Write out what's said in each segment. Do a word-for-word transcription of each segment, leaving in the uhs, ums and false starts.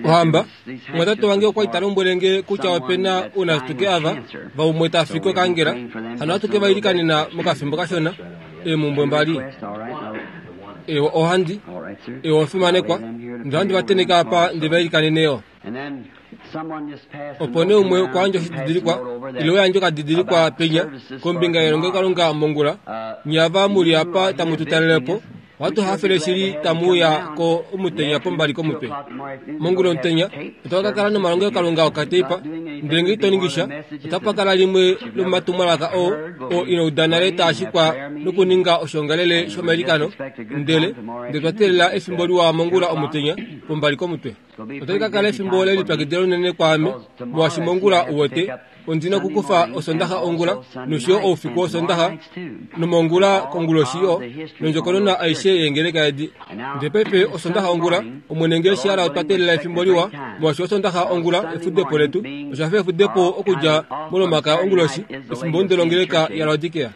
Ohamba, omwatate wange okwa li ta lombwele nge kutya ope na ounasituke ava vaumwe ta fi kokangela, hano ohatu ke va ilikanena mokafimbo kashona, eemumbwe mbali. Ewa ohandi, ewa ofimanekwa, ndele ohandi va tenheke apa ndi va ilikanene yo. Opo nee umwe okwa yandja oshididilikwa, ile wa yandja okadidilikwa penya, kombinga yelongelokalunga mongula, nye ava mu li apa tamu tu talele po, ohatu hafele shili tamu uya ko omutenya pombali komutwe. Mongula omutenya, otwa ka kala nomalongelokalunga okateipa, ndele ngee ito ningi sha, otapa kala limwe lomomatumwalaka oo, oo ino uda nale taa shikwa nokuninga oshoongalele shomailikano, ndele, ndele twa teelela efimbo liwa mongula omutenya, pombali komutwe. Otali ka kala efimbo lelipyakidilo linene kwaame, molwaashi mongula uwete, ondi na okukufa Osondaxa ongula, nosho yo oufiku wOsondaxa, nomongula konguloshi yo, nondjokonona aishe yeengeleka edi. Ndele paife Osondaxa ongula, Omwene ngee shi hala otwa teelela efimbo liwa, molwaashi Osondaxa ongula efudepo letu, osha fa efudepo okudja mOlomakaya onguloshi, efimbo longeleka yaLaodikea.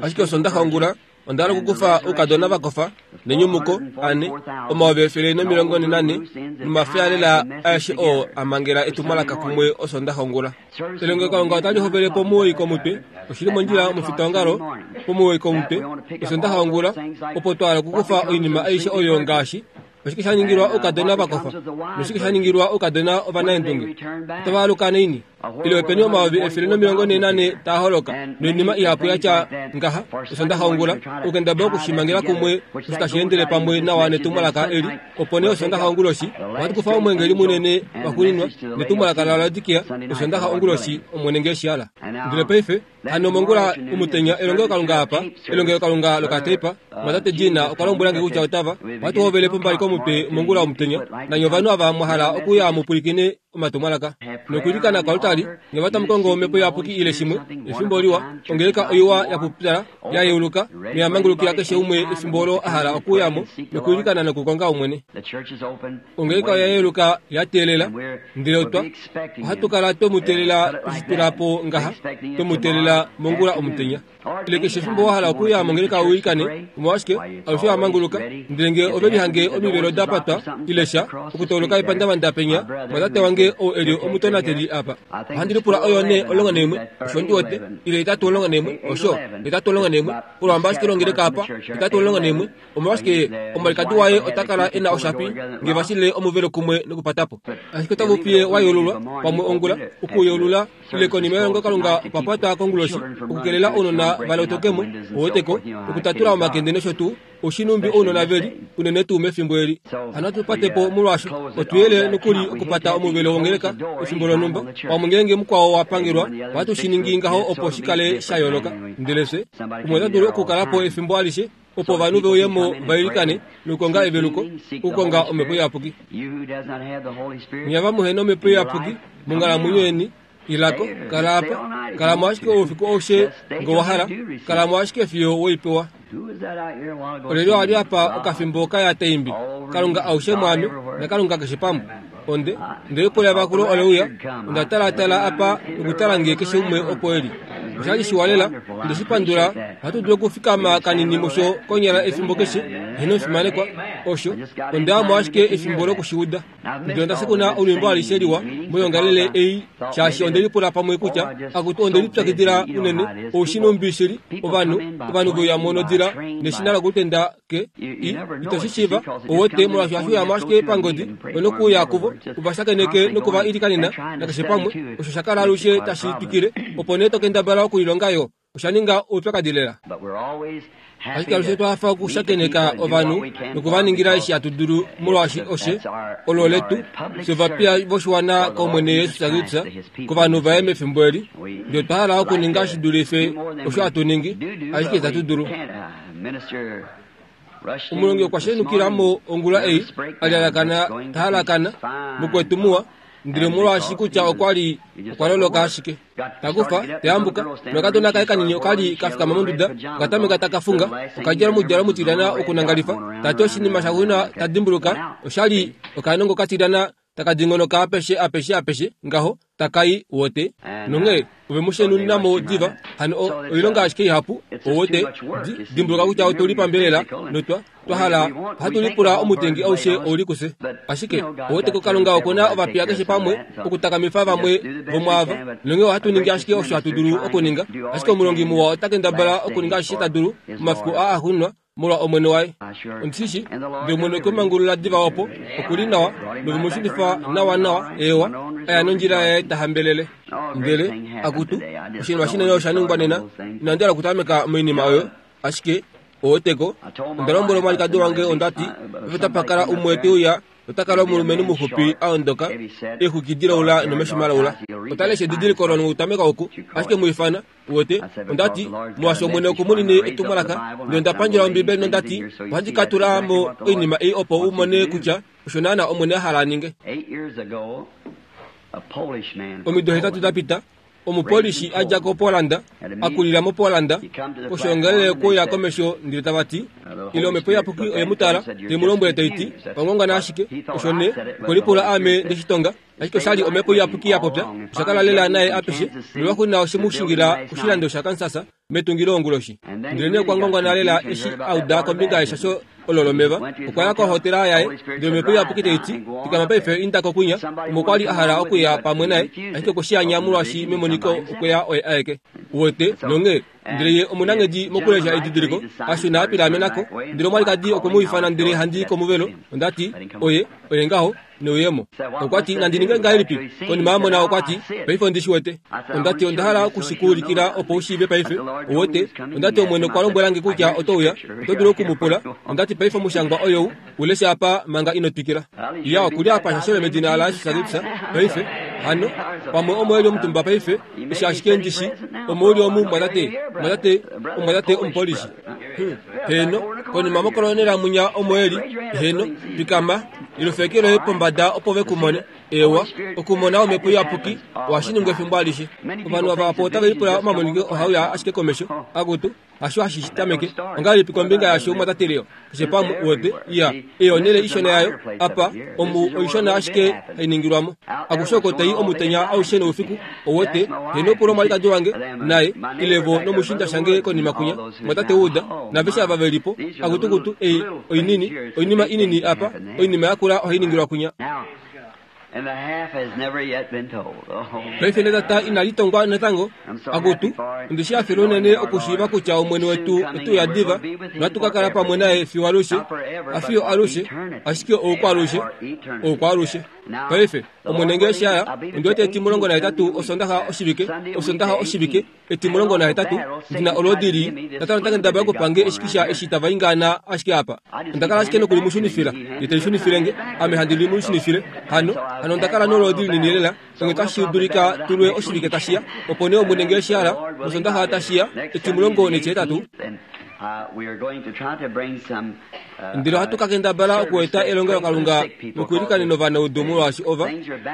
Ashike Osondaxa ongula, onda hala okukufa oukadona vakofa, nenyumuko, ane, omayovi efele nomilongo nane, nomafyaalela aeshe oo a mangela etumwalaka kumwe Osondaxa ongula. Elongelokalunga otali hovele pomuwoi komutwe, oshili mondjila omufitaongalo, pomuwoi komutwe, Osondaxa ongula, opo twa hala okukufa oinima aishe oyo ngaashi, oshike sha ningilwa oukadona vakofa, noshike sha ningilwa oukadona ovanaendunge, otava aluka naini? Ile openi omayovi efele nomilongo nhee nane taa holoka, noinima ihapu ya tya ngaha, Osondaxa ongula, okukendabala okushimangela kumwe osho tashi endele pamwe nawa netumwalaka eli. Opo nee Osondaxa onguloshi, ohatu kufa omweengeli munene waxuuninwa, netumwalaka laLaodikea, Osondaxa onguloshi, Omwene ngee shi hala. Ndele paife, hano mongula omutenya elongelokalunga apa, elongelokalunga lokateipa, mwatate Gina okwa lombwela nge kutya otava, ohatu hovele pombali komutwe mongula omutenya, nanye ovanhu ava mwa hala okuya mu pwilikine omatumwalaka. Nokwiilikana koaltari, nge va tamu kongo omhepo iyapuki ile shimwe, efimbo liwa, ongeleka oiwa ya pupyala, ya yeuluka, noya mangulukila keshe umwe efimbo olo a hala okuuya mo, nokwiilikana nokukonga Omwene. Ongeleka oya yeuluka ya teelela, ndele otwa, ohatu kala twe mu teelela twe shi tula po ngaha, twe mu teelela mongula omutenya. Ile keshe efimbo wa hala okuya mongeleka u ilikane, omolwashike, alushe wa manguluka, ndele ngee ove lihange omivelo da patwa ile sha, okutauluka epandavanda penya, mwatate wange ou e li omutonateli apa. Ohandi lipula oyo nee omulongo naimwe, osho ndi wete, ile hetatu omulongo naimwe, osho, hetatu omulongo naimwe, olwamba ashike longeleka apa, hetatu omulongo naimwe, omolwashike, omwalikadi waye ota kala e na oshapi, nge va shilile omuvelo kumwe nokupata po. Ashike otava fiye wa yeululwa, pamwe ongula, okuyeulula, ile konima yelongelokalunga okwa patwa konguloshi, okukelela ounona va lotoke mo, ouweteko, okutatula omakende nosho tuu, oshinumbi ounona ve li, unene tuu mefimbo eli. Hano ohatu pate po molwaasho, otu yele nokuli okupata omuvelo wongeleka efimbo lonhumba, pamwe ngeenge mukwao wa pangelwa, ohatu shi ningi ngaho opo shi kale sha yooloka. Ndele fye, umwe ota dulu okukala po efimbo alishe, opo ovanhu ve uye mo va ilikane nokukonga eveluko, okukonga Omhepo Iyapuki. Nye ava muhe nomhepo iyapuki monghalamwenyo yeni, ilako, kala apa, kala mo ashike oufiku aushe nge wa hala, kala mo ashike fiyo we i pewa. Olyelye a li apa okafimbo kaya ta imbi, Kalunga aushe mwaame, naKalunga keshe pamwe? Onde, onde lipula evakulo ole uya, onda talaatala apa nokutala nge keshe umwe opo e li. Osha li shiwa lela, onde shi pandula. Ohatu dulu okufikama kanini musho konyala efimbo keshe, eheno fimanekwa. Osho, onda ya mo ashike efimbo loku shi uda. Ndele onda shikuna olwiimbo alishe liwa moyoongalele ei, shaashi onde lipula pamwe kutya, akutu onde lipyakidila unene, oushinumbi shili, ovanhu, ovanhu ve uya mo nodila neshina lokutenda ke, i, ito shi shiiva, ouwete, molwaashi ohashi uya mo ashike pangodi, onokuuya kuvo, u va shakeneke noku va ilikanena, nakeshe pamwe, osho sha kala alushe tashi twikile, opo nee to kendabala okulilonga yo. Osha ninga oupyakadi lela. Ashike alushe otwa hafa okushakeneka ovanhu noku va ningila eshi hatu dulu molwaashi oshe olo letu fye ovapiya voshiwana kOmwene Jesus Kristus kovanhu vaye mefimbo eli. Ndele otwa hala okuninga shi dulife osho hatu ningi, ashike itatu dulu. Omulongi okwa shenukila mo ongula ei, a lyalakana ta halakana, mukwetu muwa, ndele molwaashi kutya okwa li okwa loloka ashike. Takufa, tayambuka, nokadona kaye kanini oka li ka fikama monduda, oka tameka taka funga, oka djala omudjalo mutilyana wokunangalifa, ta ti oshinima shaxuuninwa ta dimbuluka osha li okanongo katilyana taka dingonoka apeshe apeshe apeshe ngaho, taka i, wote. Nonghee, Ove mu shenunina mo diva hano oilonga ashike ihapu owote dimbuluka kutya otuli pambelela notwa twahala ohatu lipula omutengi aushe ouli kuse ashike owote kokalunga okuna ovapiya keshe pamwe okutakamifa vamwe vomwaava nonge ohatu ningi ashike osho hatu dulu okuninga ashike omulongi muwa ota kendabala okuninga ashishe ta dulu omafiku aa axuuninwa molwa omwene waye ondishishi ndele omwene okwemangulula diva opo okuli nawa novemushunifa nawa nawa ewa aya nondjila yaye tahambelele ndele akutu oshinima shinene osha ningwa nena inandi hala okutameka moinima oyo ashike oweteko onda lombwela omwalikadi wange ondati ove tapakala umwe teuya otakala omulumenhu muxupi aondoka eexwiki dilaula nomesho malaula otalesha edidiliko nokutameka oku ashike muifana wote ondati molwaashi omwene okumunine etumwalaka ndele onda pandjela ombibeli nondati ohandi ka tula mo oinima ei opo u mone kutya osho naana omwene a hala a ninge. Omido hetatu da pita omupolishi a dja koPolanda akulila moPolanda koshoongalele okuya komesho ndele tava ti ile omhepo iyapuki oye mu tala te mu lombwele tai ti ongongana ashike osho ne okwelipula aame ndeshitonga ashike oshali omhepo iyapuki ya popya osha kala lela naye apeshe nolwaxuuninwa oshe mu shingila koshilando shaKansas metungilo onguloshi ndele nee okwa ngongona lela eshi a uda kombinga yeshasho olo lomeva okwa ya kohotela yaye ndele omhepo iyapuki tai ti fikama paife inda kokunya omo kwali a hala okuya pamwe naye ashike okwe molwaashi memoniko okweya oye aeke wote nonge ndele ye omunanghedi mokulesha edidiliko ashuna apilamenako ndele omwalikadi okwe mu ifana ndele handi komuvelo ondati oye oye ngaho neuyemo okwati nandi ninge ngahelipi konima amona okwati paife ondishi wete ondati onda hala okushikuulikila opo ushiive paife owote ondati omwene okwa lombwelange kutya otouya oto dulu okumupula ondati paife omushangwa oyou ulesha apa manga ino twikila ya okuli apa shashele medina laJesus Kristus paife hano pamwe omo eli omutumba paife eshi ashike ndishi omo uli omu mwatate mwatate omwatate omupolishi heno konima mokolonela munya omo eli heno pikama ilofeke loye pombada opo vekumone ewa okumona omhepo iyapuki ohashiningwa efimbo alishe ovanhu ava otava lipula omamoniko ohauya ashike komesho akutu hasho hashishitameke ongahelipi kombinga yasho mwatate Leo keshe pamwe wote ya eyo onhele ishona yayo apa omu oishona ashike hainingilwamo akushe oko tai omutenya aushe noufiku owote heno pula omwalikadi wange naye ilevo nomushinda shange konima kunya mwatate uda naveshe ava velipo akutukutu ei oinini oinima inini apa oinima yakula ohainingilwa kunya. Paife netata inalitongwa natango akutu ondishi hafele unene okushiiva kutya omwene wetu otuya diva nohatu ka kala pamwe naye fiyo alushe afiyo alushe ashike oukwalushe oukwalushe paife omwene ngee shaya ondiwete etimulongo nahetatu osondaxa oshivike osondaxa oshivike etimulongo nahetatu ndina olwoodi lii tata notanghendabala okupange eshikisha eshi tava ingaana ashike apa ondakala ashike nokulimushunifila ye telishunifilenge ame handi limushunifile hano hano ondakala noloodi linini lela onge tashi dulika tulwe oshivike tashiya opo nee omwene ngee shihala mosondaxa tashiya etimulongo netihetatu ndele ohatu ka kendabala okueta elongelokalunga nokuilikanena ovanaudu molwaashi ova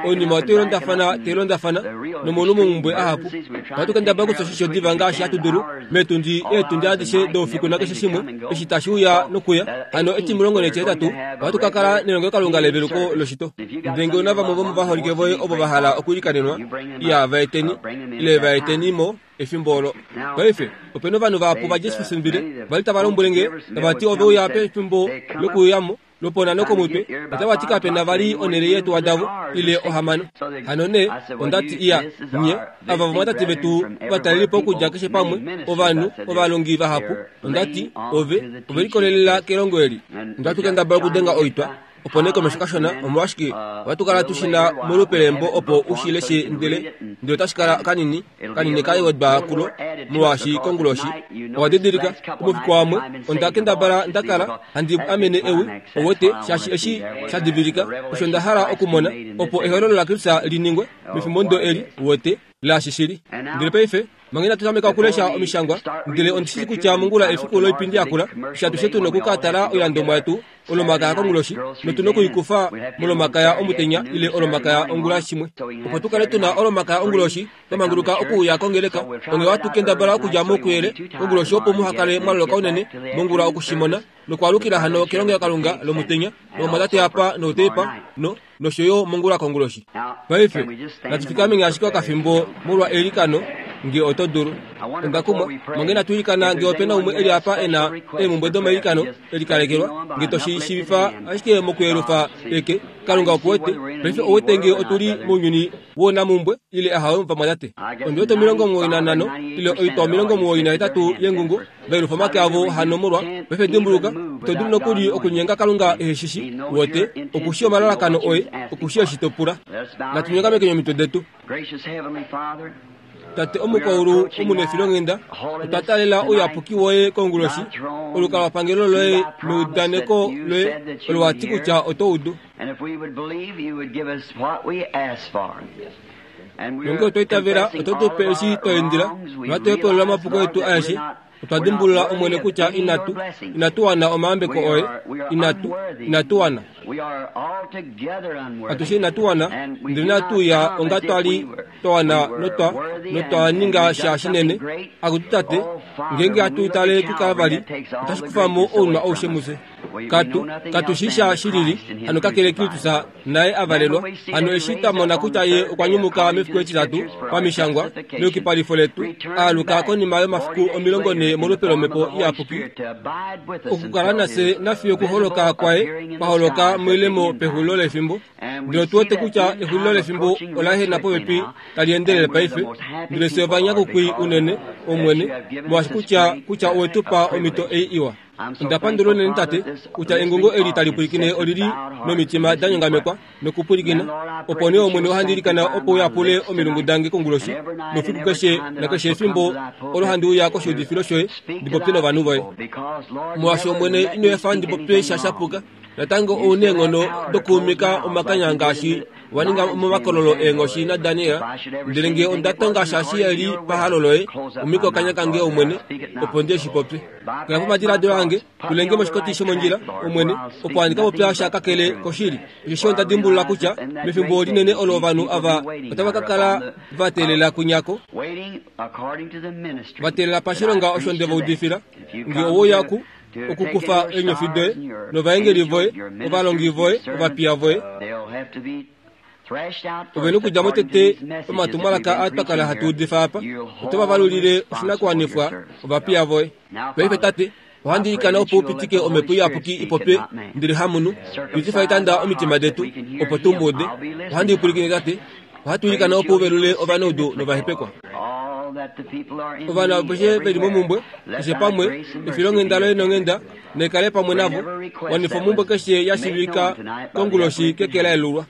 oinima otailondafana tailondafana nomolumumbwe ahapu ohatu kendabala okufya oshisho diva ngaashi hatu dulu meetundi eetundi adishe doufiku nakeshe shimwe eshi tashi uya nokuya hano etimulongo netihetatu ohatu ka kala nelongelokalunga leveluko loshito ndele ngee una vamwe vomovaholike voye ovo va hala okuilikanenwa iya vaeteni ile vaeteni mo efimbo olo paife opena ovanhu vahapu vaJeffersonville vali tava lombwelenge tava ti ove uya pefimbo lokuyamo lopona nokomutwe otava ti kapena vali onhele yeetuwa davo ile ohamano hano nee ondati iya nye ava vamwatate vetu vatalelipo okudja keshe pamwe ovanhu ovalongi vahapu ondati ove ove likolelela kelongo eli ondatu kendabala okudenga oitwa opo nee komesho kashona omolwashike ohatu kala tushina molupe lembo opo ushileshe ndele ndele otashi kala kanini kanini kaiwedwa kulo molwaashi konguloshi owa didilika omufiku wamwe onda kendabala ndakala handi amene ewi owote shaashi eshi sha divilika osho nda hala okumona opo ehololo laKristus liningwe mefimbo ndo eli wote laashi shili ndele paife manga inatu tameka okulesha omishangwa ndele ondishi kutya mongula efiku loipindi yakula shatushe tuna okukatala oilandomwa yetu olomakaya konguloshi notuna okuikufa molomakaya omutenya ile olomakaya ongula shimwe opo tukale tuna olomakaya onguloshi twamanguluka okuuya kongeleka onge watu kendabala okudja mokuyele konguloshi opo muhakale mwaloloka unene mongula okushimona nokwaalukila hano kelongelokalunga lomutenya nomwatate apa noutepa no nosho yo mongula konguloshi paife natufikameni ashike okafimbo molwa eilikano nge oto dulu. Onda kumwa mange natuilikana nge opena umwe eli apa ena eemhumbwe domailikano elikalekelwa nge toshi shiivifa ashike mokuyelufa eke. Kalunga okuwete paife owete nge otuli mounyuni woonamumbwe ile ahawe vamwatate. Ondiwete omilongo omuwoi nanhano ile oitwa omilongo omuwoi nahetatu yengungu vayelufa omake avo hano molwa. Paife dimbuluka ito dulu nokuli okunyenga Kalunga eheshishi wote okushi omalalakano oye okushi eshi to pula. Natunyongameke omitwe detu. Tate omukwaulu omunefilonghenda otwa talela ouyapuki woye konguloshi olukalwapangelo loye meudaneko loye olo wati kutya oto udu. Nonge otwa itavela oto tupe eshi twa indila nohatu hepulula omapuko etu aeshe. Otwa dimbulula Omwene kutya inatu inatu wana omayambeko oye, inatu inatu wana atushe inatu wana, ndele natuya onga twali twa wana notwa notwa ninga sha shinene. Akutu Tate, ngeenge hatu tale kuKalvari otashi kufa mo ounwa aushe mufye. Katu katu shi sha shilili hano kakele Kristus naye avalelwa. Hano eshi twamona kutya ye okwa nyumuka mefiku etitatu pamishangwa meyukipalifo letu, aaluka konima yomafiku omilongo ne molupe lomhepo iyapuki okukala nafye nafiyo okuholoka kwaye kwaholoka moilemo pexulilo lefimbo. Ndele otu wete kutya exulilo lefimbo ola ehena popepi tali endelele paife. Ndele fye ovanyakukwi unene, Omwene, molwaashi kutya kutya owetupa omhito ei iwa. Onda pandula unene Tate kutya engungo eli tali pwilikine olili nomitima da nyongamekwa nokupwilikina. Opo nee Omwene ohandi ilikana opo uyapule omilungu dange konguloshi noufiku keshe nakeshe efimbo olo handi uya koshiudifilo shoye ndi popye novanhu voye. Molwaashi Omwene ino efa ndi popye sha shapuka, natango ouna eenghono dokuumika omakanya ngaashi wa ninga momakololo eenghoshi naDaniel. Ndele nge onda tonga sha shi eli pahalo loye, umika okanya kange Omwene, opo ndi eshi popye. Kala pomadiladilo ange, tulenge moshikoti shomondjila, Omwene, opo handi ka popya sha kakele koshili. Osheshi onda dimbulula kutya mefimbo linene olo ovanhu ava otava ka kala va teelela kunyako, va teelela pashilonga osho nde va udifila. Nge oweuya ku okukufa eenyofi doye novaengeli voye, ovalongi voye, ovapiya voye, ove nokudja mo tete omatumwalaka aa twa kala hatu udifa apa, oto va valulile oshinakuwanifwa ovapiya voye. Paife Tate, ohandi ilikana opo upitike omhepo iyapuki ipopye ndele hamunhu, yutifa etanda omitima detu opo tu mu ude. Ohandi pwilikine Tate, ohatu ilikana opo uvelule ovanaudu novahepekwa. Ovanhu aveshe veli momumbwe keshe pamwe, efilonghenda loye nonghenda naikale pamwe navo. Wanifa omumbwe keshe ya shiivika konguloshi keke la yelulwa.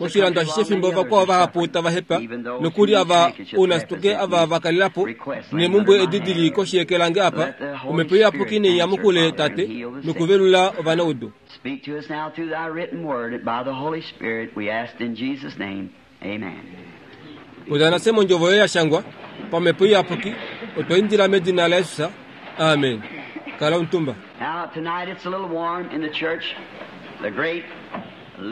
Moshilando ashishe fimbo vakwao vahapu tava hepa, nokuli ava ounasituke ava va kalela po neemumbwe edi dili koshi yeke lange apa, omhepo iyapuki neinyamukule Tate nokuvelula ovanaudu. Speak to us now through thy written word by the Holy Spirit, we ask in Jesus' name. Amen. Popya nafye mondjovo yoye ya shangwa pamhepo iyapuki, otwa indila medina laJesus. Amen. Kala omutumba. Now tonight it's a little warm in the church. The great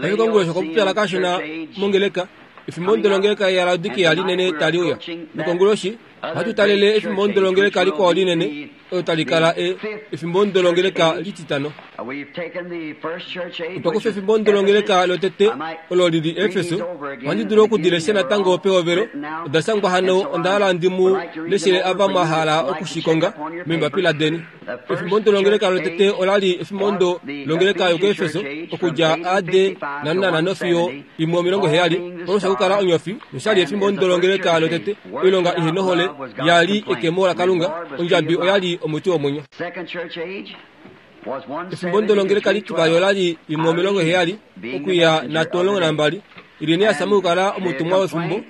Paife konguloshi okwa kashona mongeleka, efimbo ndolongeleka yaLaodikia linene tali uya. Nokonguloshi ohatu talele efimbo ndolongeleka likwao linene olo tali kala e efimbo ndolongeleka lititano. We've taken the first church age, Otwa which kufa is efimbo ndolongeleka Ephesus. lotete I might olo lili read these Efeso. over again Ohandi at dulu the okudilesha beginning. They're natango all pehovelo. written out. Oda shangwa And hano so onda I hala ndi mu would like to read them leshele over ava for you mwa that hala like to check okushikonga up on your meembapila papers. deni. The first Efimbo ndolongeleka church lotete age olali efimbo was ndo the longeleka Ephesian yokuEfeso church age from okudja eighteen A D fifty-five to nanana fiyo one seventy, imwe omilongo Paul heyali. being the Paulus okukala star onyofi noshali and efimbo is the first ndolongeleka church lotete age. Works oilonga without ihenohole love was God's yali complaint. ekemo laKalunga, Reward was tree ondjabi of life. oyali omuti womwenyo. Second church age was one Efimbo seventy to ndolongeleka three litivali twelve. olali imwe omilongo Irene heyali being the okuya messenger nhatu of the omulongo day. nambali. Irenaeus And okukala the omutumwa wefimbo. complaint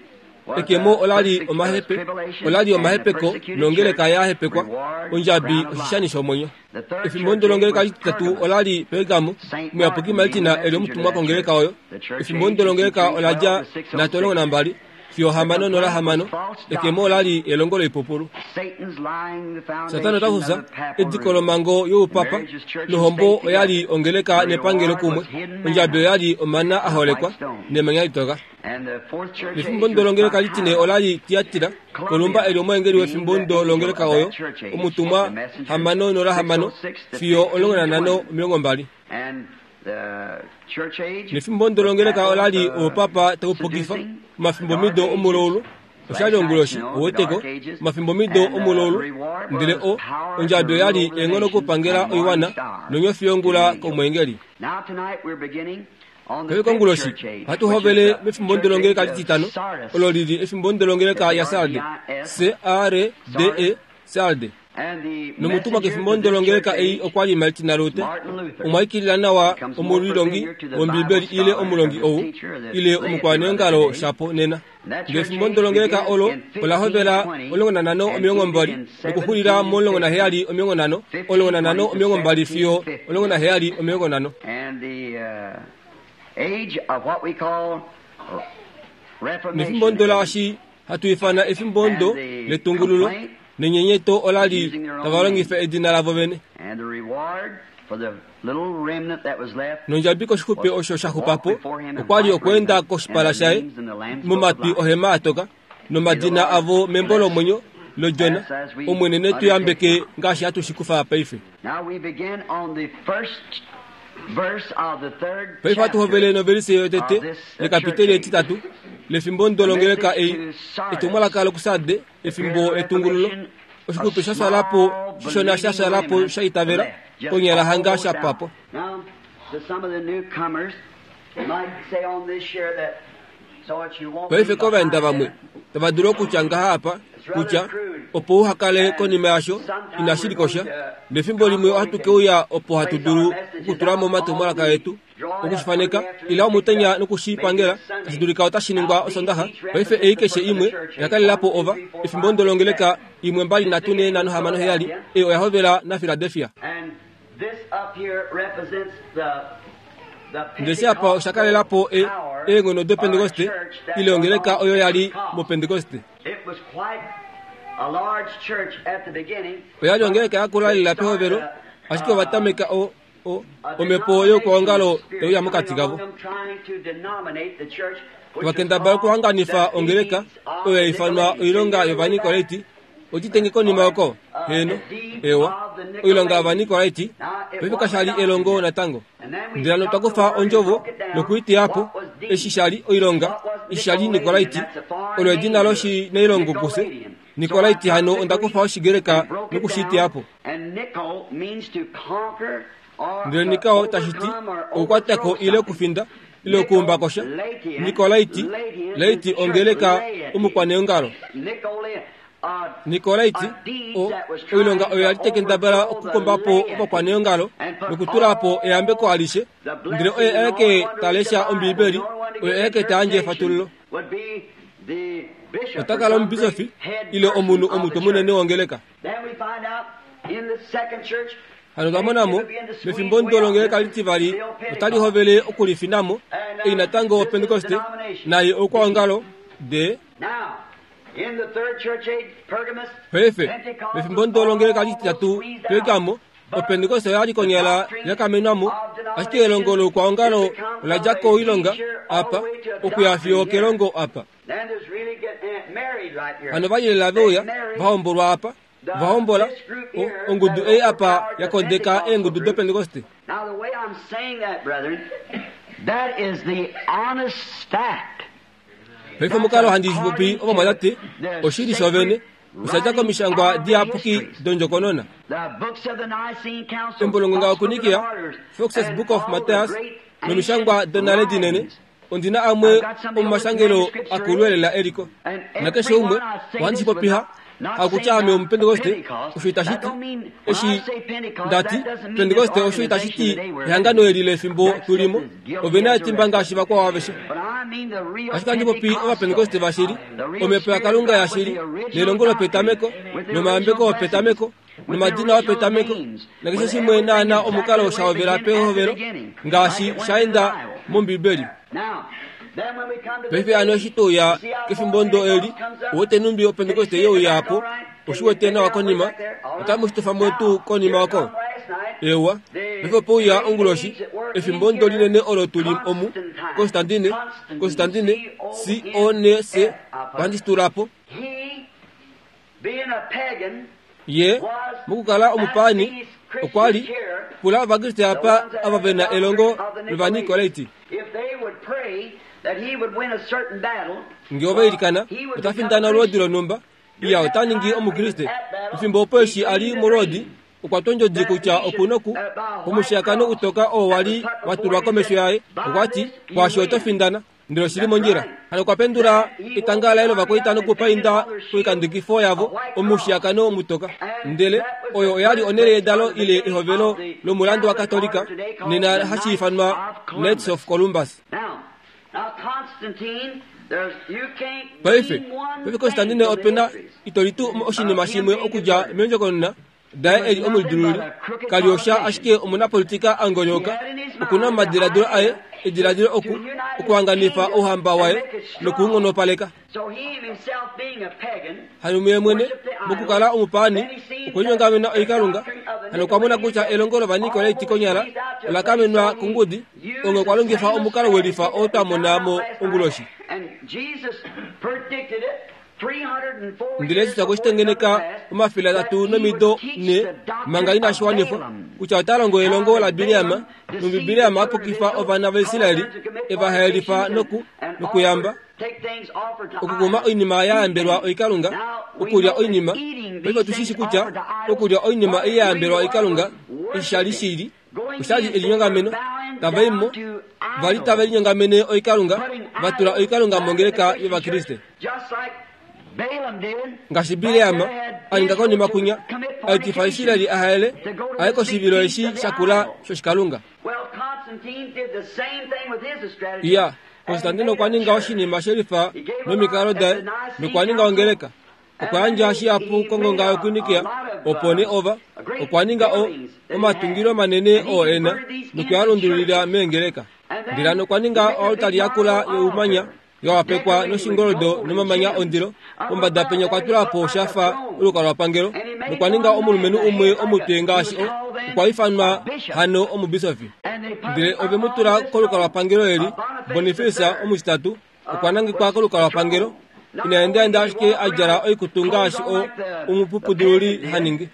was Ekemo the olali perse- uh, omahepe tribulation olali and the omahepeko persecuted nongeleka church, yahepekwa, reward, ondjabi crown of life. oshishani shomwenyo. The third Efimbo church age ndolongeleka was lititatu Pergamos. olali Pergamo, Saint omuyapuki Martin being the Martina eli messenger to omutumwa that kongeleka church. oyo. The church Efimbo age is from ndolongeleka three twelve oladja to six oh nhatu omulongo six. nambali fiyo The hamano nola complaint was hamano. false Ekemo doctrine. olali elongo loipupulu. Satan's lying the Satana foundation ota of fusa the papal ediko rule. lomango The youpapa marriage of church and nohombo state oyali together. ongeleka The nepangelo reward kumwe. was hidden Ondjabi manna oyali omana and a aholekwa white stone. nemanya litoka. And the fourth church Efimbo age was ndolongeleka litine Thyatira. olali Tiatira, Kolumba Columbia eli omweengeli being wefimbo the angel ndolongeleka of oyo, that church age, omutumwa the messenger, hamano nola six hamano oh six to fiyo omulongo fifteen nanhano twenty. omilongo mbali. And the church age Nefimbo was ndolongeleka papal olali uh, oupapa taupukifa seducing, the omafimbo dark mido ages, omuloulu Oshali onguloshi oweteko mafimbo mido omulolu ndele o ondjabi oyali eenghono okupangela oiwana nonyofi yongula komwengeli. Paife konguloshi ohatu hovele mefimbo ndolongeleka lititano olo lili efimbo ndolongeleka ya Sarde C A R D E Sarde. Nomutumwa kefimbo ndolongeleka ei okwa li Martin Luther, omwaikilila nawa omulilongi wOmbibeli ile omulongi ou ile omukwaneongalo shapo nena. Ngefimbo ndolongeleka olo ola hovela omulongo nanhano omilongo mbali nokuxulila momulongo naheyali omilongo nhano omulongo nanhano omilongo mbali fiyo omulongo naheyali omilongo nhano. Nefimbo ndolaashi hatu ifana efimbo ndo letungululo nenyenyeto ola li tava longifa edina lavo vene. Nondjabi koshixupe osho sha xupapo okwa li okweenda koshipala shaye momatwi ohema atoka nomadina avo membo lomwenyo lodjona. Omwene ne tu yambeke ngaashi hatu shi kufa paife. Paife hatu hovele novelise yotete lekapiteli etitatu lefimbo ndolongeleka ei etumwalaka lokusade efimbo etungululo oshixupe sha swalapo shishona sha swalapo sha itavela konyala hanga sha pwapo. Paife kovaenda vamwe tava dulu okutya ngaha apa kutya opo uhakale konima yasho inashi likosha nefimbo limwe ohatu keuya opo hatu dulu okutula mo omatumwalaka etu okushifaneka ila omutenya nokushipangela tashi dulika otashi ningwa osondaxa. Paife ei keshe imwe oyakalelapo ova efimbo ndolongeleka imwe mbali nhatu nhee nhano hamano heyali ei oya hovela naPhiladelphia. Ndele apa osha kalelapo e eenghono dopentekoste ile ongeleka oyo yali mopentekoste. Oyali ongeleka yakula lela pehovelo ashike ovatameka o o omhepo youkwaongalo teuya mokati kavo. Ovakendabala okuhanganifa ongeleka oyo yaifanwa oilonga yovanikolaiti otitenge konima oko heno ewa oilonga yovanikolaiti paife kashali elongo natango. Ndele hano twakufa ondjovo nokuiteyapo eshi shali oilonga eshi shali nikolaiti olo edina loshinailongo kufye Nikolaiti hano ondakufa oshigreka nokushiteyapo. Ndele nikao tashiti okukwatako ile okufinda ile okuumbakosha. Nikolaiti laiti ongeleka omukwaneongalo. Nikolaiti o oilonga oyo yali tekendabala okukombapo ovakwaneongalo nokutulapo eyambeko alishe ndele oye aeke talesha Ombibeli oye aeke tayandje efatululo. Otakala omubisofi ile omunhu omutwe munene wongeleka. Hano twamonamo mefimbo ndolongeleka litivali otali hovele okulifinamo ei natango Pentekoste naye oukwaongalo de paife mefimbo ndolongeleka lititatu Pergamo opentekoste oyali konyala yakamenwamo ashike elongo loukwaongalo oladja koilonga apa okuya fiyo kelongo apa. Hano valyelela veuya vahombolwa apa vahombola ongudu ei apa yakondeka eengudu dopentekoste. Paife omukalo handi shipopi ovamwatate oshili shovene oshadja komishangwa diyapuki dondjokonona. Embo longonga okunikia Fox's Book of Matthias nomishangwa donale dinene ondina amwe omumashangelo akulwelela eliko. Nakeshe umwe ohandi shipopiha hakutya ame omupentekoste osho itashiti eshi ndati pentekoste osho itashiti ehangano eli lefimbo tulimo ovena etimba ngaashi vakwao aveshe. Ashike handi popi ovapentekoste vashili omhepo yaKalunga yashili nelongo lopetameko nomayambeko opetameko nomadina opetameko nakeshe shimwe naana omukalo shahovela pehovelo ngaashi shaenda mOmbibeli. Paife hano eshi touya kefimbo ndo eli owete numbi opentekoste yeuya apo oshiwete nawa konima otamu shitofamo tuu konima oko ewa. Paife opouya onguloshi efimbo ndo linene olo tuli omu Constantine Constantine C O N C ohandi shitulapo. Ye mokukala omupaani okwa li pula ovakriste apa ava vena elongo lovanikolaiti. Ngee ova ilikana ota findana olwoodi lonhumba, iya ota ningi omukriste. Efimbo opo eshi a li molwoodi, okwa twa ondjodi kutya oku noku omushiyakano utoka oo wali watulwa komesho yaye. Okwa ti, "Kwaashi oto findana." Ndele oshili mondjila. Hano okwa pendula etanga laye lovakwaita nokupainda koikandekifo yavo omushiyakano mutoka. Ndele oyo oyali onhele yedalo ile ehovelo lomulandu waKatolika, nena hashi ifanwa Knights of Columbus. Paife, paife Constantine opena itolitu oshinima shimwe okudja meendjokonona daye eli omulidululi, kali osha ashike omunapolitika angolyoka. Okuna omadiladilo aye, ediladilo oku okuhanganifa ouhamba waye nokuunghonopaleka. Hano muye mwene mokukala omupaani okwe linyongamena oikalunga. Hano okwa mona kutya elongo lOvanikolaiti konyala ola kamenwa kongudi, onge okwa longifa omukalo welifa oo twa mona mo onguloshi. Ndele Jesus okwe shi tengeneka omafele atatu nomido ne manga inashi wanifwa, kutya ota longo elongo laBileam, numbi Bileam a pukifa ovana vaIsraeli, e va haelifa noku nokuyamba, okukuma oinima ya yambelwa oikalunga, okulya oinima. Paife otu shi shi kutya okulya oinima ei ya yambelwa oikalunga eshi sha li shili, oshali elinyongameno. Tava i mo, vali tave linyongamene oikalunga, va tula oikalunga mongeleka yOvakriste. Ngaashi Bileam a ninga konima kunya, a etifa Israeli a haele, aye koshivilo eshi shakula shoshikalunga. Iya, Constantine okwa ninga oshinima shelifa nomikalo daye, nokwa ninga ongeleka. Okwa yandja shihapu kongonga yoKinikia, opo nee ova okwa ninga o omatungilo manene oo ena, noku a lundululila meengeleka. Ndele hano okwa ninga oaltari yakula youmanya yawapekwa noshingoldo nomamanya ondilo. Pombada penya okwa tula po shafa olukalwapangelo, nokwa ninga omulumenhu umwe omutwe ngaashi o okwa ifanwa hano omubisofi. Ndele ove mu tula kolukalwapangelo eli, Boniface omutitatu okwa nangekwa kolukalwapangelo. Ina endaenda ashike a djala oikutu ngaashi o omupupudululi ha ningi.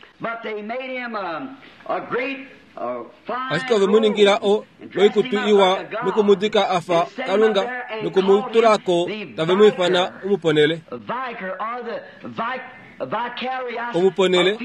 Ashike ove mu ningila o oikutu iwa nokumudika a fa Kalunga, nokumutulako tave mu ifana omuponele. Omuponele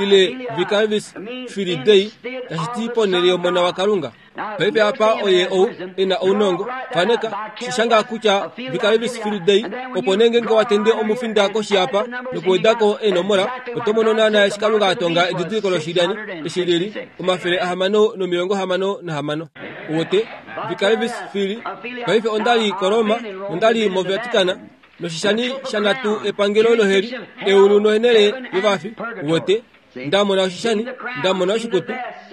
ile Vicarius Filii Dei, tashi ti ponele yomona waKalunga. Paife apa oye ou e na ounongo, faneka, shishanga kutya Vicarius Filii Dei, opo nee ngeenge watende omufinda koshi apa nokuwedako eenomola, oto mono naana eshi Kalunga a tonga edidiliko loshilyani eshi lili omafele ahamano nomilongo hamano nahamano. Uwete Vicarius Filii. Paife onda li koRoma, onda li moVatican, noshishani shanhatu epangelo loheli, eulu nohenele yovafi. Uwete, nda mona oshishani, nda mona oshikutu,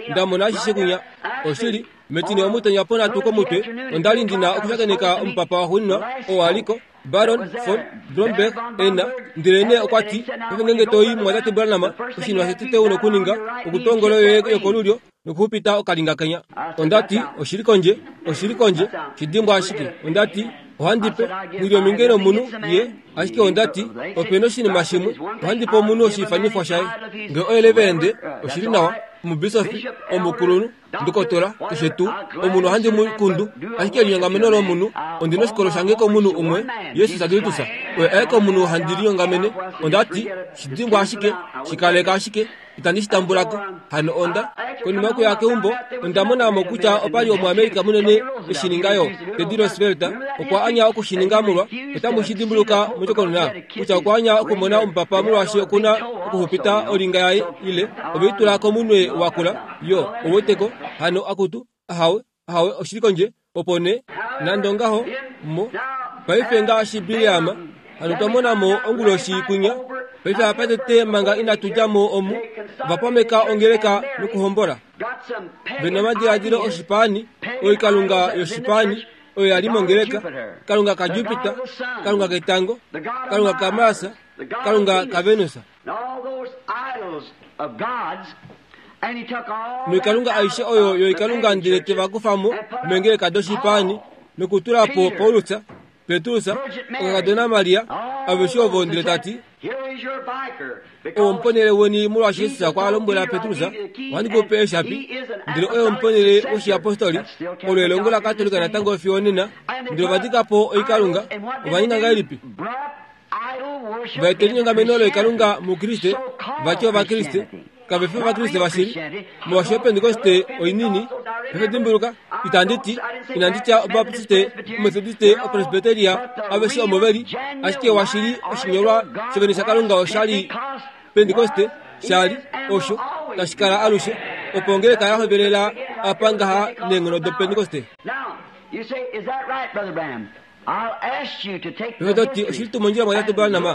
nda mona ashishe kunya. Oshili, metine omutenya ponhatu komutwe, onda li ndina okushakeneka omupapa waxuuninwa oo aliko, Baron von Blomberg ena. Ndele nee okwa ti, paife ngeenge to i mumwatate Branham, oshinima shotete u nokuninga okutwa ongolo yoye yokolulyo nokuxupita okalinga kenya. Onda ti, oshili kondje, oshili kondje, shidimbwa ashike. Onda ti, ohandi pe nghi ominge nomunhu ye, ashike onda ti, ope oshinima shimwe, ohandi pe omunhu oshiifanifwa shaye. Ngee oye reverende, oshili nawa, omubisofi, omukulunhu, ndokotola, keshe tuu, omunhu ohandi mu kundu, ashike elinyongameno lomunhu, ondi noshikolo shange komunhu umwe, Jesus Kristus, oye aeke omunhu handi linyongamene. Onda ti, shidimbwa ashike, shikaleka ashike, itandi shi tambulako. Hano onda, konima yokuya keumbo, onda mona mo kutya opali omuAmerika munene eshi ninga yo, Teddy Roosevelt, okwa anya okushininga molwa, otamu shi dimbuluka mondjokonona, kutya okwa anya okumona omupapa molwaashi okuna okuxupita olinga yaye ile ove i tula komunwe wakula, yo, ouweteko, hano akutu, ahawe, ahawe, oshili kondje, opo nee, nande ongaho, mo, paife ngaashi Bileam, hano twa mona mo onguloshi kunya. Paife apa tete manga inatu dja mo omu, ova pameka ongeleka nokuhombola. Vena omadiladilo oshipaani, oikalunga yoshipaani, oyo yali mongeleka, kalunga kaJupiter, kalunga ketango, kalunga kaMars, kalunga kaVenus. Noikalunga aishe oyo yoikalunga ndele te va kufa mo meengeleka doshipaani nokutula po Paulus, Petrus, okakadona Maria, aveshe ovo ndele ta ti, Omuponele weni molwaashi Jesus okwa lombwela Petrus, ohandi ku pe eeshapi, ndele oye omuponele woshiapostoli, olo elongo laKatolika natango fiyo onena, ndele ova dika po oikalunga, ova ninga ngahelipi? Va eta elinyongameno loikalunga muKriste, vati Ovakriste, kave fi Ovakriste vashili, molwaashi Opentekoste oinini, paife dimbuluka, itandi ti, inandi tya Obaptiste, Omethodiste, Opresbyteria, aveshe omo veli, ashike washili oshinyolwa shovene shaKalunga oshali Pentekoste, shali, osho, tashi kala alushe, opo ongeleka ya hovelela apa ngaha neenghono doPentekoste. Paife to ti, oshili tuu mondjila mwa Branham,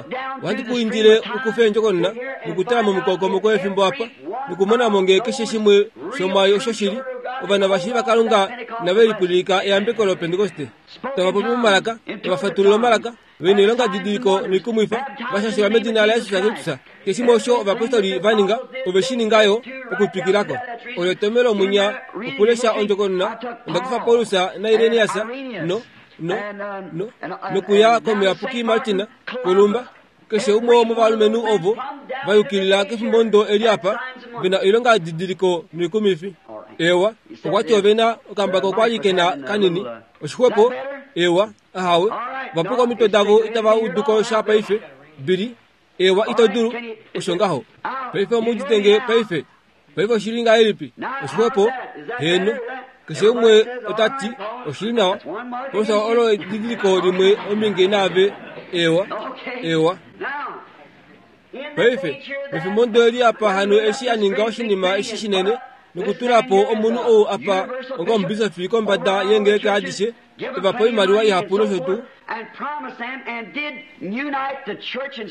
ohandi ku indile ukufe endjokonona nokutala momukokomoko wefimbo apa, nokumona ngee keshe shimwe shomwaayo oshoshili, ovana vashili vaKalunga nave lipwililika eyambeko loPentekoste. Tava popi momalaka, tava fatulula omalaka, vena oilonga didiliko noikumwifa, vashashelwa medina laJesus Kristus. Keshe shimwe osho ovapostoli va ninga, ove shi ninga yo okutwikilako. Olo etomhelo munya okulesha ondjokonona, onda kufa Paulus naIrenaeus no no no nokuya komuyapuki Martina Kolumba, keshe umwe womovalumenhu ovo va yukilila kefimbo ndo eli apa, vena oilonga didiliko noikumifi. Ewa, okwati ovena okambako kwali kena kanini, oshixwepo, ewa, ahawe, vapuka omitwe davo itava uduko sha paife, bili, ewa ito dulu, osho ngaho. Paife omuditenge paife, paife oshili ngahelipi, oshixwepo, heno, keshe umwe ota ti, oshili nawa, Paulus olo edidiliko limwe ominge naave, ewa, ewa. Paife, mefimbo ndo eli apa hano eshi a ninga oshinima eshi shinene, nokutula po omunhu ou apa onga omubisofi kombada yengeleka adishe, eva po oimaliwa ihapu nosho tuu,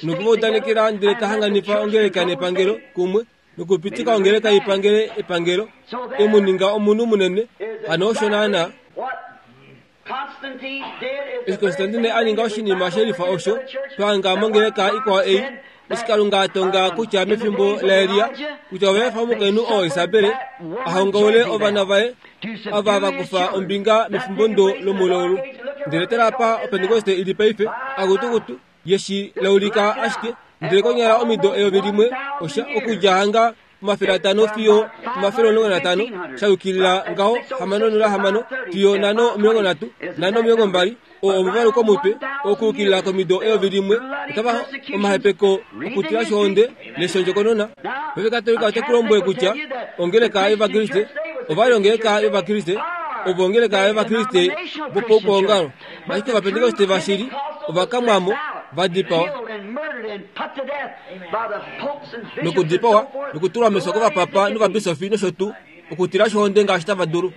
nokuva udanekela ndele ta hanganifa ongeleka nepangelo kumwe, nokupitika ongeleka ipangele epangelo, emu ninga omunhu munene, hano osho naana. Eshi Konstantine a ninga oshinima shelifa osho, twahanga mongeleka ikwao ei, eshi Kalunga a tonga kutya mefimbo laElia, kutya ova efa omukainhu oo Isabel a hongaule ovana vaye ava va kufa ombinga mefimbo ndo lomulaulu. Ndele tala apa Opentekoste ili paife, akutukutu, yeshi laulika ashike, ndele konyala omido eyovi limwe osha okudja hanga omafele atano fiyo omafele omulongo natano, sha yukilila ngaho hamano nola hamano fiyo nhano omilongo nhatu nhano omilongo mbali, oo omuvalu komutwe okuyukilila komido eyovi limwe, otava omahepeko okutila shohonde neshondjokonona. Paife Katolika ote ku lombwele kutya ongeleka yOvakriste, ovali ongeleka yOvakriste, ovo ongeleka yOvakriste vopaukwaongalo, ashike Ovapentekoste vashili ovakamwamo vadipawa nokudipawa nokutulwa mefyo kovapapa novabisofi nosho tuu, okutila shohonde ngaashi tava dulu.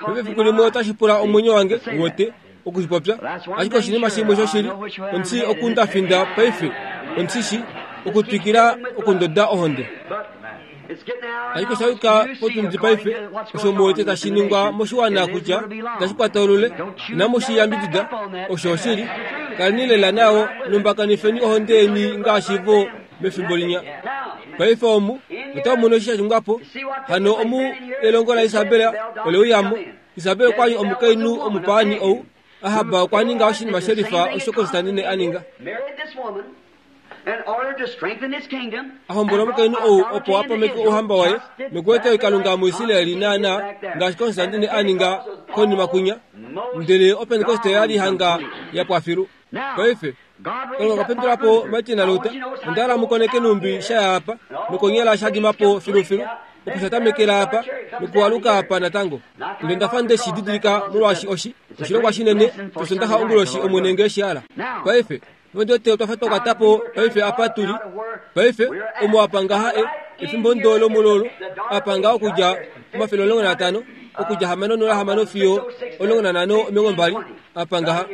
Paife efiku limwe otashi pula omwenyo wange wote okushipopya, ashike oshinima shimwe shoshili, ondi okundafinda paife, ondishi okutwikila okundoda ohonde. Ashike osha yuka potundi paife, osho muwete tashi ningwa moshiwana kutya itashi kwata olule, inamu shi yambidida, osho oshili. Kaleni lela nayo, lumbakanifeni ohonde yeni ngaashi vo mefimbo linya. Paife omu, otamu mono eshi sha ningwa po, hano omu elongo laIsabel ole uyamo. Isabel okwali omukainhu omupaani ou, Ahab okwa ninga oshinima shelifa osho Konstantine a ninga. Ahombola omukainhu ou opo a pameke ouhamba waye nokueta oikalunga muIsraeli naana ngaashi Konstantine a ninga konima kunya, ndele Opentekoste yali hanga ya pwafilu. Paife, Kalunga okwa pendula po Martin Luther, onda hala mukoneke numbi shaya apa, nokonyala sha dima po filufilu, opo sha tamekela apa, nokualuka apa natango. Ndele ndafa nde shi didilika molwaashi oshi, oshilongwa shinene, shosondaxa onguloshi Omwene ngee shi hala. Paife, ndote otwa fa twa kwata po paife apa tuli. Paife, omo apa ngaha e, efimbo ndo lomulolo, apa ngaha okudja omafele omulongo natano, okudja hamano nola hamano fiyo omulongo nanhano omilongo mbali, apa ngaha.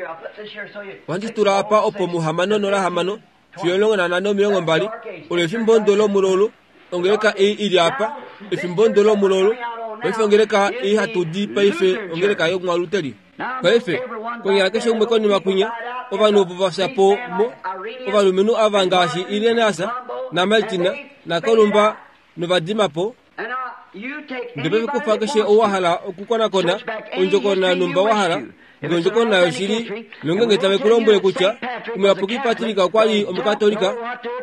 Ohandi tula apa opo muhamano nola hamano fiyo omulongo nanhano omilongo mbali, olo efimbo ndo lomulolo, ongeleka ei ili apa, efimbo ndo lomulolo, paife ongeleka ei hatu di paife ongeleka yomwaluteli. Paife, konyala keshe umwe konima kunya, ovanhu ovo va fya po mo, ovalumenhu ava ngaashi Irenaeus naMartina naKolumba novadima po. Ndele kufa keshe ou wa hala okukonakona ondjokonona numba wa hala ndele ondjokonona yoshili nongenge tave ku lombwele kutya Omuyapuki Patrick okwa li Omukatolika,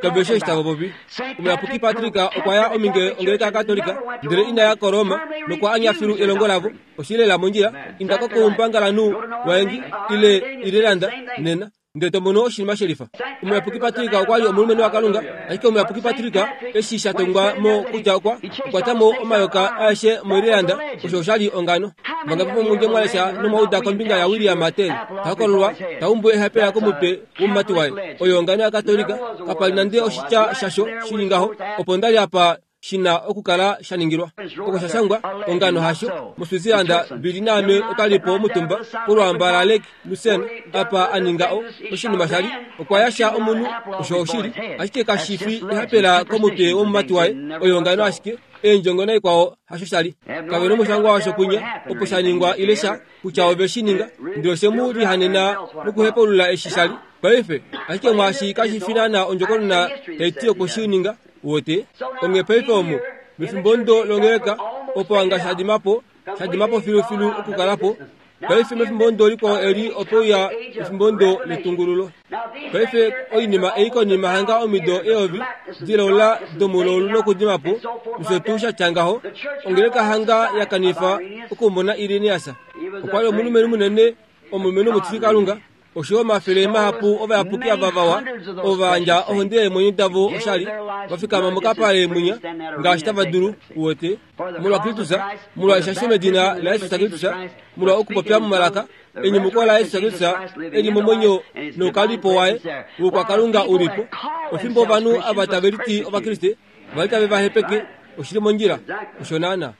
kave shi eshi tava popi. Omuyapuki Patrick okwa ya ominge ongeleka yaKatolika, ndele ina ya koRoma nokwa anya filu elongo lavo. Oshili lela mondjila, inda ko koumbangalanhu waEngi ile Irelanda nena, ndele to mono oshinima shelifa. Omuyapuki Patrick okwa li omulumenhu waKalunga, ashike Omuyapuki Patrick eshi sha tongwa mo kutya okwa okwata mo omayoka aeshe moIrelanda, osho osha li ongano. Vangapi vomunye mwa lesha nomwa uda kombinga yaWilliam Tell, ta hokololwa ta umbu ehapela komutwe womumati waye. Oyo ongano yaKatolika, kapa li nande oshitya shasho shili ngaho, opo nda li apa shina okukala sha ningilwa. Oko sha shangwa ongano hasho moSwitzerland bili naame otwalipo omutumba polwamba la Lake Lucerne apa aninga o oshinima shali okwa yasha omunhu osho oshili, ashike kashifi ehapela komutwe womumati waye. Oyo ongano ashike eendjongo naikwao hasho shali. Kave nomushangwa washo kunya opo sha ningwa ile sha kutya ove shi ninga, ndele oshe mu lihanena nokuhepulula eshi shali. Paife ashike mwaashi kashifi naana ondjokonona tai ti opo shi ninga wote onge paife omu mefimbo ndo longeleka opo anga shadimapo shadimapo filufilu okukalapo. Paife mefimbo ndo likwao eli opo ya mefimbo ndo letungululo. Paife oinima ei konima hanga omido eyovi dilola domulolu nokudimapo nosho tuu sha tya ngaho, ongeleka hanga ya kanifa okumona Irenaeus. Okwa li omulumenhu munene, omulumenhu omutili Kalunga, osho omafele mahapu ovayapuki ava vawa ova yandja ohonde yeemwenyo davo oshali, va fikama mokapale munya ngaashi tava dulu uwete molwa Kristus, molwa eshasho medina laJesus Kristus, molwa okupopya momalaka, enyumuko laJesus Kristus eli momwenyo noukalipo waye wokwakalunga ulipo. Ofimbo ovanhu ava tave liti Ovakriste vali tave va hepeke, oshili mondjila osho naana.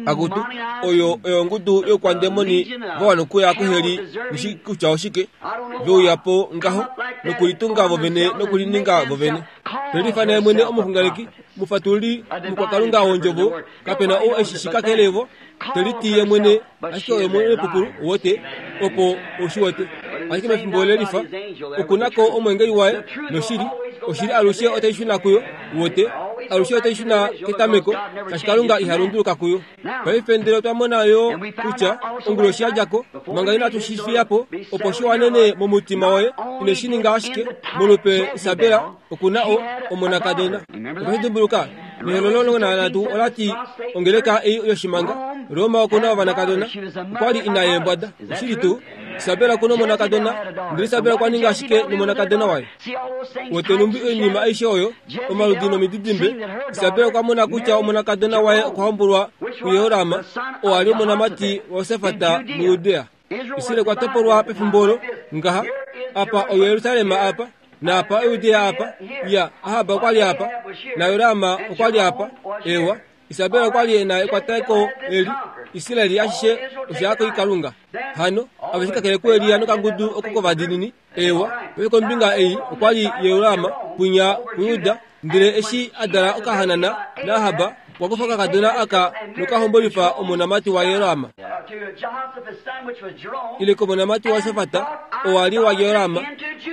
Akutu oyo oyo ongudu yokwandemoni vawana okuya kuheli nishi kutya oshike, veuyapo ngaho nokulitunga vovene nokulininga vovene. Telifa naye mwene omuxunganeki mufatululi mukwakalunga wondjovo, kapena ou eshi shikakelevo, teliti ye mwene ashike oyo mwene pupulu wote opo oshiwete. Ashike mefimbo lelifa okunako omwengeli waye noshili, oshili alushe otai shuna kuyo wote, alushe otai shuna ketameko, shaashi Kalunga iha lunduluka kuyo. Paife ndele otwa mona yo kutya onguloshi yadjako manga inatu shi fiyapo opo shi wanene momutima woye, ine shi ninga ashike molupe Isabela okuna o omonakadona. Otwa dimbuluka nehololo omulongo nanhatu olati ongeleka ei yoshimanga Roma okuna ovanakadona okwa li ina yeembwada. Oshili tuu Isabela okuna omonakadona, ndele Isabela okwa ninga ashike nomonakadona waye. Wotenumbi oinima aishe oyo omaludi nomididimbe, Isabela okwa mona kutya omonakadona waye okwa hombolwa kuYehoram, oo a li omonamati waJosafat muJudea. Israel okwa topolwa pefimbo olo ngaha, apa oYerusalem apa naapa oYudea apa, ya Ahab okwa li apa naYoram okwa li apa. Ewa, Isabela okwa li ena ekwateko eli Israeli ashishe osha koikalunga. Hano aveshe kakele kuElia nokangudu oko kovadiinini. Ewa, paife kombinga ei okwa li Yehoram punya kuJuda, ndele eshi a dala okahanana naAhab okwa kufa okakadona aka nokahombolifa omonamati waYehoram ile komonamati waJosafat oo a li waJehoram,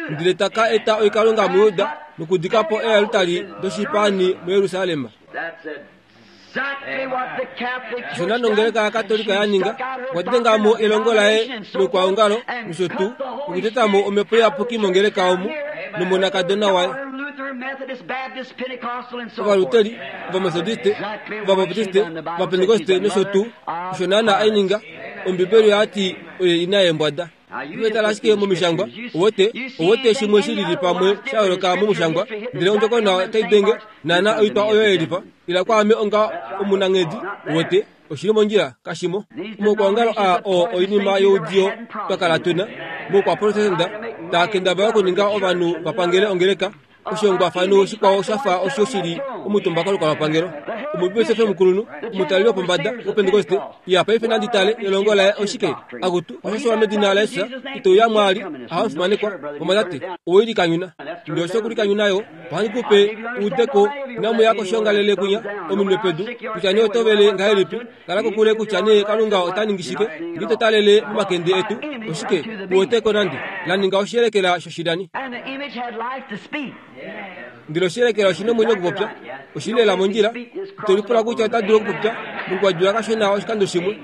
ndele taka eta oikalunga muJuda nokudika po eealtari doshipaani muJerusalem. Osho naana ongeleka yaKatolika ya ninga, okwa denga mo elongo laye lokwaongalo nosho tuu nokuteta mo omhepo iyapuki mongeleka omu nomonakadona waye. Ovaluteri, Ovametodiste, Ovabaptiste, Ovapentekoste nosho tuu, osho naana ai ninga. Ombibeli oya ti oye ina yeembwada. Tala ashike momishangwa owote owote shimwe shilili pamwe sha yooloka momushangwa, ndele ondjokonona otai denge naana oitwa oyo yelifa ila kwaame onga omunanghedi wote oshili mondjila kashimo. Omokwaongalo aa oo oinima youdiyo twa kala tuna moukwaprotestanta taa kendabala okuninga ovanhu va pangele ongeleka. Oshihongwafano shikwao shafa osho shili omutumba kolukalwapangelo. Omubisofi omukulunhu omutaleli wopombada woPentekoste ya paife nandi tale elongo laye oshike akutu oshashiwa medina laJesus ito ya mwali ahamufimanekwa vamwatate owelikanyuna ndele osho okulikanyuna yo ohandi kupe uudeko inamuya koshiongalele kunya ominwe pedu kutya nee otovele ngahelipi kala kokule kutya nee Kalunga ota ningi shike ngito talele momakende etu oshike uweteko nande la ninga oshiyelekela shoshidani. Ndele oshiyelekela oshina omwenyo okupopya Oshili lela mondjila. Ito lipula kutya ota dulu okupopya mungwadjula kashona oshikando shimwe.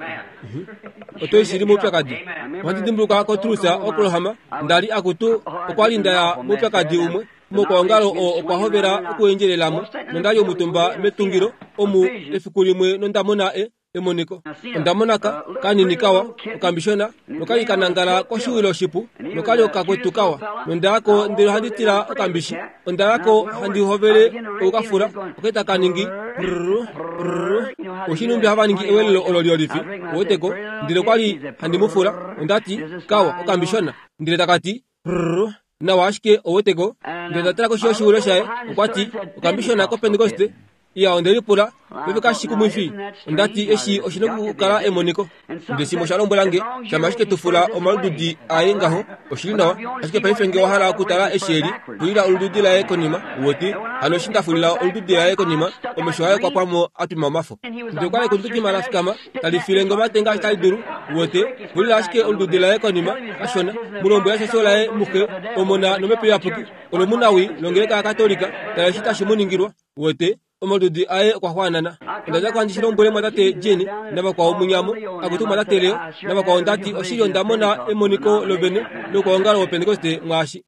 Oto ishili moupyakadi. Ohandi dimbuluka koTulsa, Oklahoma, ndali akutu okwa li ndaya moupyakadi umwe. Mokwaongalo oo okwa hovela okuendjelelamo nondali omutumba metungilo omu efiku limwe nondamona e emoniko. Ondamona ka kanini kawa okambishona nokali kanangala koshiwilo shipu nokali okakwetu kawa nondayako ndele ohandi tila okambishi. Ondayako handi hovele okukafula oketa kaningi prrr prrr. Oshinumbi hava ningi ewelelo olo liolifi oweteko ndele kwali handi mufula ondati kawa okambishona ndele takati prrr nawa ashike oweteko ndele ndatala koshi yoshiwilo shaye okwati okambishona kopentekoste. Iya ondelipula peve kashikumwifi ondati eshi oshina okukala emoniko. Ndele shimwe osha lombwela nge shama ashike tufula omalududi aye ngaho oshili nawa ashike paife nge owahala okutala eshi eli fulila olududi laye konima uwete hano eshi ndafulila olududi laye konima omesho aye okwa pwamo atwima omafo. Ndele okwali kundukima lafikama tali file nge omate ngaashi tali dulu uwete fulila ashike olududi laye konima kashona mulombwela shasho laye muxe omona nomhepo iyapuki olomunawi longeleka yakatolika tala eshi tashi muningilwa uwete omalududi aye okwa xwaanana. Ondadja ko handi shi lombwele mwatate Jeni navakwao munyamo akutu mwatate Leo navakwao ndati oshili ondamona emoniko lovene lokwaongalo wopentekoste mwaashi.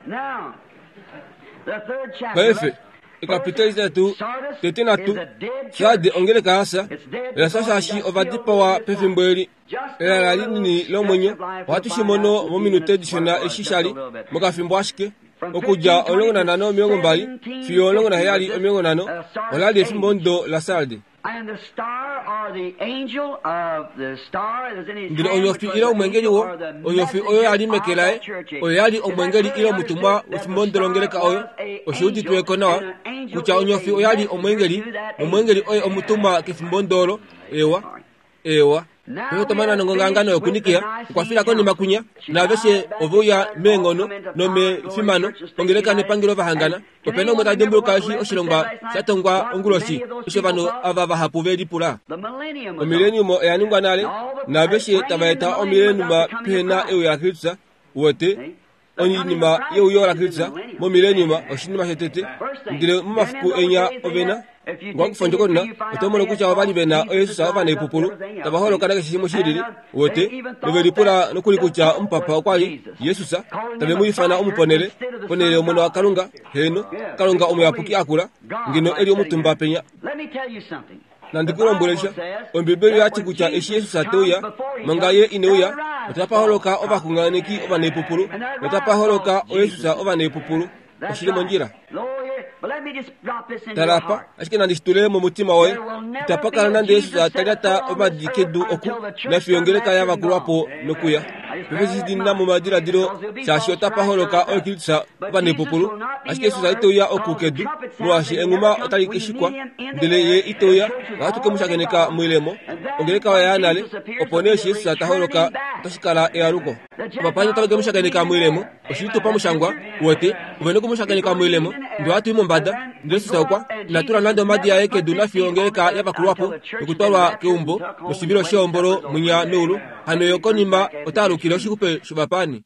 Paife ekapiteli tatu tete natu Sarde ongeleka yasa yasa shaashi ovadipawa pefimbo eli elala linini lomwenyo. Ohatu shi mono mominute dishona eshi shali mokafimbo ashike okudja omulongo nanhano omilongo mbali fiyo omulongo naheyali omilongo nhano olali efimbo ndo la Sarde. Ndele onyofi ile omwengeli wo onyofi oyo yali meke laye oyo yali omwengeli ile omutumwa wefimbo ndo longeleka oyo oshiuditweko nawa kutya onyofi oyali omwengeli omwengeli oye omutumwa kefimbo ndolo ewa ewa. Otomana nongongangano yokunikia okwafila konima kunya naaveshe oveuya meengono nomefimano ongeleka nepangelo vahangana. Opena umwe ta dimbuluka eshi oshilongwa shatongwa onguloshi eshi ovanhu ava vahapu ve lipula. Omileniumo oya ningwa nale naaveshe tava eta omileniuma pehena euyo laKristus wote oinima yeuyo laKristus momileniuma oshinima shetete ndele momafiku enya ovena ngwakufa ndjokonona oto mono kutya ovali vena oYesus ovaneipupulu tava holoka nakeshe shimwe shilili wote novelipula nokuli kutya omupapa okwali Yesus tave mu ifana omuponele ponele omona waKalunga heno Kalunga omuyapuki akula ngeno eli omutumba penya. Nandikulombwele sha Ombibeli yati kutya eshi Yesus ateuya manga ye ineuya otapa holoka ovaxunganeki ovaneipupulu notapa holoka oYesus ovaneipupulu oshili mondjila. Talapa ashike nandishitule momutima woye itapa kala nande Yesus talyata omadi kedu oku nafiyo ngeleka yavakulwapo nokuya. Pefesi dina momadiladilo shaashi otapa holoka oKristus ovaneipupulu ashike Yesus iteuya oku kedu molwaashi enghuma otali keshikwa ndele ye iteuya ohatu ke mu shakeneka moilemo ongeleka oya nale opo nee eshi Yesus ta holoka otashi kala ealuko. Ovapani otave ke mu shakeneka moilemo oshili tu pamushangwa wote ovene ku mu shakeneka moilemo ndele ohatu i mombada ndele Yesus okwa inatula nande omadi aye kedu nafiyo ongeleka yavakulwapo nokutwalwa keumbo noshivilo sheombolo munya meulu hano yo konima ota alukile oshixupe shovapani.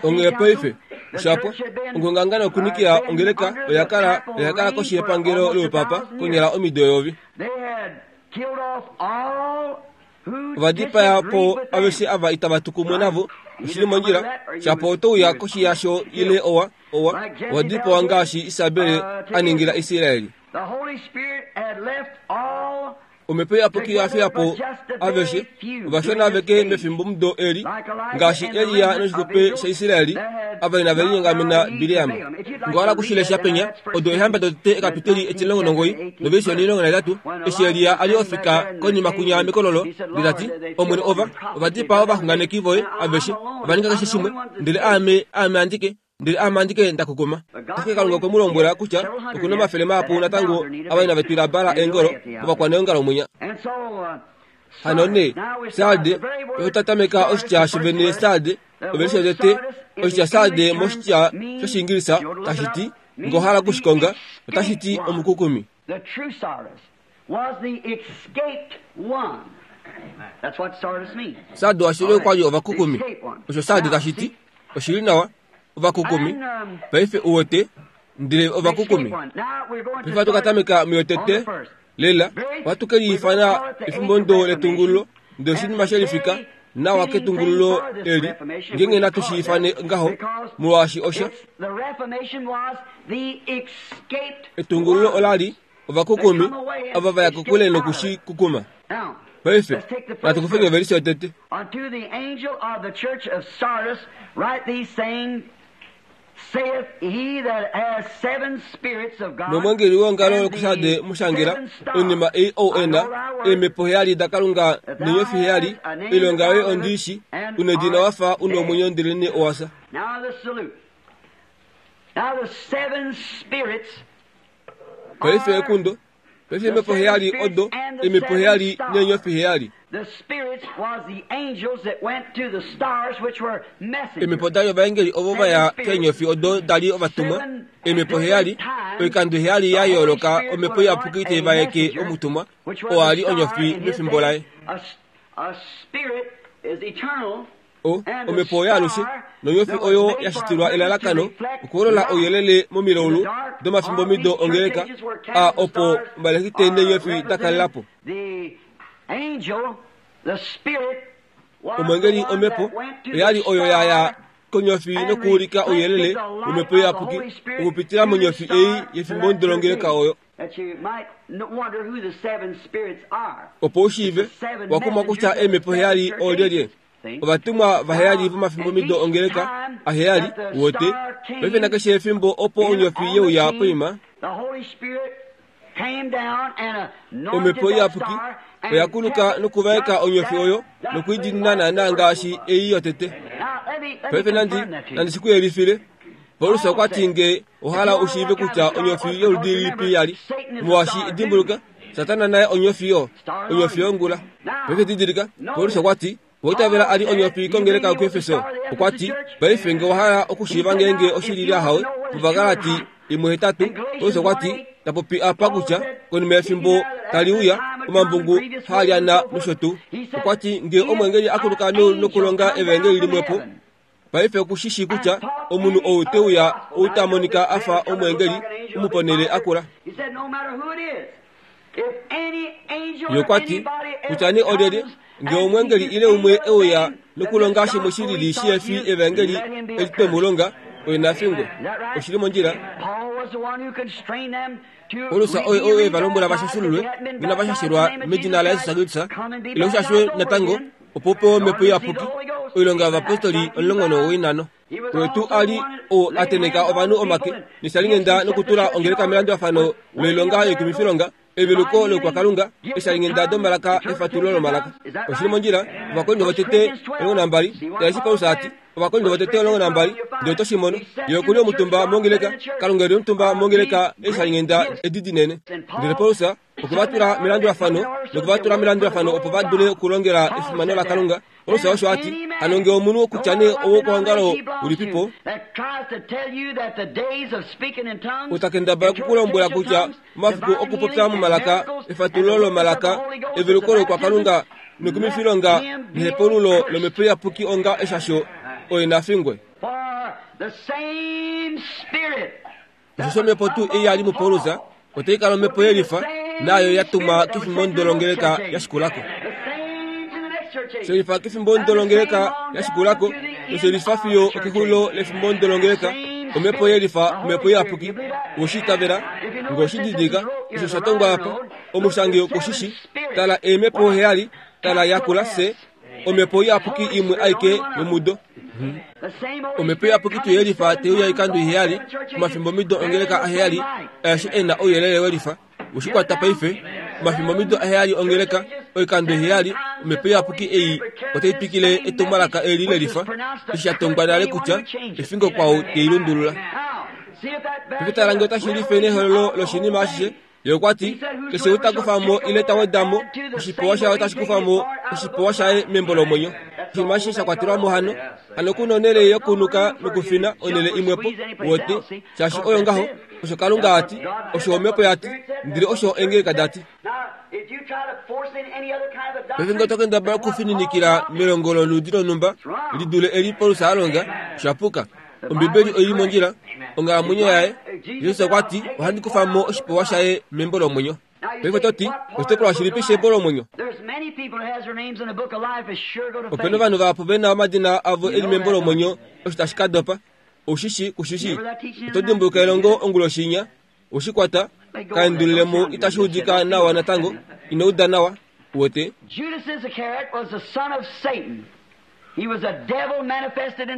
Onghee paife shapo ongongangano yokunikia ongeleka oyakala oyakala koshi yepangelo loupapa konyala omido eyovi. Ovadipaya po aveshe ava itava tu kumwe navo oshili mondjila shapo otouya koshi yasho ile owa owa ovadipawa ngaashi Isabele a ningila Israeli. Omhepo iyapuki yafiya po aveshe ovashona aveke mefimbo mudo eli ngaashi Eliya noshixupe shaIsraeli ava inave linyongamena Bileam. Ngowala kushilesha penya odo ehamba dotete ekapiteli etilongo nongoi noveisi onilongo naitatu eshi Eliya ali ofika konima kunya mekololo ndele Omwene ova ovadipaa ovaxunganeki voye aveshe ova ninga keshe shimwe ndele aame aame andike ndele aame andike ndakukuma. Ashike Kalunga okwe mu lombwela kutya okuna omafele mahapu natango ava inave twila Baal eengolo ovakwaneongalo mwinya. Hano nee Sarde otatameka oshitya shovene Sarde ovelishe yotete oshitya Sarde moshitya shOshiingilisa tashi ti ngohala kushikonga otashi ti omukukumi. The true Sardis was the escaped one. That's what Sardis means. Sarde washili okwali ovakukumi. Osho Sarde tashi ti oshili nawa ovakukumi. Paife uwete Ndele ovakukumi. Paife ohatu ka tameka muyotete lela ohatu ke liifana efimbo ndo letungululo ndele oshinima shelifika nawa ketungululo eli ngeenge natu shi ifane ngaho molwaashi osha etungululo olali ovakukumi ava vaya kokule nokushi kukuma. Paife natu kufenge ovelisi yotete. Unto the angel of the church of Sardis write these saying, saith he that has seven spirits of God. Nomwengeli weongalo lokusade mushangira oinima ei ou ena eemhepo heyali dakalunga neenyofi heyali oilonga yoye ondiishi unedina wafa una omwenyo ndelene owasa. Now the salute. Now the seven spirits. Paife ekundo. Paife eemhepo heyali odo eemhepo heyali neenyofi heyali. The spirits was the angels that went to the stars which were messengers. Eemhepo dali ovaengeli ovo vaya keenyofi odo dali ovatumwa. Eemhepo heyali oikando heyali ya yooloka omhepo iyapuki taivaeke omutumwa oo ali onyofi mefimbo laye. A spirit is eternal. O omhepo oyo alushe nonyofi oyo yashitilwa elalakano okuholola ouyelele momilaulu domafimbomido ongeleka a opo omalekite neenyofi dakalelapo. The angel, the spirit, was Omwengeli the one omhepo that went to oyali the oyo yaya star konyofi nokuulika ouyelele womhepo iyapuki okupitila monyofi ei yefimbo ndolongeleka oyo. That you might wonder who the seven spirits are. Opo ushiive wakumwa kutya eemhepo heyali oolyelye. Ovatumwa vaheyali vomafimbomido ongeleka aheyali wote. Paife nakeshe efimbo opo onyofi yeuya poima The Holy Spirit came down and anointed omhepo that iyapuki star and oyakuluka kept nokuvaeka onyofi oyo that nokuidinina naana ngaashi ei yotete. Now, let me, let me Paife nandi confirm that to you. nandi sikuyelifile. Paulus okwa ti nge ohala ushiive kutya onyofi yoludi lilipi yali molwaashi dimbuluka Satana naye onyofi yo onyofi yongula. Paife didilika Paulus okwa ti owaitavela ali onyofi kongeleka yokuEfeso. Okwa ti paife nge owahala okushiiva ngeenge oshili ahawe muVagalati imwe hetatu. Paulus okwa ti tapopi apa kutya konima yefimbo tali uya omambungu haalyana nosho tuu. Okwa ti nge omwengeli akuluka nokulonga evangeli limwepo paife okushishi kutya omunhu ou te uya ou ta monika afa omwengeli umuponele akula. He said, no matter who it is, if any angel or Ye okwa ti anybody else kutya ni olyelye comes nge and omwengeli teaches ile umwe any other euya thing nokulonga than this shimwe gospel shilili we shi taught efi you, evangeli let him be eli accursed. twemulonga oye nafingwe. Is that right? Oshili mondjila. Paul was the one who constrained them to Paulus oye be oye valombwela rebaptized vashashululwe if they hadn't been ngena baptized vashashilwa in the name of medina la Jesus Yesu Christ, Kristus come and be ile ushashwe baptized over natango again. opo upewe omhepo iyapuki oilonga yovapostoli omulongo nowoinano. Oyo tuu ali oo ateneka ovanhu omake neshalingenda nokutula ongeleka melandulafano loilonga yoikumifilonga eveluko loukwakalunga eshalingenda domalaka efatululo lomalaka. Oshili mondjila. Ovakorinto votete omulongo nambali tala Paulus ati Ovakorinto votete omulongo nambali ndele oto shi mono ye okuli omutumba mongeleka Kalunga eli omutumba mongeleka eshalingenda edi dinene. Ndele Paulus okuvatula melandulafano nokuvatula melandulafano opo va dule okulongela efimano laKalunga. Paulus osho ati hano nge omunhu kutya nee owokuongalo ulipipo That tries to tell you that the days of speaking in tongues, utakendabala kukulombwela kutya omafiku okupopya momalaka efatululo lomalaka eveluko lokwakalunga nokumifilonga nehepululo lomhepo iyapuki onga eshasho oye nafingwe. For the same spirit Osho omhepo tuu ei yali muPaulus otai kala omhepo yelifa naayo yatumwa kefimbo ndolongeleka yashikulako. the same to the next church age. Shelifa kefimbo ndolongeleka yashikulako noshelifa fiyo okexulilo lefimbo ndolongeleka omhepo yelifa omhepo iyapuki oshiitavela ngoshididilika osho sha tongwa apa omushangi okoshishi tala eemhepo heyali tala yakula se omhepo iyapuki imwe aike yomudo. The same Holy Omhepo Spirit iyapuki coming tuyelifa seven teuya times oikando all iheyali seven church ages. omafimbomido ongeleka aheyali ayeshi ena ouyelele welifa oshikwata paife omafimbomido aheyali ongeleka oikando iheyali omhepo iyapuki ei otai twikile etumwalaka eli lelifa eshi sha tongwa nale kutya efingo kwao teilundulula. Now, see if that bears Paife tala nge otashi life nehololo loshinima ashishe. Ye okwa ti keshe ou ta kufa mo ile ta weda mo oshipewa shaye otashi kufa mo oshipewa shaye membo lomwenyo. Oshinima ashishe sha kwatelwa mo hano hano kuna onhele yokunuka nokufina onhele imwepo wote shaashi oyo ngaho osho Kalunga ati osho omhepo yati ndele osho engeleka dati. Now, if you try to force in any other kind of a Paife nge doctrine, oto kendabala okufininikila melongo loludi lonhumba lidule eli Paulus a longa oshapuka. Ombibeli oili mondjila onghalamwenyo yaye Jesus okwa ti ohandi kufa mo oshipewa shaye membo lomwenyo. Paife to ti oshitopolwa shilipi shembo lomwenyo? Opena ovanhu vahapu vena omadina avo eli membo lomwenyo osho tashi ka dopa. Ushishi kushishi. Oto dimbuluka elongo onguloshinya ushikwata kaendulilemo itashi udika nawa natango ino uda nawa uwete.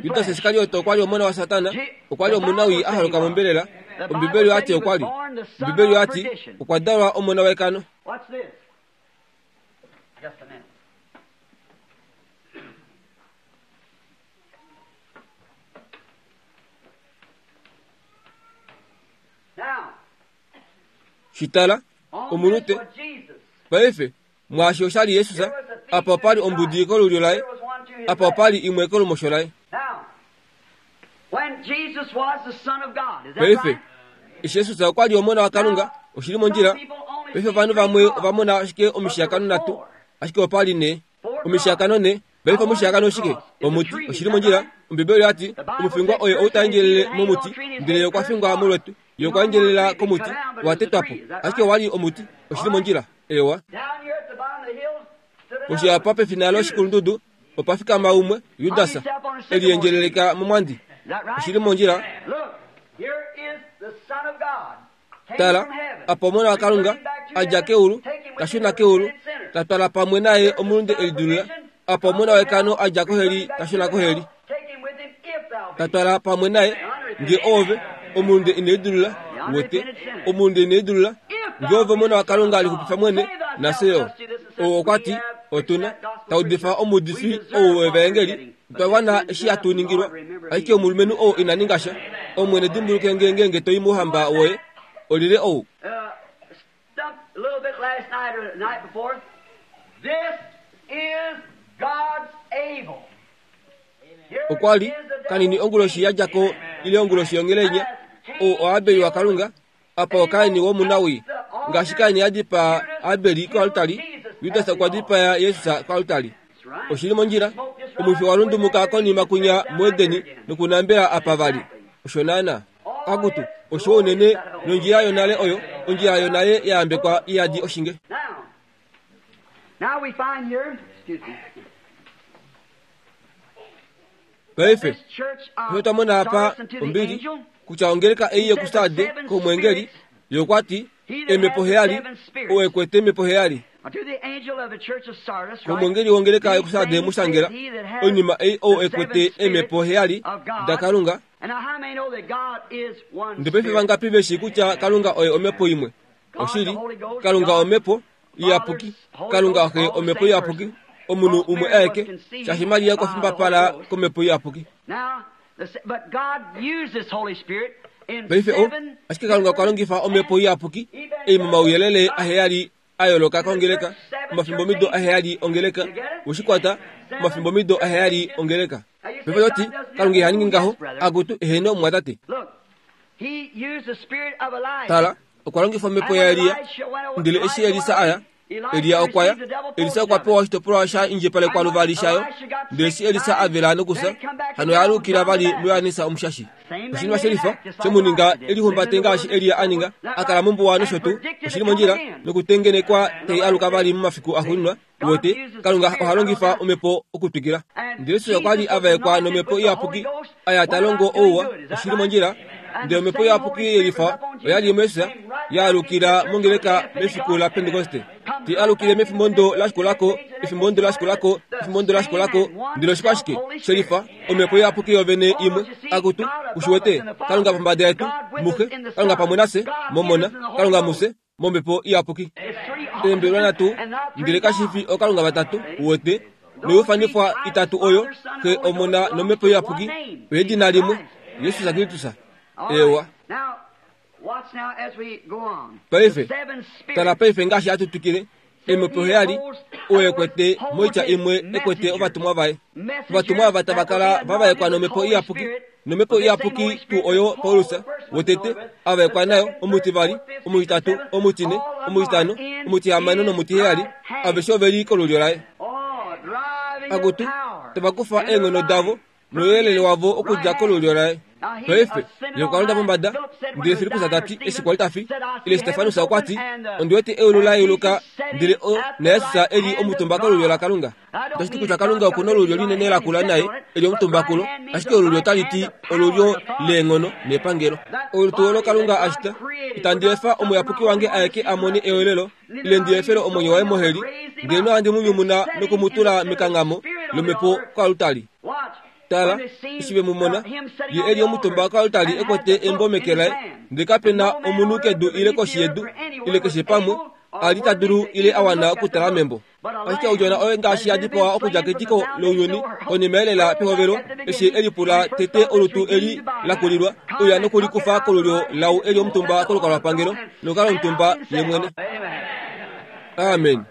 Judas Iskariot okwa li omona waSatana, okwa li omunawii a haluka mombelela. Ombibeli oyati okwa li. Ombibeli oyati okwa dalwa omona wekano. Shitala omunute paife mwaashi oshali Jesus apa opali ombudi kolulyo laye, apa opali imwe kolumosho laye. Paife eshi Jesus okwa li omona waKalunga, oshili mondjila. Paife ovanhu vamwe ova mona ashike omishiyakano nhatu, ashike opali ne omishiyakano ne. Paife omushiyakano oshike? Omuti, oshili mondjila. Ombibeli oyati omufingwa oye ou ta endjelele momuti, ndele okwa fingwa molwetu. Ye okwa endjelela komuti, wa tetwa po, ashike owali omuti, oshili mondjila. Ewa. Oshiapa pefina loshikulundudu opa fikama umwe, Judas, eliendjeleleka momwandi. Oshili mondjila. Tala, apa omona waKalunga a dja keulu, ta shuna keulu, ta twala pamwe naye omulunde elidulula. Apa omona wekano a dja koheli, ta shuna koheli, ta twala pamwe naye nge ove omulunde inelidulula wete, omulunde inelidulula nge ove omona waKalunga alixupifa mwene naseyo. Ou okwa ti otuna taudifa omuudifi ou wevaengeli, otwa wana eshi hatu ningilwa. Ashike omulumenhu ou ina ninga sha. Omwene dimbuluke nge ngeenge to i mouhamba woye. Olile ou. Okwa li kanini onguloshi ya dja ko ile onguloshi yongelenya, ou oAbeli waKalunga, apa oKaini womunawii. Ngaashi Kaini a dipaa Abeli koaltari, Judas okwa dipaya Jesus koaltari. Oshili mondjila, omwifi wa lundumuka konima kunya muEdeni nokunambela apa vali. Osho naana. Akutu, oshiwa unene nondjila yonale oyo, ondjila yonale ya yambekwa iyadi oshinge. Paife, osho twa mona apa ombili, kutya ongeleka ei yokuSarde komwengeli, ye okwa ti emhepo heyali, ou ekwete emhepo heyali. Komwengeli wongeleka yokuSarde mushangela oinima ei ou ekwete emhepo heyali daKalunga. Ndele paife vangapi veshi kutya Kalunga oye omhepo imwe? Oshili, Kalunga omhepo iyapuki, Kalunga Xe omhepo iyapuki, omunhu umwe aeke, shaashi Maria okwa fimbapala komhepo iyapuki. Paife o, ashike Kalunga okwa longifa omhepo iyapuki ei momauyelele aheyali a yooloka kongeleka, omafimbomido aheyali ongeleka, weshikwata, omafimbomido aheyali ongeleka. Paife toti, Kalunga iha ningi ngaho, akutu eheno omwatate. Tala, okwa longifa omhepo yaElia, ndele eshi Elisa aya, Elia okwa ya, Elisa okwa pewa oshitopolwa sha indjipalekwa luvali shayo, ndele eshi Elisa a vela nokufya, hano oya alukila vali muJohannes Omushashi. Oshinima shelifa shemuninga elihumbate ngaashi Elia a ninga, a kala mombuwa nosho tuu, oshili mondjila, nokutengenekwa tai aluka vali momafiku axuuninwa. Uwete, Kalunga oha longifa omhepo okutwikila. Ndele Jesus okwa li a vaekwa nomhepo iyapuki, aya ta longo ouwa, oshili mondjila. Ndele omhepo iyapuki yelifa oya li muJesus, ya alukila mongeleka mefiku laPentekoste. Te alukile mefimbo la shikulako, efimbo la shikulako, efimbo la shikulako, ndele oshiko ashike shelifa omhepo iyapuki yovene imwe. Akutu, ushiwete, Kalunga pombada yetu, muxe, Kalunga pamwe nafye, momona, Kalunga mufye, momhepo iyapuki. Eembelwa nhatu, ndele kashi fi okalunga vatatu, uwete, noiufanifwa itatu oyo, Xe, Omona nomhepo iyapuki, oyedina limwe, Jesus Kristus. Ewa. Paife, tala paife ngaashi hatu twikile, emhepo heyali oyo ekwete moitya imwe ekwete ovatumwa vaye. Ovatumwa ava tava kala vavaekwa nomhepo iyapuki, nomhepo iyapuki tuu oyo Paulus wotete avaekwa nayo, omutivali, omutitatu, omutine, omutitano, omutihamano nomutiheyali, aveshe oveli kolulyo laye. Akutu, tava kufa eenghono davo Nouyelele wavo okudja kolulyo laye. Paife, ye okwa londa pombada, ndele Filippus ta ti, eshi kwali ta fi, ile Stefanus okwa ti, ondi wete eulu la yeuluka, ndele o naJesus e li omutumba kolulyo laKalunga. Otashi ti kutya Kalunga oku na olulyo linene lakula naye e li omutumba kulo, ashike olulyo otali ti olulyo leenghono nepangelo. Olutu olo Kalunga a shita, itandi efa omuyapuki wange aeke a mone ewelelo, ile ndi efele omwenyo waye moheli, ndele nohandi mu nyumuna noku mu tula mekanghamo lomhepo koaltari. Tala, eshi ve mu mona, ye e li omutumba koaltari e kwete embo meke laye, ndele kape na omunhu kedu ile koshi yedu, ile keshe pamwe, a li ta dulu ile a wana okutala membo. Ashike odjona oyo ngaashi ya dipawa okudja ketiko lounyuni konima elela pehovelo, eshi e lipula tete olutu eli la kulilwa, uya nokulikufa kolulyo lau e li omutumba kolukalwapangelo, nokukala omutumba ye mwene. Amen.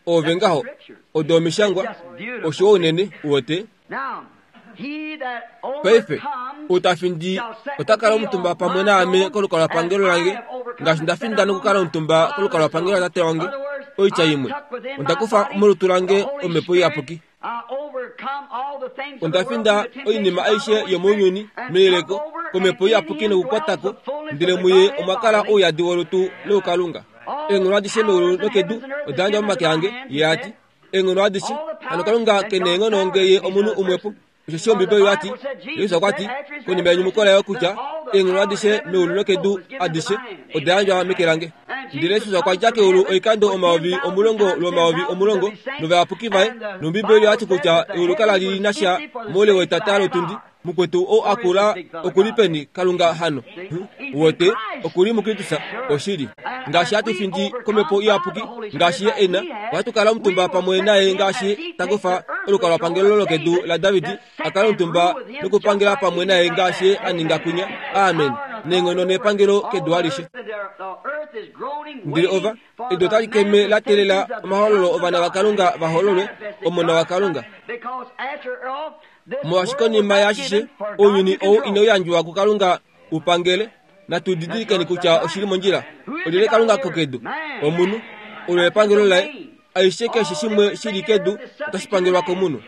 Ove ngaho, odo omishangwa, osho unene uwete. Paife, ou ta findi ota kala omutumba pamwe naame kolukalwapangelo lange, ngaashi nda finda nokukala omutumba kolukalwapangelo latate wange. Oitya imwe, onda kufa molutu lange omhepo iyapuki. Onda finda oinima aishe yomounyuni meyeleko komhepo iyapuki nokukwatako, ndele muye omwa kala ouyadi wolutu loukalunga. Eenghono adishe meulu nokedu oda yandjwa momake ange, ye a ti. Eenghono adishe, hano Kalunga ke neenghono nge ye omunhu umwepo. Osheshi Ombibeli oya ti, Jesus okwa ti, konima yenyumuko laye kutya eenghono adishe meulu nokedu adishe oda yandjwa meke lange. Ndele Jesus okwa dja keulu oikando omayovi omulongo lwomayovi omulongo novayapuki vaye, nOmbibeli oya ti kutya eulu kala li na sha moule wetata lotundi. Mukwetu ou a kula oku li peni Kalunga hano? Wote oku li muKristus oshili. Ngaashi hatu findi komhepo iyapuki, ngaashi ye e na, ohatu kala omutumba pamwe naye ngaashi ta kufa olukalwapangelo lokedu laDavid, a kala omutumba nokupangela pamwe naye ngaashi a ninga kwinya. Amen. Neenghono nepangelo kedu alishe. Ndele ova, edu otali keme la teelela omahololo ovana vaKalunga va hololwe, omona waKalunga. Molwaashi konima yaashishe, ounyuni ou inau yandjwa kuKalunga u pangele, natu didilikeni kutya oshili mondjila. Olyelye Kalunga kokedu? Omunhu. Olo epangelo laye. Aishe keshe shimwe shi li kedu otashi pangelwa komunhu.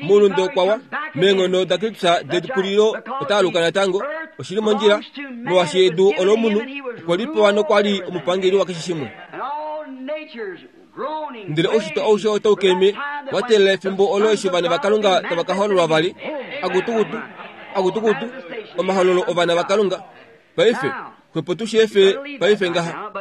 Moulunde okwa wa, meenghono daKristus dekulilo ota aluka natango. Oshili mondjila, molwaashi edu olomunhu, okwe li pewa nokwa li omupangeli wakeshe shimwe. Ndele oushitwe aushe otau keme wa teelela efimbo olo eshi ovana vaKalunga tava ka hololwa vali. Akutukutu, akutukutu, omahololo ovana vaKalunga. Paife, xwepo tu shi efe paife ngaha.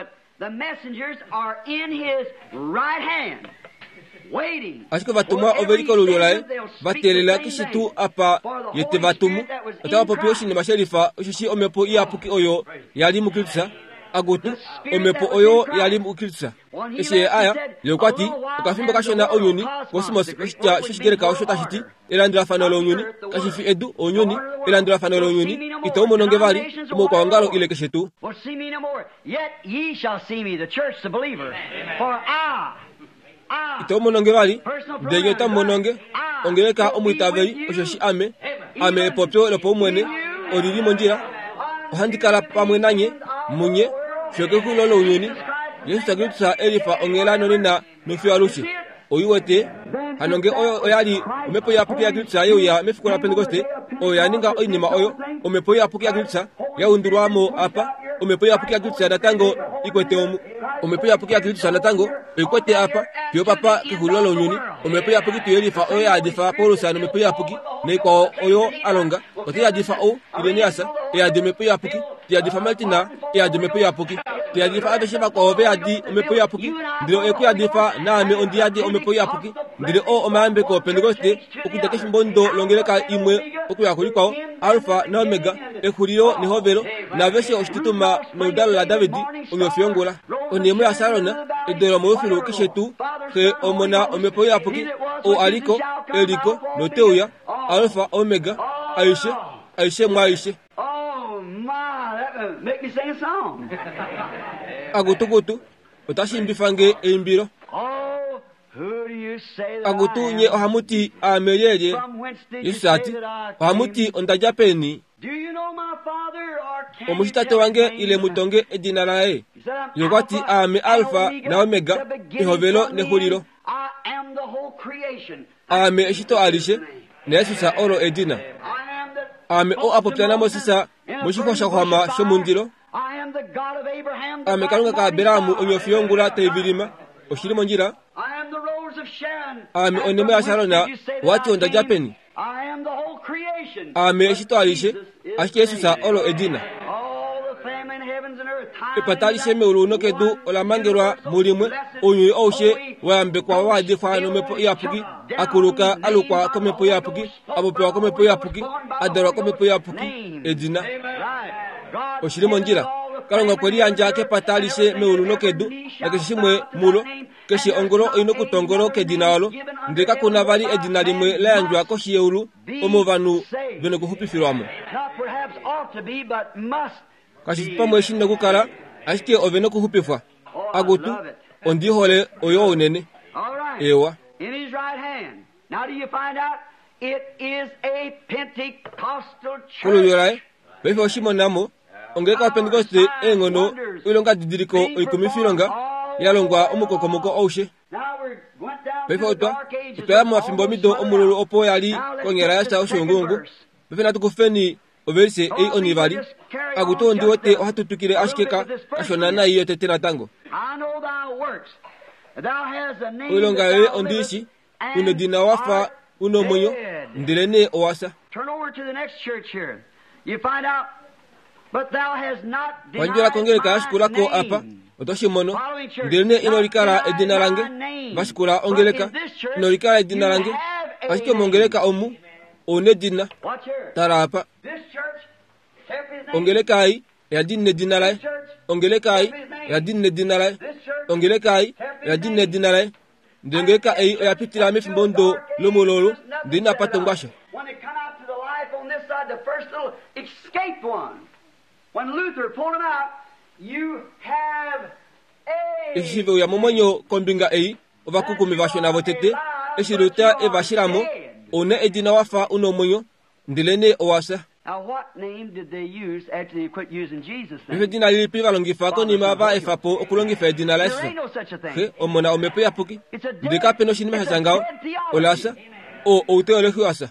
Ashike ovatumwa ove li kolulyo laye, va teelela keshe tuu apa ye te va tumu. Otava popi oshinima she lifa, osheshi omhepo iyapuki oyo ya li muKristus. Akutu, omhepo oyo ya li muKristus. Eshi ye aya, ye okwa ti, okafimbo kashona ounyuni, kosmos, oshitya shOshigreka osho tashi ti elandulafano lounyuni, kashi fi edu, ounyuni, elandulafano lounyuni, itau mono nge vali, omaukwaongalo ile keshe tuu. Itau mono nge vali, ndele nye otamu mono nge, ongeleka omwiitaveli, osheshi ame, ame epopyo lopaumwene, oli li mondjila. Ohandi kala pamwe nanye, munye, fiyo kexulilo lounyuni. Jesus Kristus e lifa onghela nonena nofiyo alushe. Oi wete? Hano nge oyo oya li omhepo iyapuki yaKristus ye uya mefiku laPentekoste, oyo ya ninga oinima oyo, omhepo iyapuki yaKristus ya undulwa mo apa, omhepo iyapuki yaKristus natango i kwete omu. Omhepo iyapuki yaKristus natango oi kwete apa, fiyo papa kexulilo lounyuni. Omhepo iyapuki tu yelifa oyo ya yadifa Paulus nomhepo iyapuki, naikwao oyo a longa, otai yadifa ou, Irenaeus, e yadi omhepo iyapuki, te yadifa Martina, e yadi omhepo iyapuki, te yadifa aveshe vakwao ve yadi omhepo iyapuki, ndele oye ku yadifa naame ondi yadi omhepo iyapuki. Ndele oo omayambeko oPentekoste okudja kefimbo ndo longeleka imwe okuya kulikwao, Alfa naOmega, exulilo nehovelo, naaveshe oshitutuma noludalo laDavid, onyofi yongula, onhemo yaSaron, edo lomolufilu keshe tuu, Xe, Omona, Omhepo Iyapuki, ou a liko, e liko, note uya, Alfa, Omega, aishe, aishe mwaaishe. Akutukutu, otashi imbifa nge eimbilo. Akutu nye ohamu ti aame lyelye? Jesus a ti, ohamu ti onda dja peni? Omushi tate wange ile mu tonge edina laye? Ye okwa ti aame Alfa naOmega, ehovelo nexulilo. Aame eshito alishe, naYesus olo edina. Aame oo a popya naMoses moshixwa sha xwama shomundilo. Aame Kalunga kaAbraham onyofi yongula tai vilima. Oshili mondjila. Aame onemo yaSarona, wati onda dja peni? Aame eshito alishe, ashike Jesus olo edina. Epata alishe meulu nokedu ola mangelwa mulimwe, ounyuni aushe wayambekwa waadifwa nomhepo iyapuki, akuluka alukwa komhepo iyapuki, apopiwa komhepo iyapuki, adalwa komhepo iyapuki, edina. Oshili mondjila. Kalunga okwe liyandja kepata alishe meulu nokedu, nakeshe shimwe mulo, keshe ongolo oina okutongolo kedina olo, ndele kakuna vali edina limwe la yandjwa koshi yeulu omo ovanhu vena okuxupifilwamo. Kashi fi pamwe shina okukala, ashike ovena okuxupifwa. Akutu, ondi hole oyo unene. Ewa. Kolulyo laye, paife oshimonamo, ongeleka yaPentekoste eenghono oilonga didiliko oikumifilonga ya longwa omukokomoko aushe. Paife otwa otwa ya momafimbo mido omululu opo ya li konyala ya fya oshuunguungu. Paife natu kufeni ovelise ei onivali. Akutu ondi wete ohatu twikile ashike ka kashona nai yotete natango. Oilonga yoye ondiishi, una edina wafa una omwenyo, ndelenee owa fya. Pandjela kongeleka yashikulako apa, oto shi mono, ndelenee ino likala edina lange. Vashikula ongeleka, ino likala edina lange. Ashike mongeleka omu, ouna edina. Tala apa. Ongeleka ei oya dinina edina laye. Ongeleka ei oya dinina edina laye. Ongeleka ei oya dinina edina laye. Ndele ongeleka ei oya pitila mefimbo ndo lomululu, ndele inapa tongwa sha. Eshi ve uya momwenyo kombinga ei, ovakukumi vashona votete, eshi Luther e va shilamo, ouna edina wafa una omwenyo, ndelenee owa fya. Paife edina lilipi va longifa konima va efa po okulongifa edina laYesus? Xe, Omona, Omhepo Iyapuki. Ndele kape noshinima sha tya ngaho. Ola fya. Oo outeolohi wa fya.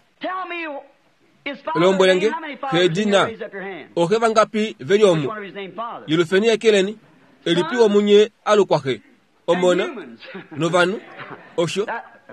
Lombwele nge, xe edina. Ooxe vangapi ve li omu? Yelufeni ekeleni. Elipi womunye alukwa xe, Omona, novanhu? Osho,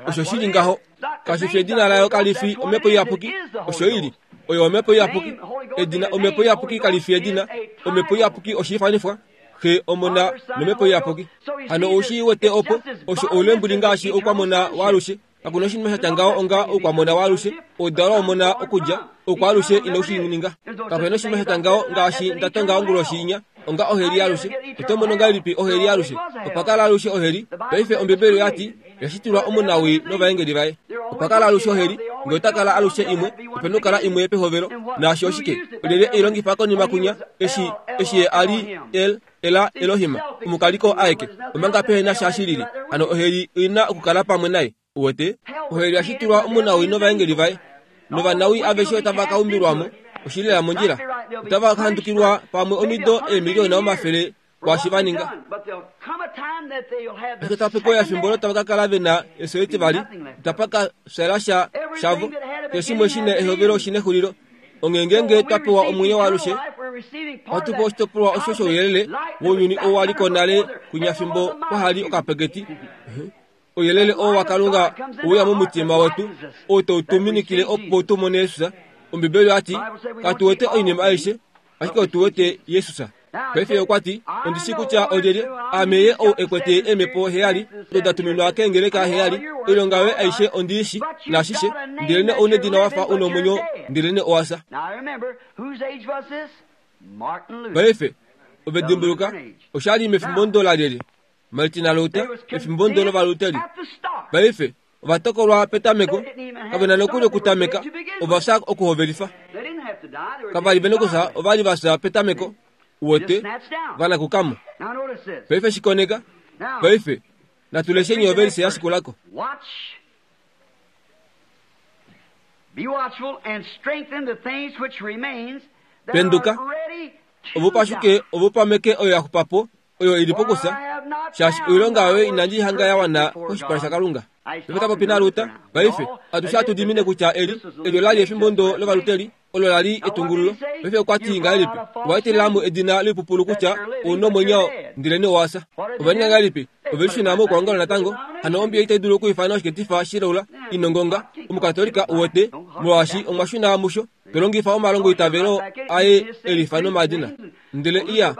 osho shili ngaho. Kashi fi edina layo kali fi Omhepo Iyapuki. Osho ili. Oyo Omhepo Iyapuki. Edina Omhepo Iyapuki kali fi edina. Omhepo Iyapuki oshiifanifwa. Xe, Omona, nOmhepo Iyapuki. Hano oushi wete opo, osho oulembuli ngaashi oukwamona waalushe. Kakuna oshinima sha tya ngaho onga oukwamona waalushe, oudalwa womona okudja, oukwaalushe ino shi ninga. Kapena oshinima sha tya ngaho ngaashi nda tonga onguloshi inya, onga oheli yaalushe. Oto mono ngahelipi oheli yaalushe? Opa kala alushe oheli. Paife Ombibeli oyati, yashitilwa omunawi novaengeli vaye. Opa kala alushe oheli, ngee ota kala alushe imwe, opena okukala imwe pehovelo. Naasho oshike? Olyelye ei longifa konima kunya, eshi, eshi ye a li El, Ela Elohim, omukaliko aeke, omanga pehena sha shilili. Hano oheli oina okukala pamwe naye. Uwete? Oheli yashitilwa omunawi novaengeli vaye. Novanawi aveshe otava ka umbilwamo, oshilela mondjila. Otava ka handukilwa pamwe omido eemiliona omafele kwaashi va ninga. Ashike otapa pewa efimbo olo tava ka kala vena efyo etivali, itapa ka fyala sha shavo. Keshe shimwe shina ehovelo shina exulilo. Onghee ngeenge twa pewa omwenyo waalushe, ohatu pewa oshitopolwa osho shouyelele wounyuni oo wa li ko nale kunya fimbo kwahali okapeketi. Ouyelele oo waKalunga ouya momutima wetu, oo tau tu minikile opo tu mone Jesus. Ombibeli oyati, katu wete oinima aishe, ashike otu wete Jesus. Paife okwa ti, ondi shii kutya olyelye, aame ye ou e kwete eemhepo heyali, odo da tuminwa keengeleka heyali, oilonga yoye aishe ondi i shii, naashishe, ndelenee ouna edina wafa una omwenyo, ndelenee owa fya. Paife, ove dimbuluka, osha li mefimbo ndo lalyelye? Martin Luther, efimbo ndo lOvaluteri. Paife, ova tokolwa petameko, kave na nokuli okutameka, ova fya okuhovelifa. Kava li vena okufya, ova li va fya petameko. Uwete, vanakukamo. Paife shikoneka. Paife, natu lesheni ovelise yashikulako. Penduka, ove upashuke, ove upameke oyo ya xupa po, oyo ili pokufya, Shaashi oilonga yoye inandi hanga ya wana koshipala shaKalunga. Paife ta popi naLuta, paife atushe hatu dimine kutya eli elyo lali efimbo ndo lovaluteli olo lali etungululo. Paife okwa ti ngahelipi? Owa etelelamo edina loipupulu kutya ouna omwenyo ndele owasa. Ova ninga ngahelipi? Ove lishuna moukwaongalo natango. Hano Ombibeli itai dulu okwiifana oshiketifa shilaula inongonga omukatolika uwete, molwaashi omwa shuna musho tolongifa omalongo itavelo aye elifa nomadina. Ndele iya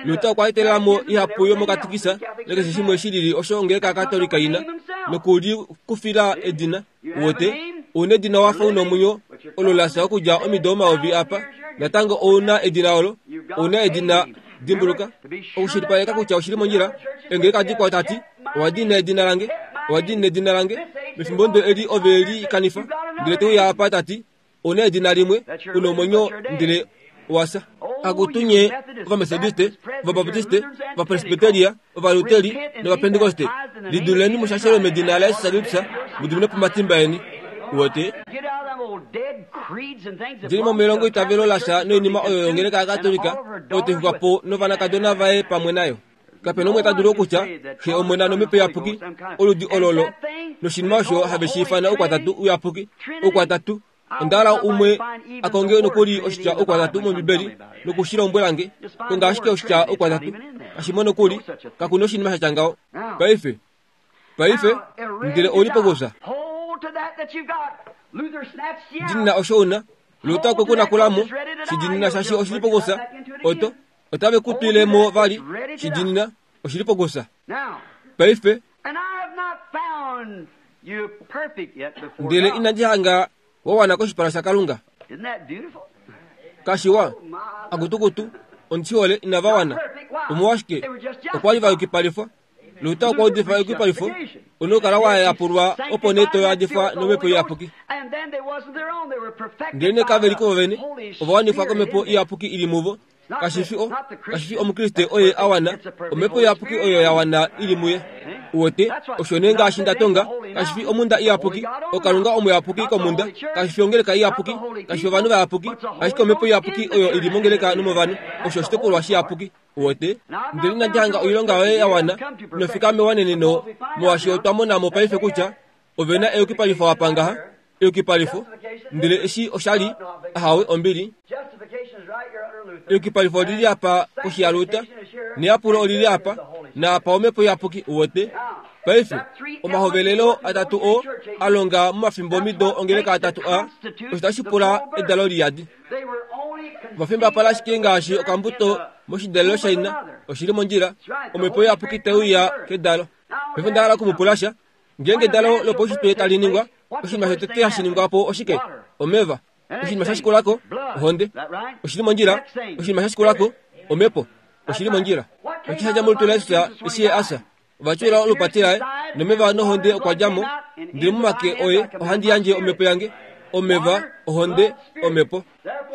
Luther okwa etelelamo ihapu yomokatikisa nakeshe shimwe shilili osho ongeleka katolika ina nokulikufila edina. Uwete, ouna edina wafa una omwenyo olo lasa okudja omido omayovi apa natango ouna edina olo, ouna edina. Dimbuluka okushilipaleka kutya oshili mondjila. Engeleka dikwao tati owa dina edina lange, owa dina edina lange mefimbo ndo eli ove li kanifa. Ndele teuya apa tati ouna edina limwe, una omwenyo ndele owasa. Akutunye ovamethodiste, ovabaptiste, ovapresbiteria, ovaluteri novapentekoste, liduleni mushashelo medina laYesus Kristus mudimine po omatimba eni. Uwete, djeni mo melongo itavelo lasha noinima oyo yongeleka yakatolika oyo taifukwa po novanakadona vaye pamwe nayo. Kapena umwe ta dulu okutya Xe Omona nOmhepo Iyapuki oludi ololo noshinima osho have shi ifana oukwatatu uyapuki. Oukwatatu onda hala umwe a konge nokuli oshitya oukwatatu mOmbibeli nokushilombwelange. Konga ashike oshitya oukwatatu kashimo nokuli, kakuna oshinima shatya ngaho. Paife, paife ndele ouli pokufya. Dinina osho una. Luther okwe ku nakulamo shidinina shaashi oshili pokufya. Oto otave ku twilemo vali shidinina oshili pokufya. Paife ndele inandi hanga wa wana koshipala shaKalunga. Kashiwa akutukutu ondishihole inava wana. Omolwashike okwa li va yukipalifwa. Luther okwa udifa eyukipalifo, una okukala wa yapulwa opo nee to yadifwa nomhepo iyapuki. Ndele nee kave li kuvo vene, ova wanifwa komhepo iyapuki ili muvo. Kashifi o, kashifi omukriste oye a wana, omhepo iyapuki oyo ya wana ili muye. Uwete, osho nee ngaashi nda tonga, kashifi omunda iyapuki, okalunga omuyapuki komunda, kashifi ongeleka iyapuki, kashifi ovanhu vayapuki, ashike omhepo iyapuki oyo ili mongeleka nomovanhu, osho oshitopolwa shiyapuki. Uwete, ndele inandi hanga oilonga yoye ya wana, inofika mewaneneno, molwaashi otwa mona mo paife kutya ove na eyukipalifo apa ngaha, eyukipalifo, ndele eshi osha li ahawe ombili. Eyukipalifo olili apa koshi yaLuther, neyapulo olili apa, naapa omhepo iyapuki. Uwete, paife omahovelelo atatu oo a longa momafimbo omido ongeleka atatu a, osho tashi pula edalo liyadi. Ovafimbapala ashike ngaashi okambuto moshidalelo shaina, oshili mondjila, omhepo iyapuki teuya kedalo. Paife onda hala okumupula sha. Ngeenge edalo lopaushitwe tali ningwa, oshinima shotete hashi ningwa po oshike? Omeva. Oshinima sha shikulako, ohonde. Oshili mondjila. Oshinima sha shikulako, omhepo. Oshili mondjila. Osho sha dja molutu laJesus eshi ye a fya. Ova tyuula olupati laye, nomeva nohonde okwa dja mo. Ndele momake oye ohandi yandje omhepo yange. Omeva, ohonde, omhepo.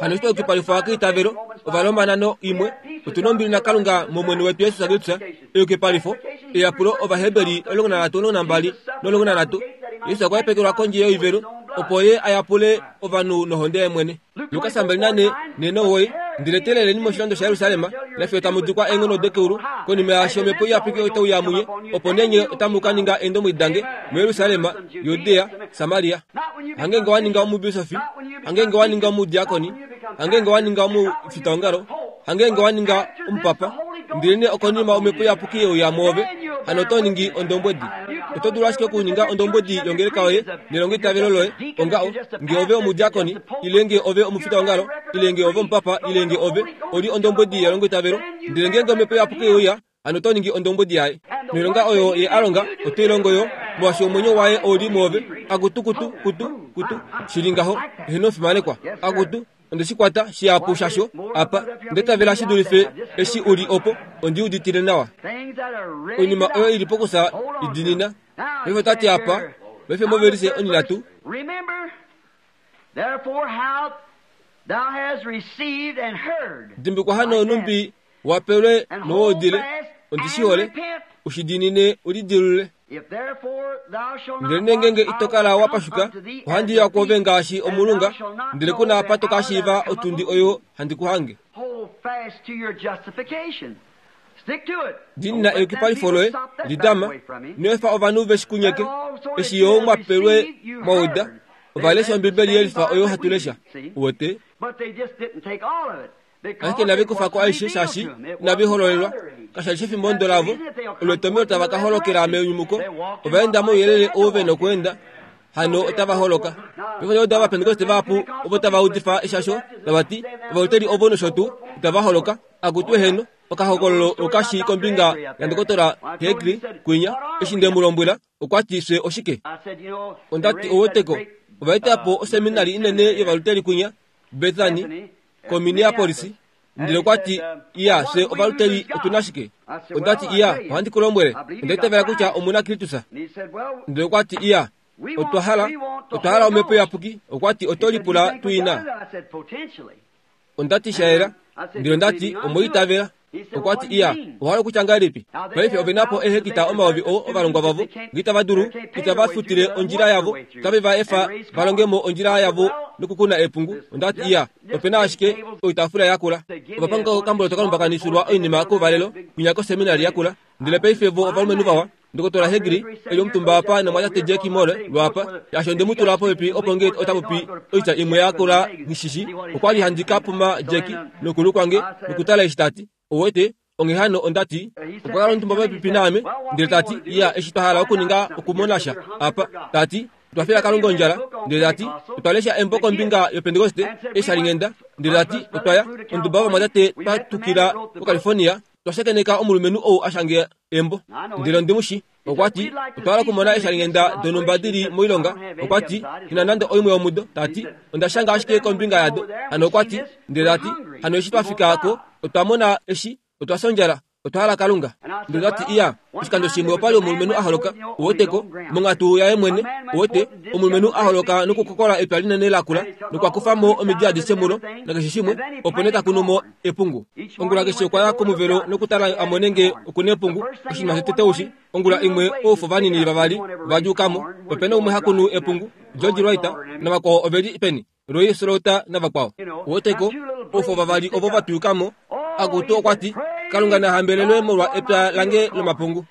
Hano eshi twayukipalifwa keitavelo, Ovaroma imwe, otuna ombili naKalunga mOmwene wetu Jesus Kristus. Eyukipalifo, eyapulo Ovaheberi omulongo nanhatu omulongo nambali nomulongo nanhatu. Jesus okwa hepekelwa kondje yoivelo opo ye a yapule ovanhu nohonde yaye mwene. Lukas mbali nane nenowoyi. Ndele teleleni moshilando shaJerusalem nafiyo tamu dikwa eenghono dokeulu. Konima yaasho omhepo iyapuki otauya munye, opo nee nye otamu ka ninga eendombwedi dange muJerusalem, Judea, Samaria. Hangenge wa ninga omubisofi, hangenge wa ninga omudiakoni, hangenge wa ninga omufitaongalo, hangenge wa ninga omupapa, ndele nee okonima omhepo iyapuki yeuya mwoove, hano oto ningi ondombwedi. Oto dulu ashike okuninga ondombwedi yongeleka yoye nelongo itavelo loye onga nge ove omudiakoni, ile nge ove omufitaongalo, ile nge ove omupapa, ile nge ove oli ondombwedi yelongo itavelo. Ndele ngeenge omhepo iyapuki yeuya, hano oto ningi ondombwedi yaye. Noilonga oyo ye a longa oto i longo yo, molwaashi omwenyo waye ouli mwoove. Akutu kutu kutu kutu shili ngaho, eheno omufimanekwa. Akutu onde shi kwata shihapu shasho apa, nde tavela shi dulife eshi uli opo, ondi uditile nawa. Oinima oyo ili pokufya idinina. Paife otati apa, paife movelise onhinhatu. Dimbikwa hano numbi wapelwe nowoodile, ondi shi hole, ushidinine ulidilule. Ndele ngeenge ito kala wa pashuka, ohandi ya kwoove ngaashi omulunga, ndele kuna apa to ka shiiva otundi oyo handi ku hange. Dinina eyukipalifo loye lidama ino efa ovanhu veshikunyeke eshi yo mwapelwe mwauda ovalesha ombibeli yelifa oyo hatu lesha uwete ashike inavikufako aishe shaashi inavihololelwa kashali shefimbo ndo lavo olwetomelo tava ka holokela menyumuko ovaenda mouyelele ou vena okuenda hano otava holoka pefo oda vapentekoste vahapu ovo tava udifa eshasho tavati ovaluteli ovo nosho tuu itava holoka akutu eheno okahokololo okashi kombinga yandokotola Hegli kwinya eshi ndemulombwela okwati fye oshike ondati oweteko ovaetapo oseminari inene yovaluteli kwinya Bethany ko Minneapolis ndele okwati iya fye ovaluteli otuna shike ondati iya ohandi kulombwele ondaitavela kutya omuna Kristus ndele okwati iya otwa hala otwa hala omhepo iyapuki okwati oto lipula tuina ondati shaela ndele ondati omweitavela okwati iya ohala okutya ngahelipi paife ovenapo ehekita omayovi o ovalongwa vavo ngitava dulu itava futile ondjila yavo tave va efa valongemo ondjila yavo nokukuna epungu ondati iya opena ashike oitafula yakula ovapanga okamboloto kalumbakanifilwa oinima kouvalelo kwinya koseminari yakula ndele paife vo ovalumenhu vawa ndokotola Hegli eli omutumba apa nomwatate Jack Moore lwapa yasho ndemutula popepi opo nge otapopi oitya imwe yakula ngishishi okwali handi kapuma Jack nokulu kwange nokutala eshi tati owete onghehano ondati okwakala omutumba popepi naame ndele tati iya eshi twahala okuninga okumonasha apa tati twafela Kalunga ondjala ndele tati otwalesha embo kombinga yopentekoste eshalingenda ndele tati otwaya onduba vamwatate twatukila koCalifornia twashakeneka omulumenhu ou ashange embo ndele ondimushi okwati otwahala okumona eshalingenda donumba dili moilonga okwati ina nande oimwe yomudo tati ondashanga ashike kombinga yado hano okwati ndele tati hano eshi twafikako otwamona eshi otwafya ondjala otwahala Kalunga ndele tati iya oshikando shimwe opali omulumenhu aholoka oweteko monghatu yaye mwene owete omulumenhu aholoka nokukokola epya linene lakula nokwakufamo omidi adishe mulo nakeshe shimwe opo nee takunumo epungu ongula keshe okwaya komuvelo nokutala amone nge okuna epungu oshinima shotete ushi ongula imwe oufo vanini vavali vadjuukamo opena umwe hakunu epungu George Wright navakwao oveli peni Roy Slaughter navakwao oweteko oufo vavali ovo vatuyukamo akutu okwati Kalunga nahambelelwe molwa epya lange lomapungu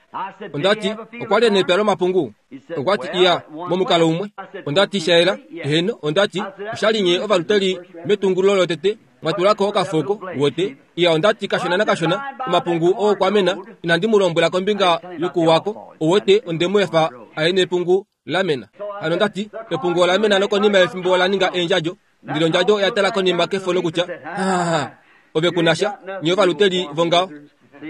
ondati okwali nepya lomapungu okwati iya momukalo umwe ondati shaela eheno ondati oshalinye ovaluteli metungulo lotete mwatulako okafoko wote iya ondati kashona nakashona omapungu oo kwamena inandi mulombwela kombinga yokuwako owote ondemu efa aye nepungu lamena hano ondati epungu olamena nokonima yefimbo olaninga endjadjo ndilo ondjadjo oyatala konima kefo nokutya ha ove kunasha nye ovaluteli vongao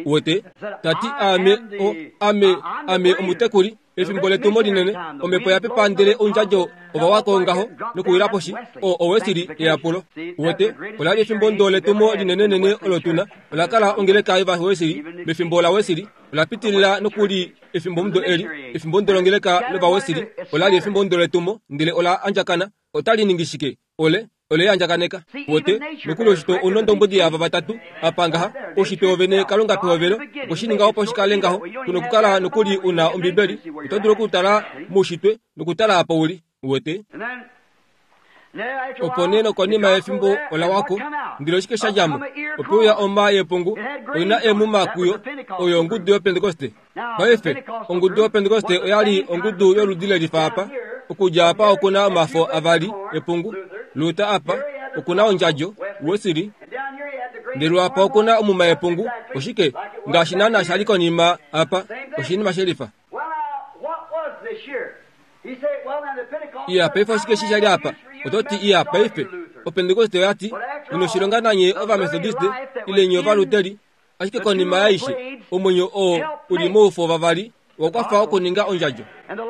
uwete tati ame o ame ame omutekuli efimbo letumo linene omhepo yapepa ndele ondjadjo ovawako ngaho nokuwila poshi o owesili eyapulo uwete olali efimbo ndo letumo linenenene olo tuna olakala ongeleka yovawesili mefimbo lawesili olapitilila nokuli efimbo mudo eli efimbo ndo longeleka lovawesili olali efimbo ndo letumo ndele ola andjakana otali ningi shike ole ole andjakaneka wote nokuli oshito unondombwedi yava vatatu apangaha oshito ovene Kalunga pehovelo okushininga opo shikale ngaho kuno kukala nokuli una ombibeli oto dulu okutala muushitwe nokutala apa uli wote opo nee nokonima yefimbo olawako ndele oshike shadjamo opeuya oma yepungu oina emuma kuyo oyo ongudu yopentekoste paife ongudu yopentekoste oyali ongudu yoludi lelifa apa okudja apa okuna omafo avali epungu Luta apa okuna ondjadjo Wesili ndele apa okuna omuma yepungu oshike ngaashi naana shali konima apa oshinima shelifa iya paife oshike shi shali apa ototi iya paife opentekoste oyati inoshilonga nanye ovamethodiste ile nye ovaluteli ashike konima yaishe omwenyo oo uli moufo vavali wakwafa okuninga ondjadjo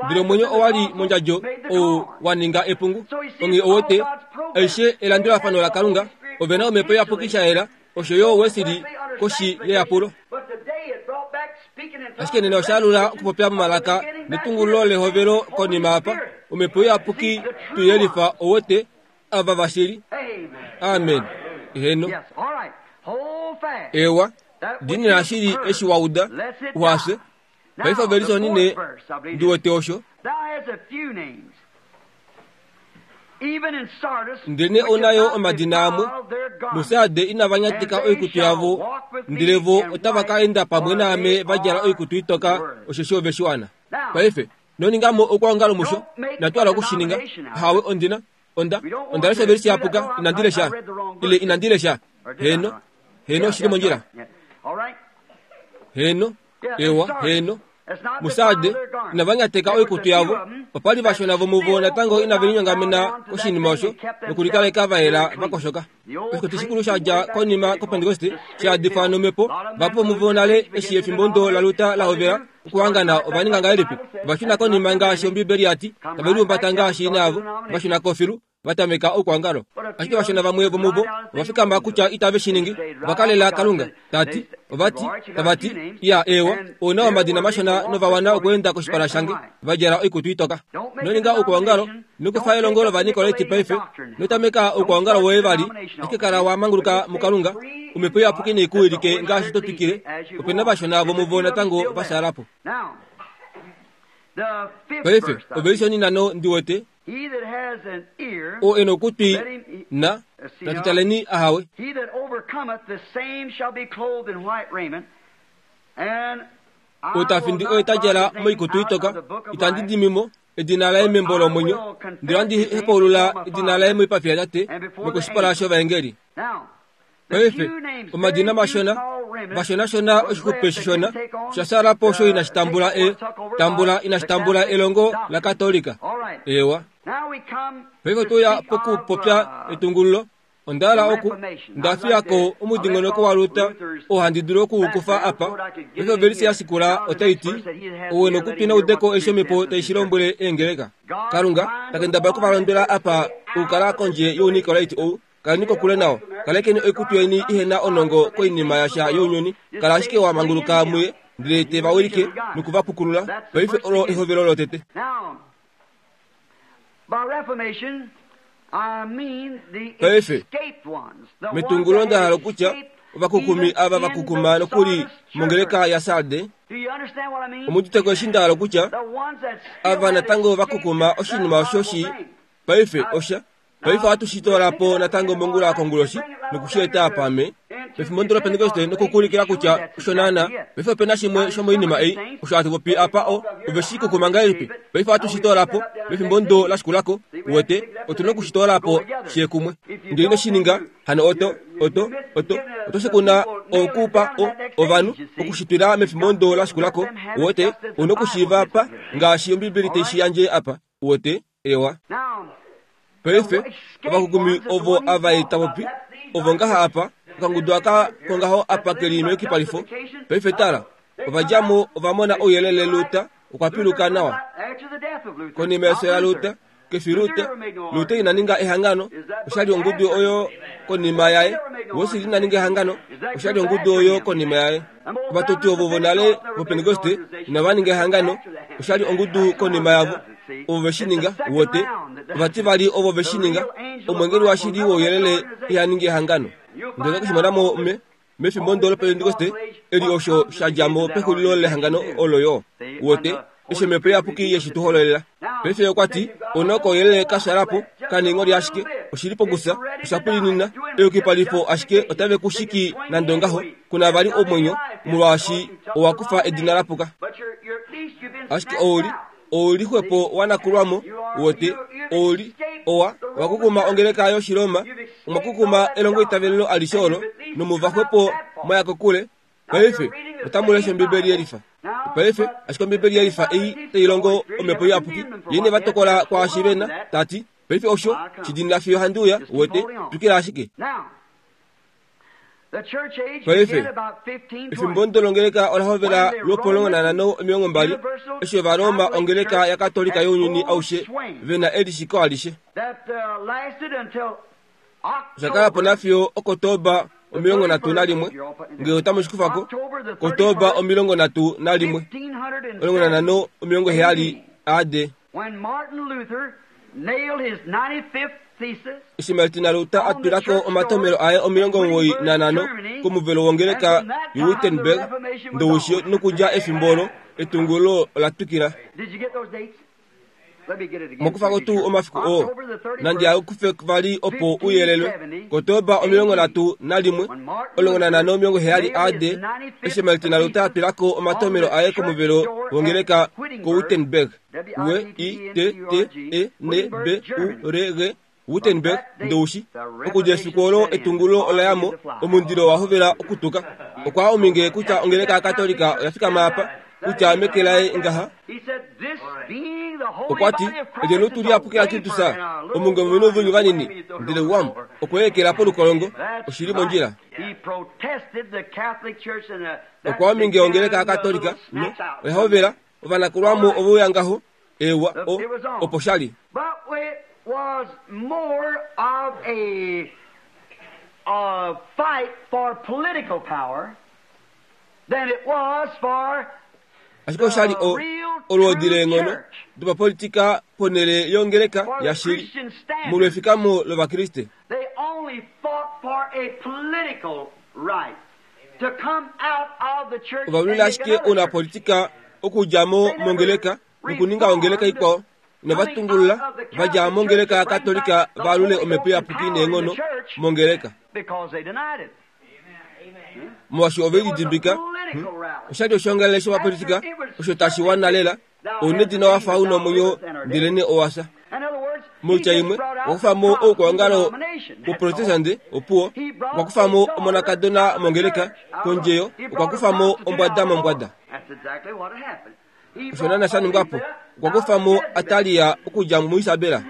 ndele omwenyo owali mondjadjo ou waninga epungu onge owote aishe elandulafano la Kalunga ovena omhepo iyapuki shaela osho yo Wesili koshi yeyapulo ashike nena oshalula okupopya momalaka netungulo lehovelo konima apa omhepo iyapuki tuyelifa owote ava vashili amen eheno ewa dinina shili eshi wauda uhafye paife ovelisonine ndiwete osho Thou hast a few names. Ndele ouna yo omadina amwe muSarde inava nyatika oikutu yavo, ndele vo otava ka enda pamwe naame va djala oikutu itoka, osheshi ove shiwana. Paife noningamo okwoongalo musho, inatu hala okushininga. Ahawe, ondina onda onda lesha ovelisi yapuka, inandi lesha ile inandi lesha. Heno, heno, oshili mondjila. Heno, ewa, heno. Musarde inava nyateka oikutu yavo, opali vashona vomuvo natango inave linyongamena koshinima osho nokulikaleka va yela vakoshoka. Oshikutu shikulu shadja konima kopentekoste shayadifwa nomhepo, vahapu vomuvo nale eshi efimbo ndo laLuther la hovela okuhangana ova ninga ngahelipi? Ova shuna konima ngaashi Ombibeli yati, tave lihumbata ngaashi ina yavo, va shuna kofilu, va tameka oukwaongalo. Ashike vashona vamwe vomuvo ova fikama kutya itave shi ningi, ova kalela Kalunga. Tati, ovati, tavati, iya ewa, ouna omadina mashona nova wana okweenda koshipala shange, va djala oikutu itoka. Ino ninga oukwaongalo, ino kufa elongo lOvanikolaiti paife, ino tameka oukwaongalo woye vali, ashike kala wa manguluka muKalunga, omhepo iyapuki nei ku wilike ngaashi to twikile. Opena vashona vomuvo natango va shaalapo. Paife ovelishe onhinano ndi wete oo e na okutwi na natutaleni ahawe. He that overcometh, the same shall be clothed in white raiment, and I Oo tafindi will oye not ta djala blot his name moikutu out itoka, of the book of itandi life, dimimo edina laye membo lomwenyo, ndele ohandi hepaulula edina laye moipafi yaTate nokoshipala shovaengeli. Now, the Paife few names, omadina very few mashona small remnants vashonashona was oshixupe left that shishona didn't take on sha shaalapo osho the- inashi tambula take e or took over tambula by inashi the tambula Catholic elongo doctrine. la Katolika. All right. Ewa. Now we come Paife to otoya speak pokupopya of, uh, etungululo. Onda hala oku ndafiyako omudingonoko waLuther oo handi dulu okuukufa apa. Paife ovelisi ya shikula otai ti, ou e nokutwi naudeko eshi omhepo tai shi lombwele eengeleka. Kalunga takendabala okuvalondwela apa okukala kondje younikolaiti ou. Kaleni kokule nao. Kalekeni oikutu yeni ihena onongo koinima yasha younyuni. Kala ashike wa manguluka muye, ndele te va wilike nokuvapukulula. Paife olo ehovelo lotete. Now, by Reformation, I mean the Paife, escaped ones, the ones metungulo that nda had hala kutya escaped ovakukumi even ava in vakukuma the nokuli Sardis mongeleka church. ya Sarde. Do you understand what I mean? Omuduteko eshi nda hala kutya The ones that still ava had natango escaped vakukuma that oshinima osho shi horrible thing. paife osha paife ohatu shi toolapo natango mongula konguloshi nokushieta apa me pefimbo ndo lopentekoste nokukuulikila kutya osho naana. Paife opena shimwe shomoinima ei osho hatu popi apa o ove shi kukuma ngahelipi. Paife ohatu shi toolapo pefimbo ndo la shikulako. Uwete, otuna okushi toolapo shiye kumwe. Ndele ino shi ninga hano oto oto oto oto shikuna okupa o ovanhu okushitwila mefimbo ndo la shikulako. Uwete, una okushiiva apa ngaashi Ombibeli tai shi yandje apa. Uwete, ewa. Now, Paife ovakukumi ovo ava eta popi ovo ngaha apa okangudu aka kongaho apa keli meyukipalifo. Paife tala, ova djamo ova mona ouyelele. Luther okwa piluka nawa after the death of Luther, konima yefyo laLuther. Kefi Luther, Luther ina ninga ehangano, oshali ongudu oyo konima yaye. Wesley ina ninga ehangano, oshali ongudu oyo konima yaye. Ovatoti ovo vonale vopentekoste inava ninga ehangano, oshali ongudu konima yavo ovo ve shi ninga. Uwete, ovati vali ovo ve shi ninga. Omwengeli washili wouyelele iha ningi ehangano. Ndele okushimona me mefimbo ndo lopentekoste eli osho sha djamo pexulilo lehangano olo yo. Uwete, eshi omhepo iyapuki yeshi tu hololela. Paife okwa ti, ouna kouyelele ka shaalapo kaningo ashike oshili pokusa, osha pwilinina eyukipalifo, ashike otave ku shiki nande ongaho. Kuna vali omwenyo molwaashi owa kufa edina lapuka. but you're, you're, at least you've been Ashike snatched ouli out. ouli xwepo wanakulwamo. Uwete, ouli owa wakukuma ongeleka yoshiroma, omwakukuma elongo itavelelo alishe olo nomuva xwepo mwaya kokule. Paife otamu lesha Ombibeli yelifa paife, ashike Ombibeli yelifa ei tai longo omhepo iyapuki yene va tokola kwaashi vena tati. Paife osho shidinila fiyo handi uya. Uwete, twikila ashike. Now, the church age Paife, began about fifteen twenty. efimbo ndo longeleka ola hovela lwopomulongo nanhano omilongo mbali eshi Ovaroma ongeleka yakatolika younyuni aushe vena elishiko alishe. That uh, lasted until Oshakala po October, nafiyo Okotoba omilongo nhatu nalimwe, ngee otamu shikufako, Kotoba omilongo nhatu nalimwe fifteen omilongo nanhano omilongo heyali A D, when Martin Luther nailed his ninety-fifth thesis eshi Martin Luther a twilako omatomelo aye omilongo omuwoi nanhano komuvelo wongeleka yoWittenberg Ndowishi, nokudja efimbo olo etungulo ola twikila. Did you get those dates? Mokufako tuu omafiku oo nandi akufe vali opo uyelelwe Kotoba omilongo nhatu nalimwe omulongo nanhano omilongo heyali A D eshi Martin Luther atwilako omatomelo aye komuvelo wongeleka koWittenberg W I T T E N B U R G Wittenberg ndoushi okudja efiku olo etungulo olayamo omundilo wahovela okutuka okwa ominge kutya ongeleka yaKatolika oyafikama apa kutya meke laye ngaha okwati ejenutu liapuki la Kristus omunge muminu vunyu vanini ndele wam okweekela polukolongo oshili mondjila okwa ominge ongeleka yaKatolika no oyahovela ovanakulwamo ovouya ngaho ewa o opo shali was more of a, a fight for political power than it was for ashike oshali o olwoodi leenghono dopapolitika ponhele yongeleka yashili molwefikamo lovakriste. They only fought for a political right to come out of the church. Ovalwila ashike ounapolitika okudja mo mongeleka nokuninga ongeleka ikwao novatungulula vadja mongeleka yaKatolika valule omhepo iyapuki neenghono mongeleka molwaashi ove lidimbika. Oshali oshongalele shopapolitika osho tashi wana lela ounedina wafa una omwenyo ndelene owasa. Moitya imwe okwa kufamo oukwaongalo woprotestante opuwo okwa kufamo omonakadona mongeleka kondjeyo okwa kufamo ombwada mombwada. Osho naana sha ningwapo okwa kufamo Atalia okudja muIsabela.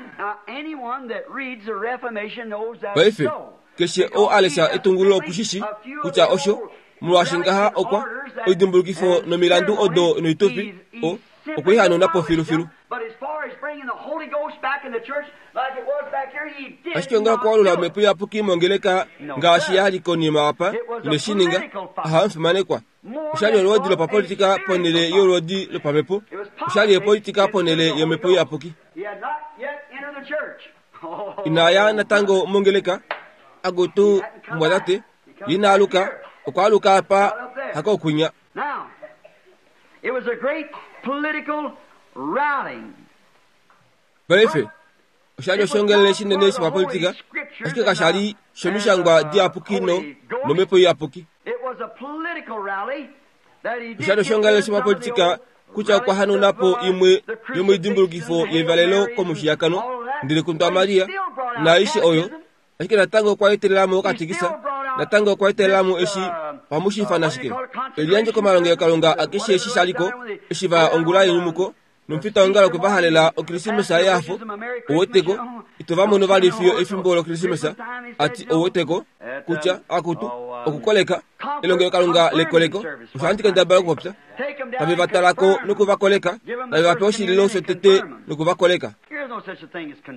Paife keshe oo alesha etungululo okushishi kutya osho molwaashi ngaha okwa oidimbulukifo nomilandu odo noitufi o okweihanuna po filufilu. Ashike nga okwalula omhepo iyapuki mongeleka ngaashi yali konima apa ineshininga ahamufimanekwa. Oshali olwoodi lopapolitika ponhele yolwoodi lopamhepo. Oshali epolitika ponhele yomhepo iyapuki. Inaya natango mongeleka agutu mbwadate inaaluka okwaaluka apa hakokunya. It was a great political rallying. Paife oshali oshongelele shinene shopapolitika ashike kashali shomishangwa diyapuki no nomhepo iyapuki. Oshali oshongelele shopapolitika kutya okwa hanauna po imwe yomoidimbulukifo yevalelo komushiyakano ndele kundwa Maria naaishe oyo ashike natango okwa etelelamo okatikisa natango okwa etelelamo eshi pamushifana ashike eliyandjo komalongelokalunga akeshe eshi shaliko eshi vaya ongula yenyumuko nomufitaongalo okwe vahalela okrisimesa yehafo oweteko ito vamono vali fiyo efimbo lokrisimesa ati oweteko kutya akutu okukoleka elongelokalunga lekoleko osho handi kendabala okupopya tave vatalako nokuvakoleka tave vape oshililo shotete nokuvakoleka.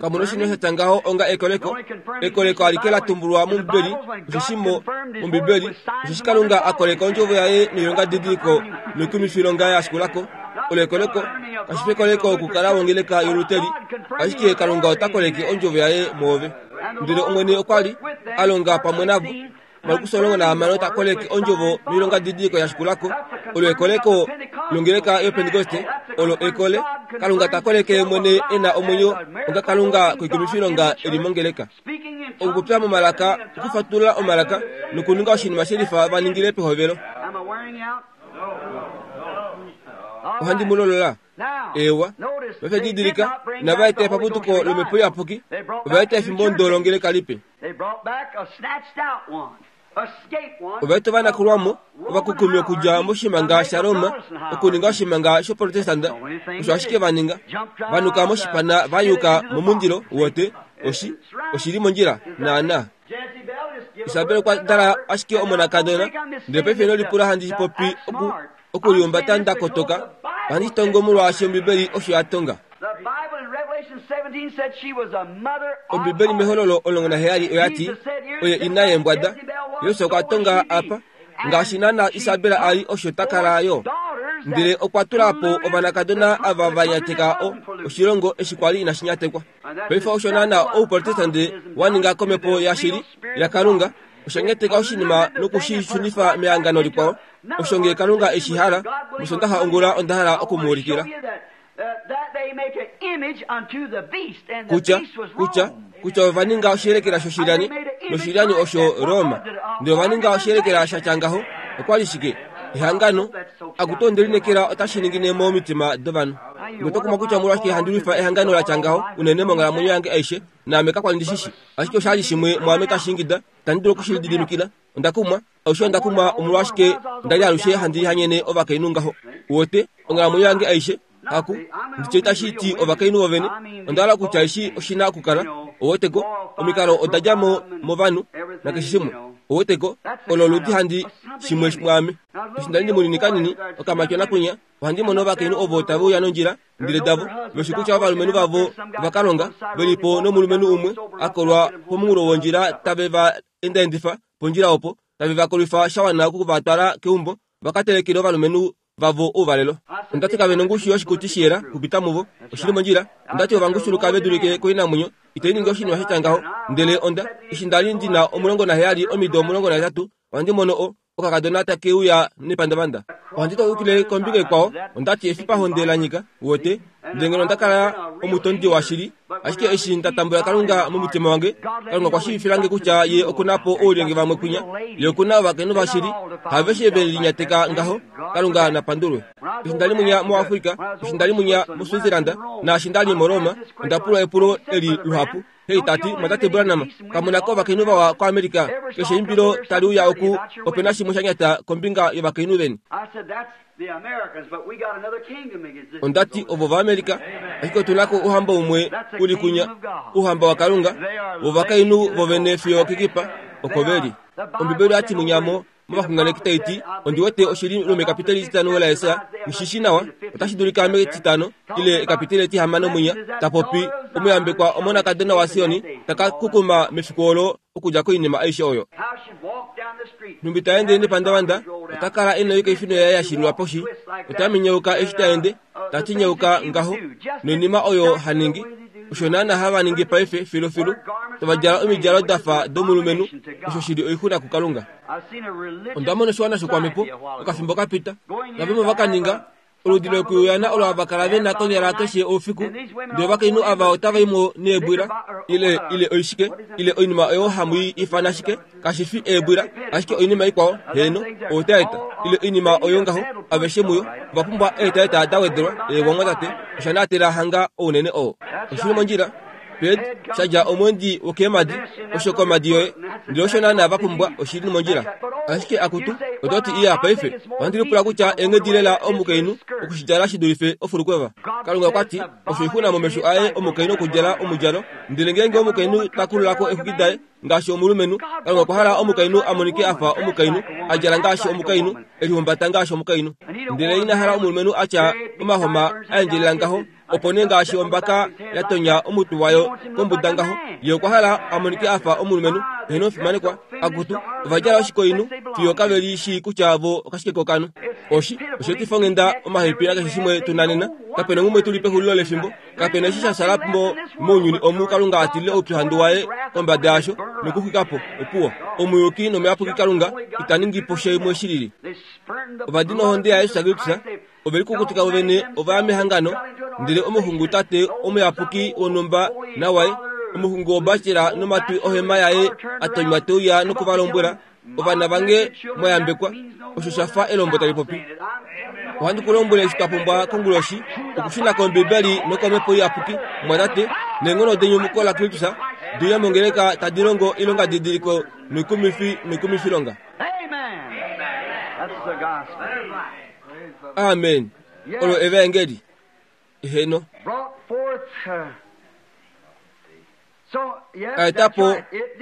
Kamuna oshinima shatya ngaho onga ekoleko. Ekoleko alike latumbulwa mOmbibeli osheshi mOmbibeli osheshi Kalunga akoleka ondjovo yaye noilonga didiliko noikumifilonga yashikulako. Olo ekoleko kashi fi ekoleko okukala wongeleka yoluteli ashike Kalunga ota koleke ondjovo yaye mwoove. Ndele Omwene okwa li alonga pamwe navo. Markus omulongo nahamano ota koleke ondjovo noilonga didiliko yashikulako. Olo ekoleko longeleka yopentekoste olo ekole Kalunga ta koleke mwene ena omwenyo onga Kalunga koikumifilonga eli mongeleka. Okupopya momalaka, okufatulula omalaka nokuninga oshinima shelifa vaningile pehovelo. Ohandi mu lolola. Ewa paife didilika inava eta epaputuko lomhepo iyapuki ova eta efimbo ndolongeleka lipe. Ova eta ovanakulwamo ovakukumi okudja moshimanga shaRoma okuninga oshimanga shoprotestanta osho ashike vaninga vanuka moshipana vayuka momundilo wote oshi oshili mondjila naana. Isabel okwa dala ashike omonakadona ndele paife inolipula handi popi oku okuliumbata ndakotoka ohandi tongo molwaashi Ombibeli osho ya tonga. Ombibeli mehololo omulongo naheyali oyati oye ina yeembwada. Yesu okwa tonga apa ngaashi naana Isabel ali osho takala yo ndele okwa tula po ovanakadona ava vanyateka o oshilongo eshi kwali inashi nyatekwa. Paife osho naana ouprotestante waninga komhepo yashili yaKalunga osha nyateka oshinima nokushishunifa mehangano likwao. Osho ngee Kalunga eshi hala mosondaxa ongula onda hala okumuulikila. Kutya, kutya, kutya ova ninga oshiyelekela shoshilyani, noshilyani osho Roma. Ndele ova ninga oshiyelekela sha tya ngaho, okwa li shike? Ehangano, akutu ondelinekela otashi ningine momitima dovanhu. Notokumwa kutya omolwashike handi lwifa ehangano la tya ngaho unene monghalamwenyo yange aishe, naame kakwa li ndishishi. Ashike osha li shimwe mwaame tashi ingida, itandi dulu okushilididimikila. Onda kumwa, alushe onda kumwa omolwashike nda li alushe handi hanyene ovakainhu ngaho. Uwete, onghalamwenyo yange aishe, haku, nditye itashi ti ovakainhu vovene, onda hala kutya eshi oshi na okukala, uweteko, omikalo oda dja mo movanhu, nakeshe shimwe. Uweteko, olo oludi handi shimwe mwaame. Eshi nda li ndi munini kanini, okamatyona kwinya, ohandi mono ovakainhu ovo tave uya nondjila, ndele davo, veshi kutya ovalumenhu vavo ovakalonga, ve li po nomulumenhu umwe, a kolwa pomunghulo wondjila tave va endaendifa pondjila opo, tave va kolwifa sha wana oku va twala keumbo, va ka telekele ovalumenhu vavo ouvalelo. Ondati kave nongushu yoshikuti shiyela kupita muvo, oshili mondjila. Ondati ovangushuluka ve dulike koinamwenyo, itai ningi oshinima sha tya ngaho. Ndele onda, eshi nda li ndina omulongo naheyali omido omulongo nahetatu, ohandi mono o, okakadona take uya nepandavanda. Ohandi taukile kombinga ikwao, ondati efipahonde la nyika, uwete, ndele ngeno onda kala omutondi washili, ashike eshi nda tambula Kalunga momutima wange, Kalunga okwa shiivifilange kutya ye okuna po oulyenge vamwe kwinya, ye okuna ovakainhu vashili, haveshe ve linyateka ngaho, Kalunga napandulwe. Eshi nda li munya muAfrika, eshi nda li munya muSwitzerland, naashi nda li muRoma, onda pulwa epulo eli luhapu. Hei tati, mwatate Branham, kamuna ko ovakainhu vawa koAmerica, keshe eimbilo tali uya oku, ope na shimwe sha nyata kombinga yovakainhu veni. Ondati ovo vaAmerica, ashike otu na ko ouhamba umwe u li kwinya, ouhamba waKalunga, vovakainhu vovene fiyo kekipa, oko ve li. Ombibeli oyati munyamo movaxunganeki tai ti, ondi wete oshili lomekapiteli etitano laEsaya, nghishishi nawa, otashi dulika metitano ile ekapiteli etihamano mwinya, ta popi omuyambekwa omonakadona waSioni taka kukuma mefiku olo okudja koinima aishe oyo. Nhumbi ta ende nepandavanda, ota kala e na oikaifino yaye ya shililwa poshi, ota minyauka eshi ta ende, ta tinyauka ngaho, noinima oyo ha ningi, osho naana hava ningi paife filufilu, tava djala omidjalo da fa domulumenhu, osho shili oixuna kuKalunga. Onda mona oshiwana shokwamhepo okafimbo ka pita, navamwe va ka ninga oludi lokuyuyana olo hava kala ve na konyala keshe oufiku, ndele ovakainhu ava otava i mo neebwila, ile, ile oishike, ile oinima oyo hamu i ifana shike, kashi fi eebwila, ashike oinima ikwao, heeno, outaeta, ile oinima oyo ngaho, aveshe muyo, ova pumbwa eetaeta da wedelwa, eewangwa tate, osha naatela hanga ounene oo. Oshili mondjila, Ped, shadja omwendi wokeemadi, osho komadi yoye, ndele osho naana va pumbwa, oshili mondjila. Ashike akutu, oto ti iya paife, ohandi lipula kutya eenghedi lela omukainhu okushidjala shi dulife ofulukweva. Kalunga okwa ti, osho oixuna momesho aye omukainhu okudjala omudjalo, ndele ngeenge omukainhu ta kululako exwiki daye ngaashi omulumenhu, Kalunga okwa hala omukainhu a monike a fa omukainhu, a djala ngaashi omukainhu, e lihumbata ngaashi omukainhu. Ndele ina hala omulumenhu a tya omahoma a endjelela ngaho, opo nee ngaashi ombaka ya tonya omutwe wayo kombuda ngaho, ye okwa hala a monike a fa omulumenhu, eheno omufimanekwa, akutu, ova djala oshikoinhu fiyo kave li shii kutya vo okashike kokanhu. Oshi, osheetifa onghenda omahepi nakeshe shimwe tu na nena, kapena ngumwe tu li pexulilo lefimbo, kapena eshi sha shala mo mounyuni omu Kalunga a tilile oupyuhandu waye kombada yasho nokuxwika po, opuwo. Omuyuki nomuyapuki Kalunga ita ningi po shimwe shi lili. Ova dina ohonde yaJesus Kristus, ove likukutika vovene ova ya mehangano, ndele omuxungu tate omuyapuki wonhumba nawaye, omuxungu wobacela nomatwi ohema yaye a tonywa te uya noku va lombwela, ovana vange mwayambekwa, osho sha fa elombo tali popi. Ohandi ku lombwele eshi twa pumbwa konguloshi, okushuna kOmbibeli nokomhepo iyapuki, mwatate, neenghono denyumuko laKristus, di uye mongeleka tadi longo oilonga didiliko noikumifi noikumifilonga. Amen. Olo evaengeli. Eheno. A eta po,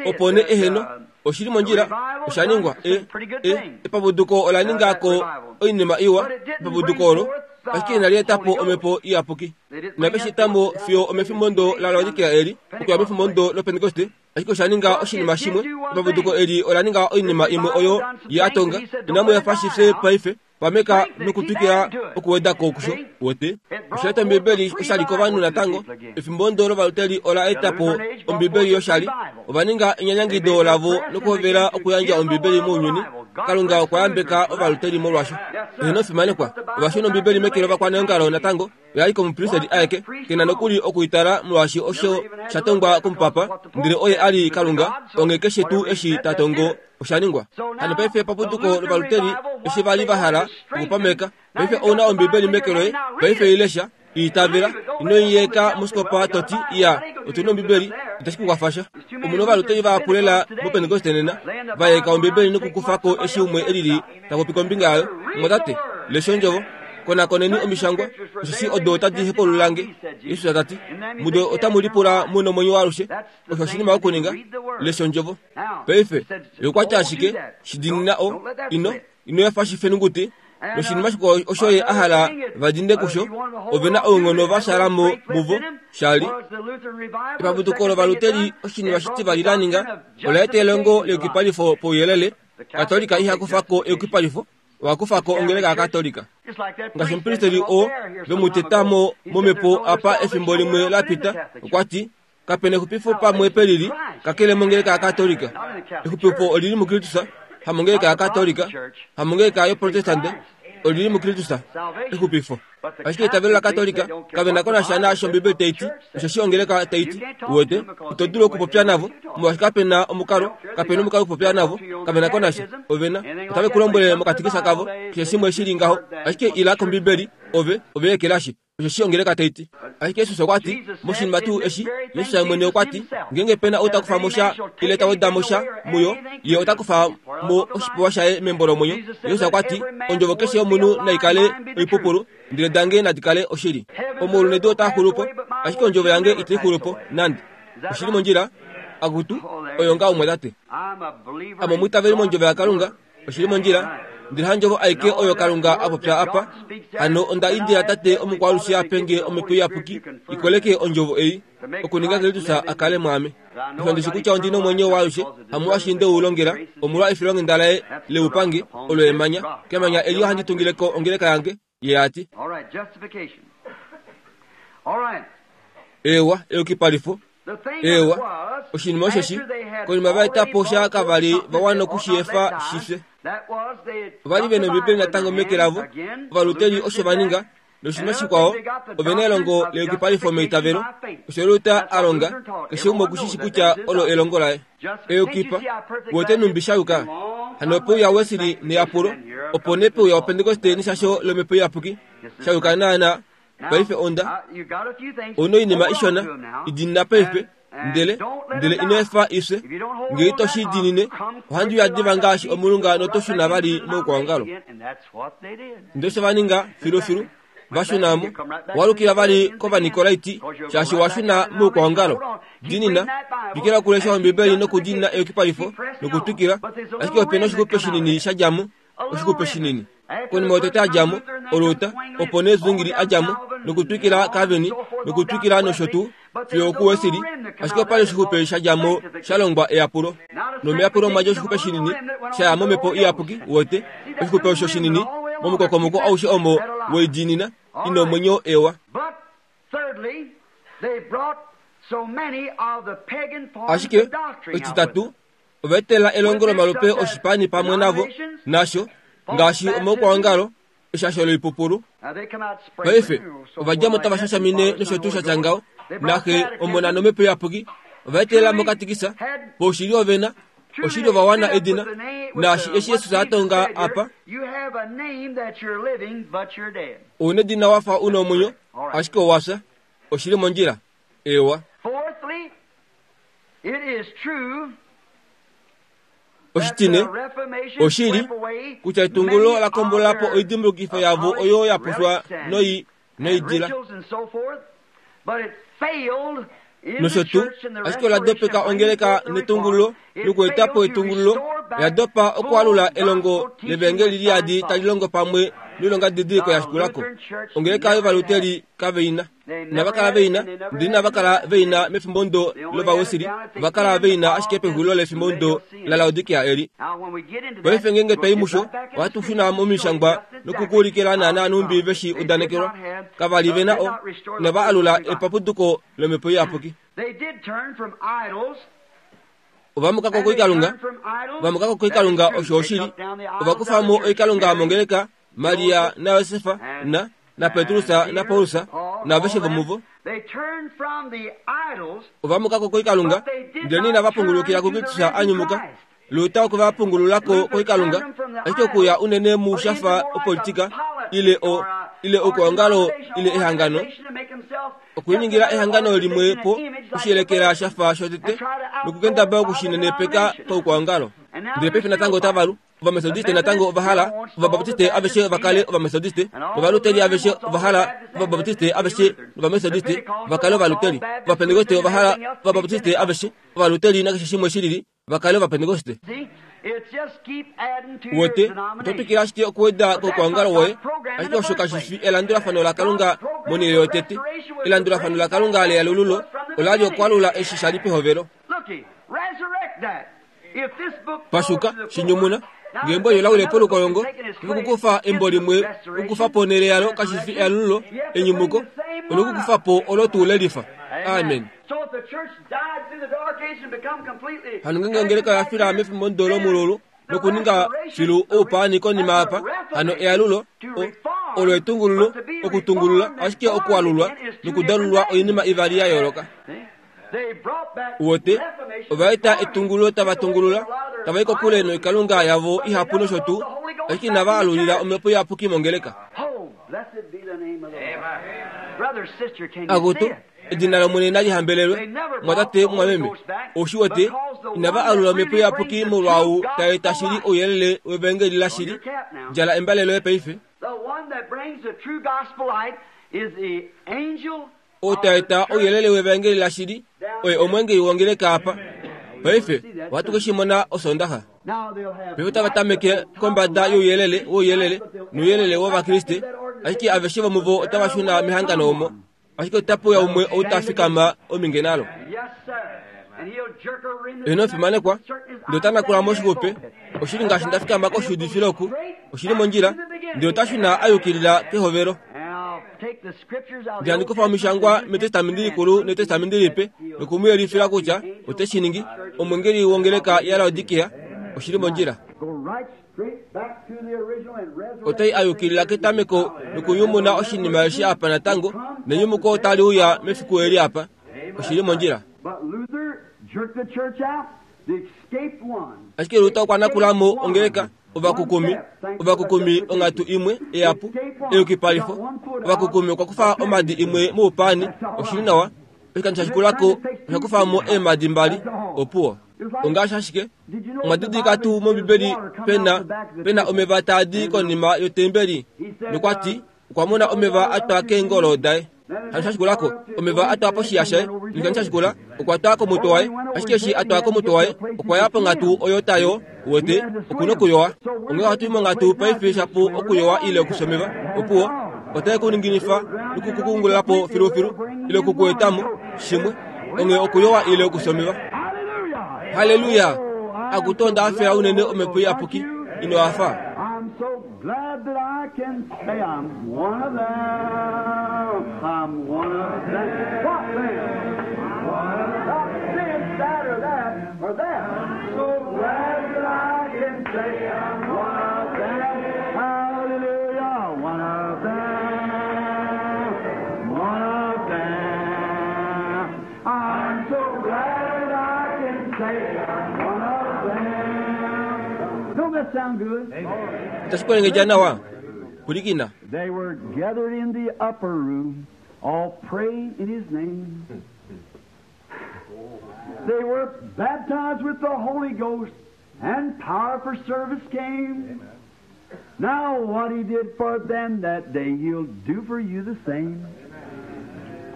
opo nee eheno, oshili mondjila, osha ningwa, e, e, epapuduko ola ninga ko oinima iwa, epapuduko olo, ashike inali eta po omhepo iyapuki. Inave shi eta mo fiyo omefimbo ndo la Laodikea eli, okuya mefimbo ndo loPentekoste, ashike osha ninga oshinima shimwe, epapuduko eli ola ninga oinima imwe oyo ye a tonga, inamu efa shi fye paife, pameka nokutwikila okuweda ko kusho, wote. Osha eta Ombibeli oshali kovanhu natango, efimbo ndo lovaluteli ola eta po Ombibeli yoshali, ova ninga enyanyangido lavo nokuhovela okuyandja Ombibeli mounyuni, Kalunga okwa yambeka ovaluteri molwasho. Eheno fimanekwa, ovashona Ombibeli meke lovakwaneongalo natango oya li komupristeli aeke, kena nokuli okuitala molwaashi osho sha tongwa komupapa, ndele oye a li Kalunga, onge keshe tuu eshi ta tongo osha ningwa. Hano paife paputuko lovaluteri eshi va li va hala okupameka, paife ouna Ombibeli meke loye, paife ilesha, itavela, ino yeka mosikopa toti iya otuna Ombibeli, itashi ku kwafasha. Omuna ovaluteri vahapu lela moPentekoste nena vayeka Ombibeli nokukufako eshi umwe elili ta popi kombinga yayo. Mwatate, lesha ondjovo, konakoneni omishangwa, osheshi odo otadi hepululange. Jesus ta ti, mudo otamu lipula mu nomwenyo waalushe. Osho oshinima okuninga, lesha ondjovo. Paife yokwatya ashike shidinina o ino ino yafa shifenunguti noshinima shikwao osho ye a hala va dinde kusho, ovena ounghono va shala mo muvo shali. Epaputuko lovaluteri oshinima shitivali la ninga ola eta elongo leyukipalifo pouyelele. Katolika iha kufako eyukipalifo, oha kufako ongeleka yaKatolika. Ngaashi omupristeli oo vemuteta mo momhepo apa efimbo limwe la pita, okwa ti kapena exupifo pamwe pelili kakele mongeleka yaKatolika. Exupifo olili muKristus, hamongeleka yaKatolika, hamongeleka yoProtestante, olili muKristus exupifo. Ashike eitavelo laKatolika kavena ko nasha naasho Ombibeli tai ti, osheshi ongeleka tai ti. Uwete, ito dulu okupopya navo molwaashi kapena omukalo, kapena omukalo okupopya navo, kavena ko nasha. Ovena otave ku lombwele mokatikisa kavo keshe shimwe shili ngaho, ashike ila kOmbibeli, ove ove ekelashi, osheshi ongeleka tai ti. Ashike Jesus okwa ti moshinima tuu eshi, Jesus mwene okwa ti, ngeenge pena ou ta kufa mo sha ile ta weda mo sha muyo, ye ota kufa mo oshipewa shaye membo lomwenyo. Jesus okwa ti, ondjovo keshe yomunhu nai kale oipupulu, ndele dange nadi kale oshili. Omaulu nedu otaa xulu po, ashike ondjovo yange itai xulu po nande. Oshili mondjila, akutu, oyo nga umwe tate. Ame omwiitaveli mondjovo yaKalunga, oshili mondjila, ndele handjovo aike oyo Kalunga a popya apa. Hano onda indila tate omukwalushi a penge omhepo iyapuki ikoleke ondjovo ei, okuninga Kristus a kale mwaame. Osho ndishi kutya ondi nomwenyo waalushe, hamolwaashi nde u longela, omolwa efilonghenda laye leupange, olo emanya. Kemanya eli ohandi tungileko ongeleka yange, ye a ti. Ewa, eyukipalifo. Ewa, oshinima osheshi, konima va eta po sha kavali va wana okushiyefa shifye. Ova li vena Ombibeli natango meke lavo, ovaluteri osho va ninga, noshinima shikwao, ovena elongo leyukipalifo meitavelo. Osho Luther a longa, keshe umwe okushishi kutya olo elongo laye. Eyukipa, wete numbi sha yuka. Hano ope uya Wesley neyapulo, opo nee pe uya Opentekoste neshasho lomhepo iyapuki, sha yuka naana. Paife onda ouna oinima ishona idinina paife, ndele ndele ino efa ifye. Ngee ito shi dinine, ohandi uya diva ngaashi omulunga noto shuna vali moukwaongalo. Ndele osho va ninga filufilu, va shuna mo, walukila vali kOvanikolaiti, shaashi wa shuna moukwaongalo. Dinina, twikila okulesha Ombibeli nokudinina eyukipalifo nokutwikila, ashike opena oshixupe shinini sha dja mo, oshixupe shinini. Konima yotete a dja mo, Oluta, opo nee Zwingli a dja mo, nokutwikila Calvin, nokutwikila nosho tuu, fiyo okuWesley, ashike opali oshixupe sha dja mo sha longwa eyapulo. Nomeyapulo mwa dja oshixupe shinini sha ya momhepo iyapuki, uwete, oshixupe osho shinini momukokomoko aushe omo weidinina, ina omwenyo ewa. Ashike, oshititatu, ova etela elongo lomalupe oshipani pamwe navo, nasho, ngaashi omaukwaongalo, eshasho loipupulu. Paife, ova dja mo tava shashamine nosho tuu sha tya ngaho, naxe omona nomhepo iyapuki, ova etela mokatikisa, poushili ovena, oshili ova wana edina, naashi eshi Jesus a tonga apa, ouna edina wafa una omwenyo, ashike owa fya. Oshili mondjila. Ewa. Oshitine, oshili kutya etungulo la kombola po oidimbulukifo yavo oyo ya pushwa noi noidila nosho tuu, ashike ola dopeka ongeleka netungululo nokueta po etungululo, oya dopa okualula elongo levangeli liyadi tali longo pamwe noilonga didiliko ya shikulako. Ongeleka yovaluteri kaveina. Inava kala veina, ndele inava kala veina mefimbo ndo lOvawesili, ova kala veina ashike pexulilo lefimbo ndo laLaodikia eli. Paife ngeenge twai musho, ohatu shuna momishangwa nokukuulikila naana numbi veshi udanekelwa. Kava li vena o, inava alula epapuduko lomhepo iyapuki. Ovamuka ko koikalunga, vamuka ko koikalunga osho oshili. Ovakufa mo oikalunga mongeleka Maria na Yosefa na na Petrus na Paulus na aveshe vomuvo. Ovamuka ko koikalunga, ndele inava pungulukila kuKristus a nyumuka. Luta okwe va pungululako koikalunga, ashike okuya unene muushafa opolitika ile o ile okuongalo ile ehangano, okuiningila ehangano limwe po oshiyelekela shafa shotete nokukendaba okushinenepeka paukwaongalo. Ndele paife natango otava lu. Ovamethodiste natango ovahala Ovabaptiste aveshe vakale Ovamethodiste, Ovaluteri aveshe ovahala Ovabaptiste aveshe nOvamethodiste vakale Ovaluteri, Ovapentekoste ovahala Ovabaptiste aveshe, Ovaluteri nakeshe shimwe shilili vakale Ovapentekoste. Wote oto twikile ashike okuweda koukwaongalo woye, ashike osho kashi fi elandulafano laKalunga monhele yotete. Elandulafano laKalunga leyalululo ola li okwalula eshi sha li pehovelo. Pashuka shinyumuna ngeembo oyo lawile polukolongo nokukufa embo limwe okukufa po onhele yalo kashi fi eyalululo enyumuko onokukufa po olo tuu lelifa. Amen. Hano ngenge ongeleka oya fila mefimbo lomululu nokuninga filu oupaani konima apa, hano eyalulo olo etungululo okutungulula ashike okualulwa nokudalulwa oinima ivali ya yooloka. Wote ovaeta etungululo tava tungulula tava i kokule noikalunga yavo ihapu nosho tuu, ashike inava alulila omhepo iyapuki mongeleka. Akutu, edina lOmwene nali hambelelwe. Mwatate mwameme, oushi wete inava alula omhepo iyapuki molwaou taeta shili ouyelele wevangeli lashili. Djala embale loye paife. Ou taeta ouyelele wevangeli lashili oye omwengeli wongeleka apa. Paife ohatu ke shi mona Osondaxa. Paife otava tameke kombada youyelele wouyelele nouyelele wOvakriste, ashike aveshe vomuvo otava shuna mehangano omo. Ashike otapuya umwe ou ta fikama ominge nalo. Eno fimanekwa, ndele ota nakula moshixupe. Oshili ngaashi nda fikama koshuudifilo oku, oshili mondjila, ndele ota shuna a yukilila kehovelo. Ndele handi kufa omishangwa mEtestamenti Likulu nEtestamenti Lipe noku mu yelifila kutya ote shi ningi. Omwengeli wongeleka yaLaodikea, oshili mondjila. Otai a yukilila ketameko nokunyumuna oshinima eshi apa natango, nenyumuko otali uya mefiku eli apa. Oshili mondjila. Ashike Luther okwa nakula mo ongeleka ovakukumi, ovakukumi onghatu imwe eyapu eyukipalifo. Ovakukumi okwa kufa omadi imwe moupaani, oshili nawa. Oshikando sha shikulako osha kufa mo eemadi mbali, opuwo. Ongaashi ashike omwa didilika tuu mOmbibeli pena pena omeva taadi konima yotembeli, nokwa ti okwa mona omeva a twa keengolo daye. Hano sha shikulako omeva a twa poshiya shaye, noshikando sha shikula okwa twa komutwe waye. Ashike eshi a twa komutwe waye okwa ya ponghatu oyo tayo wete okuna okuyowa. Onghee ohatu i monghatu paife shapu okuyowa ile okushomeva, opuwo otai ku ninginifa nokukukungulula po filufilu ile okukuetamo shimwe. Onghee okuyowa ile okushomeva. Halleluya! Akutu onda hafela unene omhepo iyapuki ino hafa. I'm so glad that I can say I'm one of them. I'm one of them. What then? One of them. This, that, or that, or that. I'm so glad that I can say I'm one of them. Hallelujah. One of them. One of them. I'm so glad that I can say I'm one of them. Don't that sound good? Itashi kwelengedja nawa pulikina. They were gathered in the upper room, all praying in His name. They were baptized with the Holy Ghost, and power for service came. Now what He did for them that day, He'll do for you the same.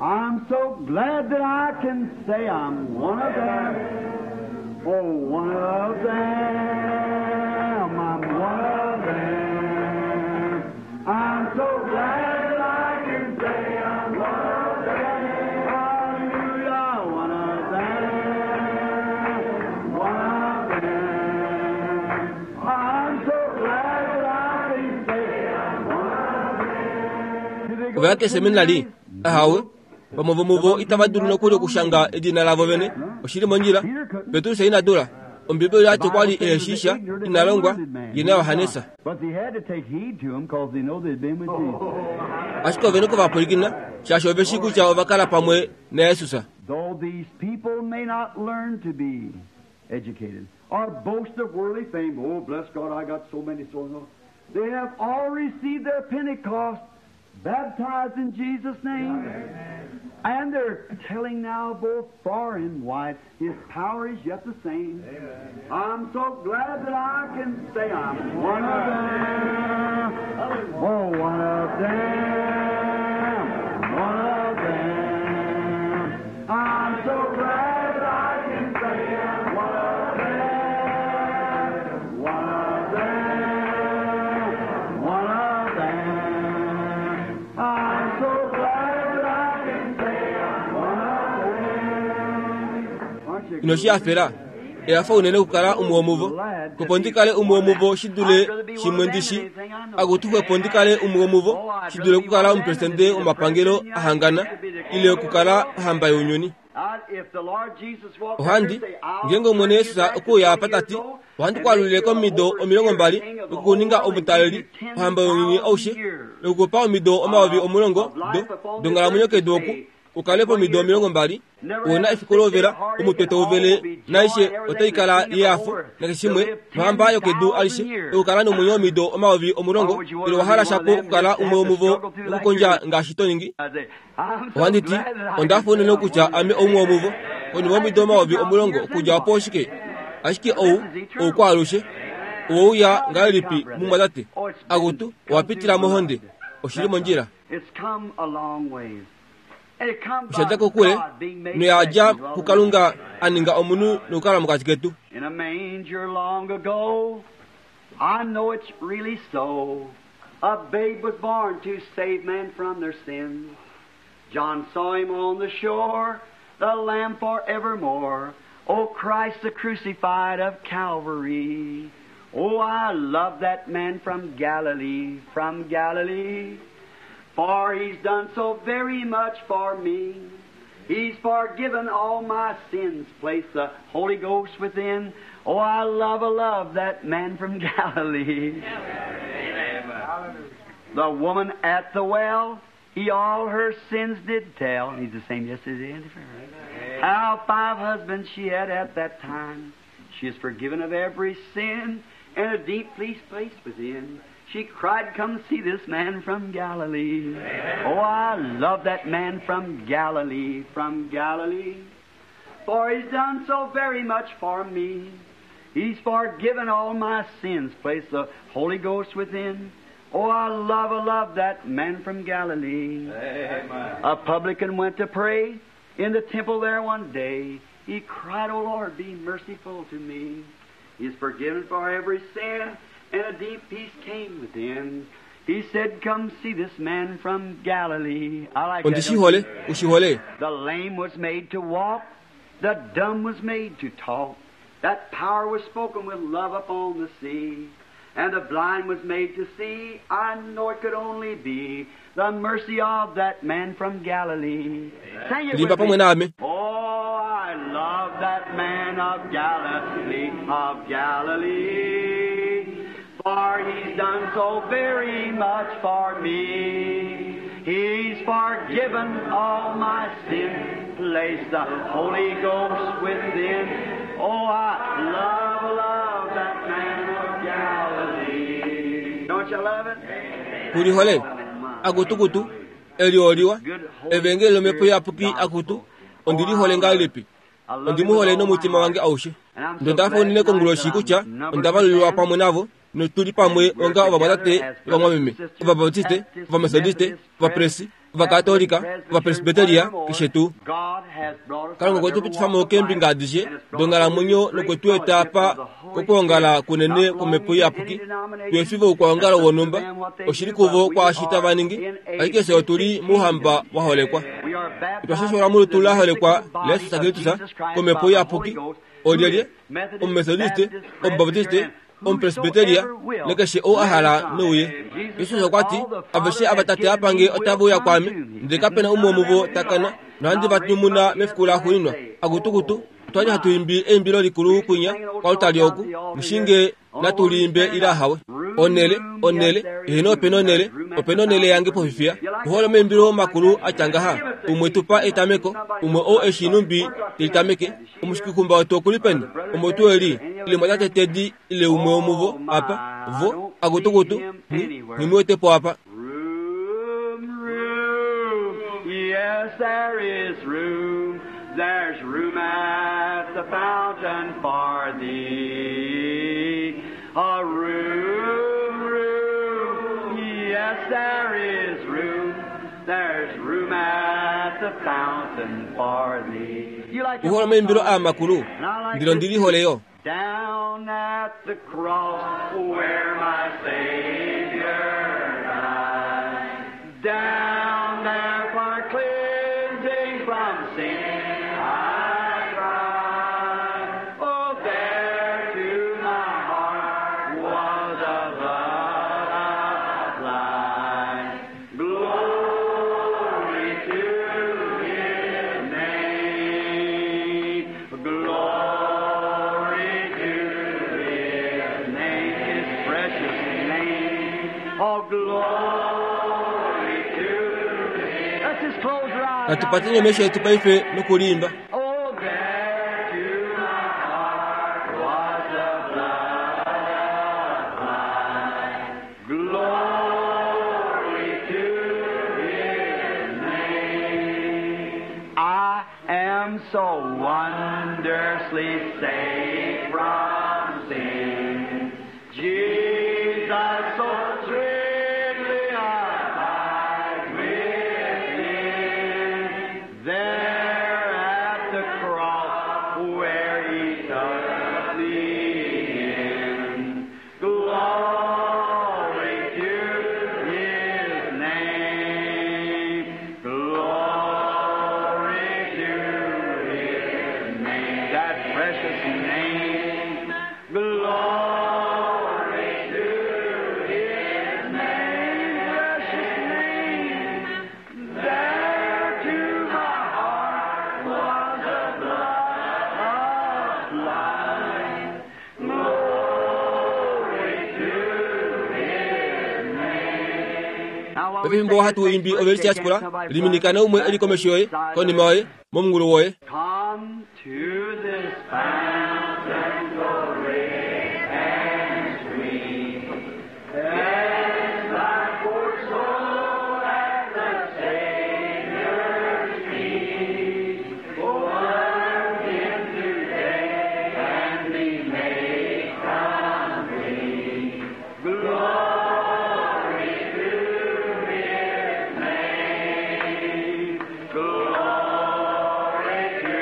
I'm so glad that I can say I'm one of them. Oh, one of them. I'm one of them. I'm so glad that I can say I'm one of them. Hallelujah, one of them. One of them. I'm so glad that I can say I'm one of them. Ovaya keseminali ahawe Vamwe vomuvo itava dulu nokuli okushanga edina lavo vene. Oshili mondjila. Petrus ina dula. Ombibeli yati okwa li ehe ina longwa ye naJohannes. Ashike ove nokuvapwilikina shaashi ove shii kutya ova kala pamwe naJesus. Though these people may not learn to be educated or boast of worldly fame, oh, bless God, I got so many souls. They have all received their Pentecost, baptized in Jesus' name. And they're telling now both far and wide, His power is yet the same. Amen. I'm so glad that I can say I'm one of them. Oh, one of them. One of them. I'm so glad I can say I'm one of them. One of them. One of them. I'm so glad that I can say I'm one of them. Aren't you Ino shi hafela. Ehafa unene okukala umwe womuvo. Kopo ndikale umwe womuvo shi dule shimwe ndishi. Akutuxwepo ndikale umwe womuvo shi dule okukala omupresidente womapangelo ahangana ile okukala ohamba younyuni. Ohandi ngeenge Omwene Jesus okuuya apa tati ohandi kwalulile komido omilongo mbali okukuninga omutaleli ohamba younyuni aushe nokukupa omido omayovi omulongo do donghalamwenyo kedu oku ukale pomido omilongo mbali una efiku lovela omutwe tauvele naishe otaikala yehafo nakeshe shimwe nohamba yokedu alishe okukala nomwenyo omido omayovi omulongo ile wahala shapo okukala umwe womuvo nokukondja ngaashi to ningi. Ohandi ti ondafa unene kutya ame oumwe womuvo konima omido omayovi omulongo okudja opo oshike ashike ou oukwaalushe owouya ngahelipi mumwatate akutu owapitila mohonde oshili mondjila. Oshadja kokule noyadja kuKalunga a ninga omunhu nokukala mokati ketu. In a manger long ago, I know it's really so. A babe was born to save man from their sins. John saw him on the shore, the Lamb forevermore. Oh, Christ the crucified of Calvary. Oh, I love that man from Galilee, from Galilee. For he's done so very much for me. He's forgiven all my sins, placed the Holy Ghost within. Oh, I love, I love that man from Galilee. Amen. The woman at the well, he all her sins did tell. He's the same yesterday and forever. How five husbands she had at that time. She is forgiven of every sin, and a deep peace place within. She cried, come see this man from Galilee. Oh, I love that man from Galilee, from Galilee. For he's done so very much for me. He's forgiven all my sins, placed the Holy Ghost within. Oh, I love, I love that man from Galilee. Amen. A publican went to pray in the temple there one day. He cried, Oh, Lord, be merciful to me. He is forgiven for every sin, and a deep peace came within. He said, come see this man from Galilee. I like that. Ondishihole, ushihole. The lame was made to walk. The dumb was made to talk. That power was spoken with love upon the sea. And the blind was made to see. I know it could only be the mercy of that man from Galilee. Sing it with me. Oh, I love that man of Galilee, of Galilee. For he's done so very much for me. He's forgiven all my sin, placed the Holy Ghost within. Oh, I love, love that man of Galilee. Don't you love it? Kulihole, akutukutu, elioliwa, evengeli lomhepo iyapuki akutu, ondilihole ngahelipi? Ondimuhole nomutima wange aushe. Ndondafa unene konguloshi kutya ondavalulilwa pamwe navo notuli pamwe onga ovamwatate ovamwameme, ovabaptiste, ovamethodiste, ovapresi, ovakatolika, ovapresbiteria, keshe tuu. Kalunga okwe tu pitifa mo keembinga adishe donghalamwenyo nokwe tu eta apa kokwoongala kunene kwomhepo iyapuki. Tuefive oukwaongalo wonhumba, oshili kuvo kwaashi tava ningi, ashike fye otuli mouhamba wa holekwa. Otwa shashola molutu la holekwa laJesus Kristus komhepo iyapuki. Olyelye? Omumethodiste, omubaptiste, Omupresbiteria nekeshe ou a hala nouye. Jesus okwa ti, aveshe ava Tate a pange otava uya kwaame, ndele kapena umwe womuvo ta kana, nohandi va nyumuna mefiku laxuuninwa. Akutukutu, otwali hatu imbi eimbilo likulu kwinya kwalutali oku, mushinge natu liimbe ile ahawe. Onele, onele, eheno opena onele, opena onele yange pofifiya. Ohole omaimbilo makulu atya ngaha, umwe tupa etameko, umwe ou eshi numbi telitameke, omushikikumba wetu okuli peni, omo tuu eli, ile mwatate Tedi ile umwe womuvo apa, vo, akutukutu, nghi wetepo apa. Room, room, yes, there is room. There's room at the fountain for thee. A room, room, yes, there is room. There's room at the fountain for thee. You like Uhole omaimbilo a makulu, ndilo ndili holeyo. Down at the cross where my Savior died. Down there for cleansing from sin I cried. Oh, there to my heart was a love applied. Glory to His name. Glory to His name, His precious name. Oh, glory to His. Let's just close our eyes. Natupateni mesho yetu paife nokulimba. Oh, there to my heart was the blood applied. Glory to His name. I am so wondrously saved from sin. Jesus so sweetly abide with him. There at the cross where he took me in. Glory to his name. Glory to his name. That precious name. Glory to his name. Precious name. There to my heart was a blood applied. Glory to his name. Now, while we Pefimbo hatu imbi ovelisi yachikola, liminikana umwe eli komesho yoye, konima yoye, momungulu woye. Come to this fountain so rich and sweet. Cleanse thy poor soul at the Savior's feet. Plunge him today and be made complete. Glory to His name. Glory to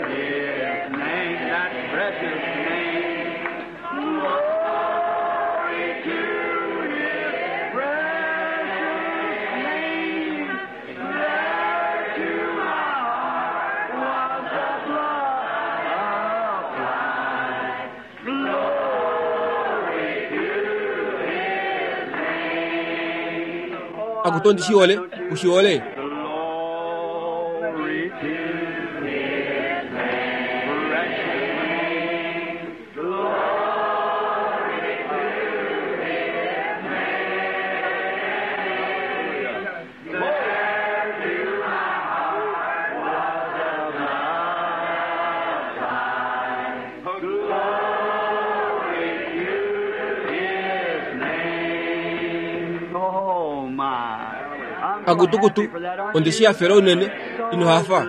His name, that precious name. Glory to His precious name. There to my heart was the blood applied. Glory to His name. Akutondi shiole, ushiole. Glory to His name, precious name. Glory to His name. There to my heart was the blood applied. Glory to His name. Oh my. Akutukutu, ondishi yafela unene, ino hafa.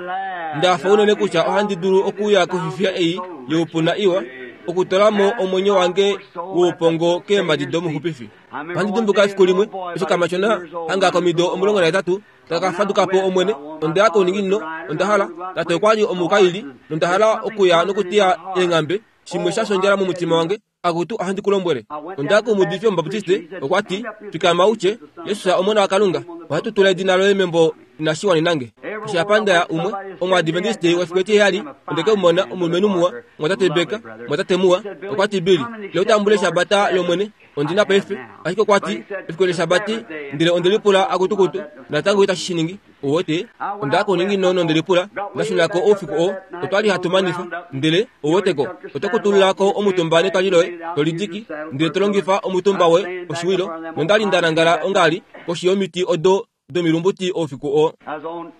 Ndafa unene kutya ohandi dulu okuya kofifiya ei youpuna iwa, okutolamo omwenyo wange woupongo keemadi domuxupifi. Ohandi dimbuka efiku limwe, eshi kamatyona hanga komido omulongo nahetatu, taka fadukapo omwene, onda ya kouninginino, onda hala, tate okwali omukaili, nonda hala okuya nokutiya eenghambe, shimwe sha shondjala momutima wange, akutu ohandi kulombwele. Onda ya komuudifi omubaptiste, okwa ti, fikama utye, Jesus omona waKalunga, ohatu tula edina loye membo inashiwanenange. Osha ndaya umwe omwaadventiste wefiku etiheyali ondeke mumona omulumenhu muwa mwatate Beka mwatate muwa okwa ti Billy leo tambule eshabata lomwene ondina paife ashike okwa ti efiku leshabati ndele ondelipula akutukutu natango itashi shiningi owote onda kuningi nono ndelipula ndashunako oufiku oo otwali hatu manifa ndele owoteko otokutululako omutumba netwali loye tolidiki ndele tolongifa omutumba we oshiwilo nondali ndanangala ongali koshi yomiti odo domilumbuti oufiku oo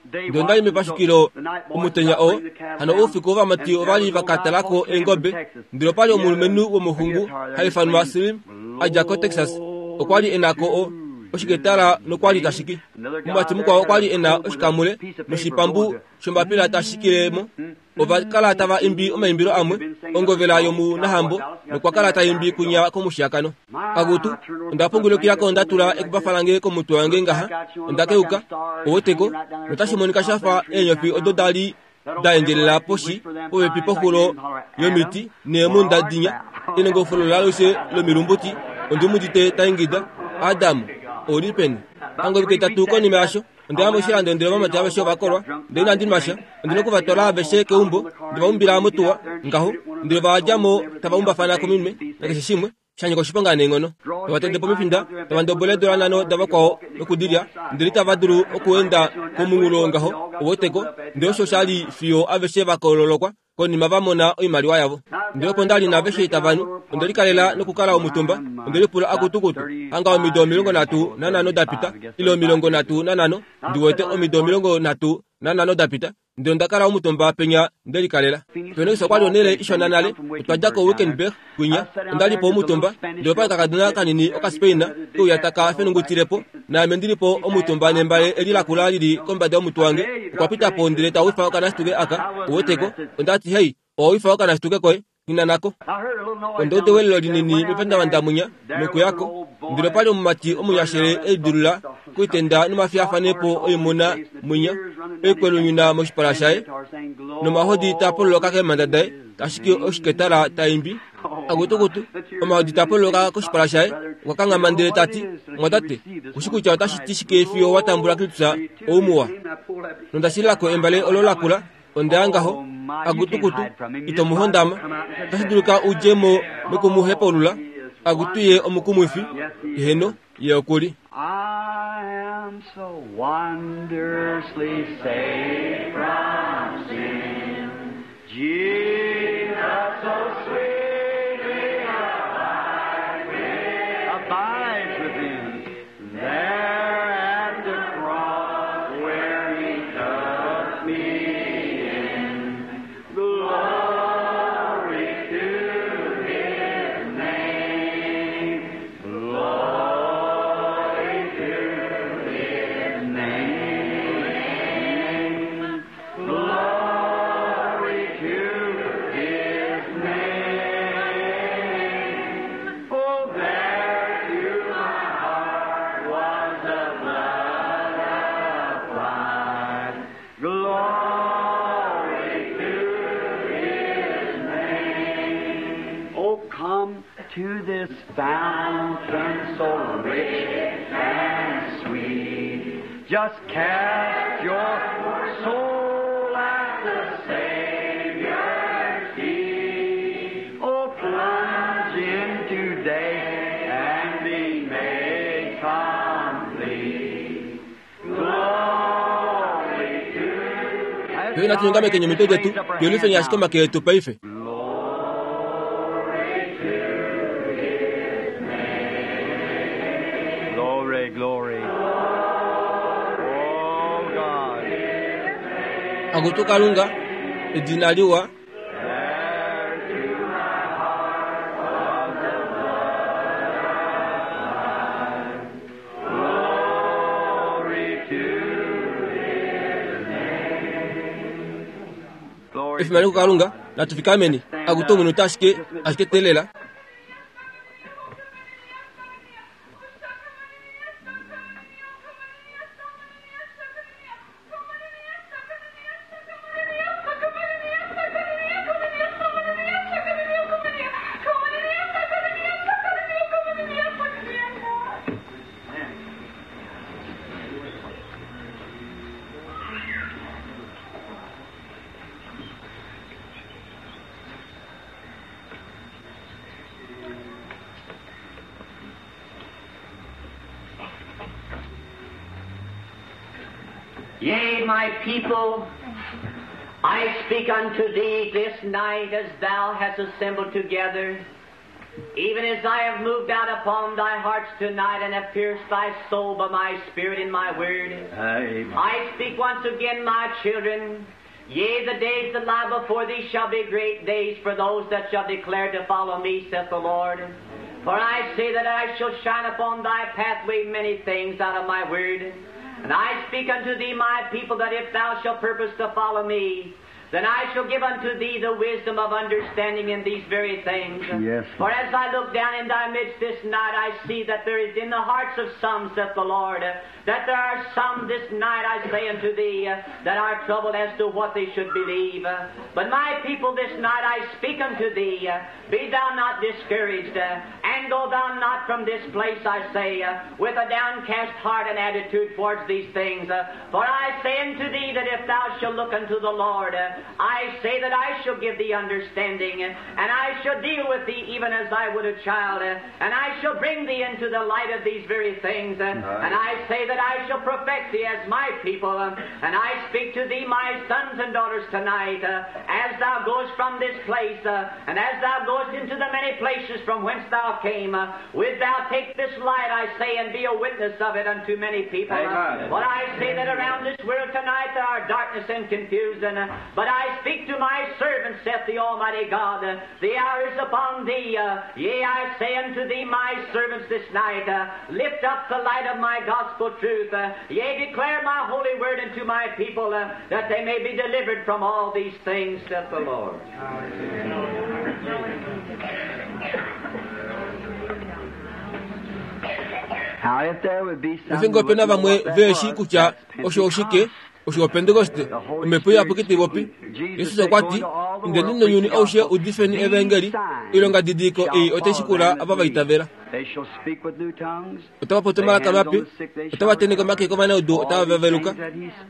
ndele ondali mepashukilo omutenya oo hano oufiku ovamati ovali vakatalako eengobe ndele opali omulumenhu womuxungu haifanwa Slim adja ko Texas okwali enako o oshiketala nokwali tashiki omumati mukwao okwali ena oshikamule noshipambu shombapila tashikilemo ovakala tava imbi omaimbilo amwe ongovela yomunahambo nokwakala taimbi kunya komushiyakano akutu ondapungulukilako ndatula ekubafa lange komutwe wange ngaha ondakeuka owoteko notashi shafa eenyofi odo dali daendjelela poshi popepi poxulo yomiti neemunda dinya enongofolo laluse lomilumbuti ondimudite taingida Adamu oli peni angovike tatu konima yasho ondaya moshilando ndele ovamati aveshe ovakolwa ndele inandi nwasha ondina okuvatwala aveshe keumbo ndevaumbila motuwa ngaho ndele vaadjamo tavaumbafana kominwe nakeshe shimwe shanyika oshiponga neenghono tavatende pomifinda tavandobola eedola nhano davakwao nokudilya ndele itava dulu okuenda komunghulo ngaho owoteko ndele osho shali fiyo aveshe vakololokwa konima vamona oimaliwa yavo ndele opo ndali naaveshe itavanu ondelikalela nokukala omutumba ondelipula akutukutu hanga omido omilongo nhatu nanhano dapita ile omilongo nhatu nanhano ndiwete omido omilongo nhatu nanhano dapita ndele ondakala omutumba penya ndelikalela Phoenix okwali onele ishona nale otwadja ko Wickenburg kwinya ondalipo omutumba ndele opali kakadona kanini okaspain keuya taka fenungutilepo naame ndilipo omutumba nembale eli lakula lili kombada yomutwe wange okwa pitapo ndele tawifa okanasituke aka oweteko ondati hei owawifa okanasituke koye nhinanako ondaude welelo linini mepandavanda nokuyako ndele opali omumati omunyashele elidulula kuitenda nomafiyafanepo oimuna mwinya oikwelunyuna moshipala shaye nomahodi tapololoka keemhanda daye tashiki oshiketala taimbi akutukutu omahodi tapololoka koshipala shaye okwa kanghama ndele tati mwatate kushi kutya otashi ti shike fiyo watambula Kristus oumuwa nondashililako embale olo lakula ondaya ngaho akutukutu ito muhondama otashi dulika udjemo nokumuhepaulula akutuye omukumwifi heno ye okuli I am so wondrously saved from sin. Jesus so sweetly abides within, abides within. There at the cross where he took me in. Glory to his name. Glory to his name. Glory to his name. Oh, there to my heart was the blood applied. Glory to his name. Oh, come to this fountain so rich and sweet. Just cast your soul at the Savior's feet. Oh, plunge in today and be made complete. Glory to Yo inatunyongame kenye mitwe jetu yolifenya ashike omake yetu paife Glory, glory. Oh God. Akutu Kalunga edina liwa Glory to his name. Glory efimano kuKalunga natufikameni akutu omunhu ashike ashike telela Yea, my people, I speak unto thee this night as thou hast assembled together, even as I have moved out upon thy hearts tonight and have pierced thy soul by my spirit and my word. Amen. I speak once again, my children. Yea, the days that lie before thee shall be great days for those that shall declare to follow me, saith the Lord. For I say that I shall shine upon thy pathway many things out of my word. And I speak unto thee, my people, that if thou shalt purpose to follow me, then I shall give unto thee the wisdom of understanding in these very things. Yes. For as I look down in thy midst this night, I see that there is in the hearts of some, saith the Lord, that there are some this night, I say unto thee, that are troubled as to what they should believe. But my people, this night I speak unto thee, be thou not discouraged, and go thou not from this place, I say, with a downcast heart and attitude towards these things. For I say unto thee that if thou shalt look unto the Lord, I say that I shall give thee understanding, and I shall deal with thee even as I would a child, and I shall bring thee into the light of these very things, and I say that I shall perfect thee as my people, and I speak to thee, my sons and daughters, tonight, as thou goest from this place, and as thou goest into the many places from whence thou came, wilt thou take this light, I say, and be a witness of it unto many people. Amen. But I say that around this world tonight there are darkness and confusion, but I speak to my servants, saith the Almighty God, the hour is upon thee. Yea, I say unto thee, my servants, this night, lift up the light of my gospel truth. Yea, declare my holy word unto my people, that they may be delivered from all these things, saith the Lord. Now, if there would be some Efingo who pena wouldn't know vamwe what that veeshi was, kutya that's osho oshike Pentecost. osho opentekoste omhepo iyapuki taipopi Jesus okwa ti indeni nounyuni aushe udifeni evangeli oilonga didiko ei otai shikula ava va itavela They shall speak with new tongues. otava popi omalaka mape otava teneke omake kovanaudu otava veveluka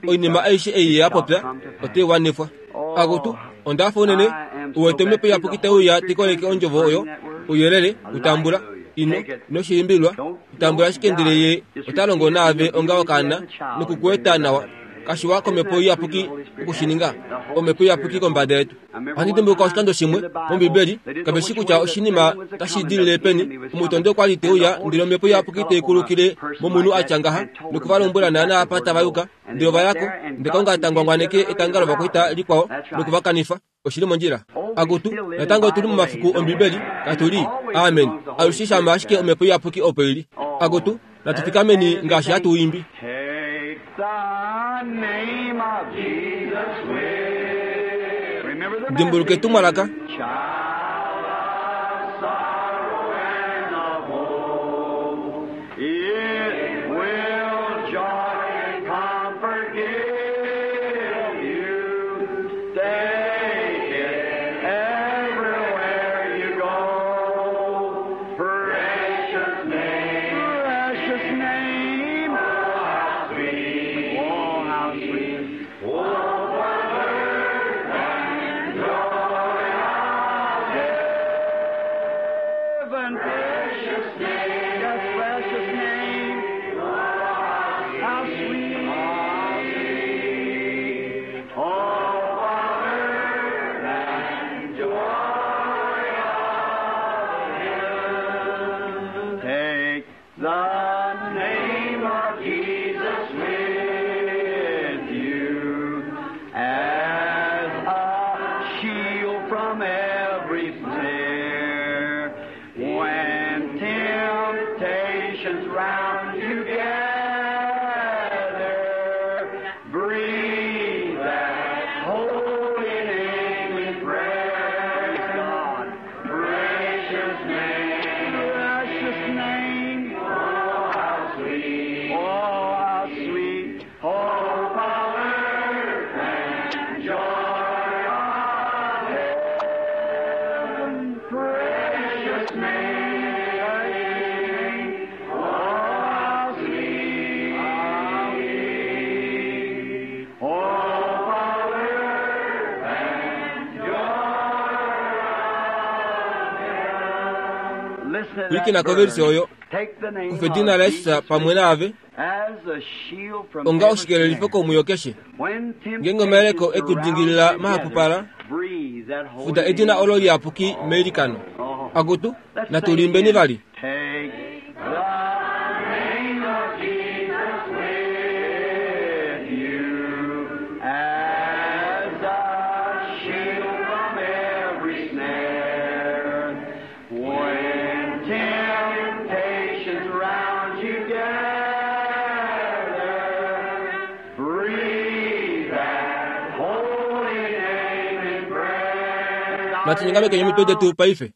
oinima aishe ei ya popya otai wanifwa akutu ondafa unene uwete omhepo iyapuki taiuya tikoleke ondjovo oyo ouyelele utambula ino noshiimbilwa utambula ashike ndele ye ota longo naave onga okaana nokukueta nawa kashiwa komhepo iyapuki okushininga omhepo iyapuki kombada yetu ohandi dimbuluka oshikando shimwe mombibeli kaveshi kutya oshinima tashi dilile peni omutondi okwa li teuya ndele omhepo iyapuki teikulukile momunhu atya ngaha nokuvalombwela naana apa tava yuka ndele ovayako ndele Kalunga tangwangwaneke etanga lovakwaita likwao nokuvakanifa oshili mondjila akutu natango otuli momafiku ombibeli katuli amen alushe shama ashike omhepo iyapuki opo ili akutu natufikameni ngaashi hatu imbi Take the name of Jesus with. Remember the dimbuluka message. etumwalaka Child of sorrow and of woe, it will joy and comfort give you. Take it everywhere you go. Precious name, precious name. Oh, how sweet, oh, how sweet. Oh, for and joy of heaven. Precious name, yes, precious name. How sweet, how sweet. Oh, Father, and joy of heaven. Take the name of Jesus with you as a shield from every snare. When temptations round you gather, breathe that holy name in prayer. God, precious name, precious name. Oh, how sweet, oh, how sweet, oh, power and joy of heaven. Precious name, oh, how sweet, how sweet, oh, power and joy of heaven. Listen to Wiki that na koversi bird. oyo Kufa edina laJesus pamwe naave onga oshikelelifo komwiyo keshe. Ngeenge omayeleko ekudingilila mahapupala, fuda edina olo liyapuki meilikano. Akutu, natu liimbeni vali. Natunyongameke emitwe detu paife.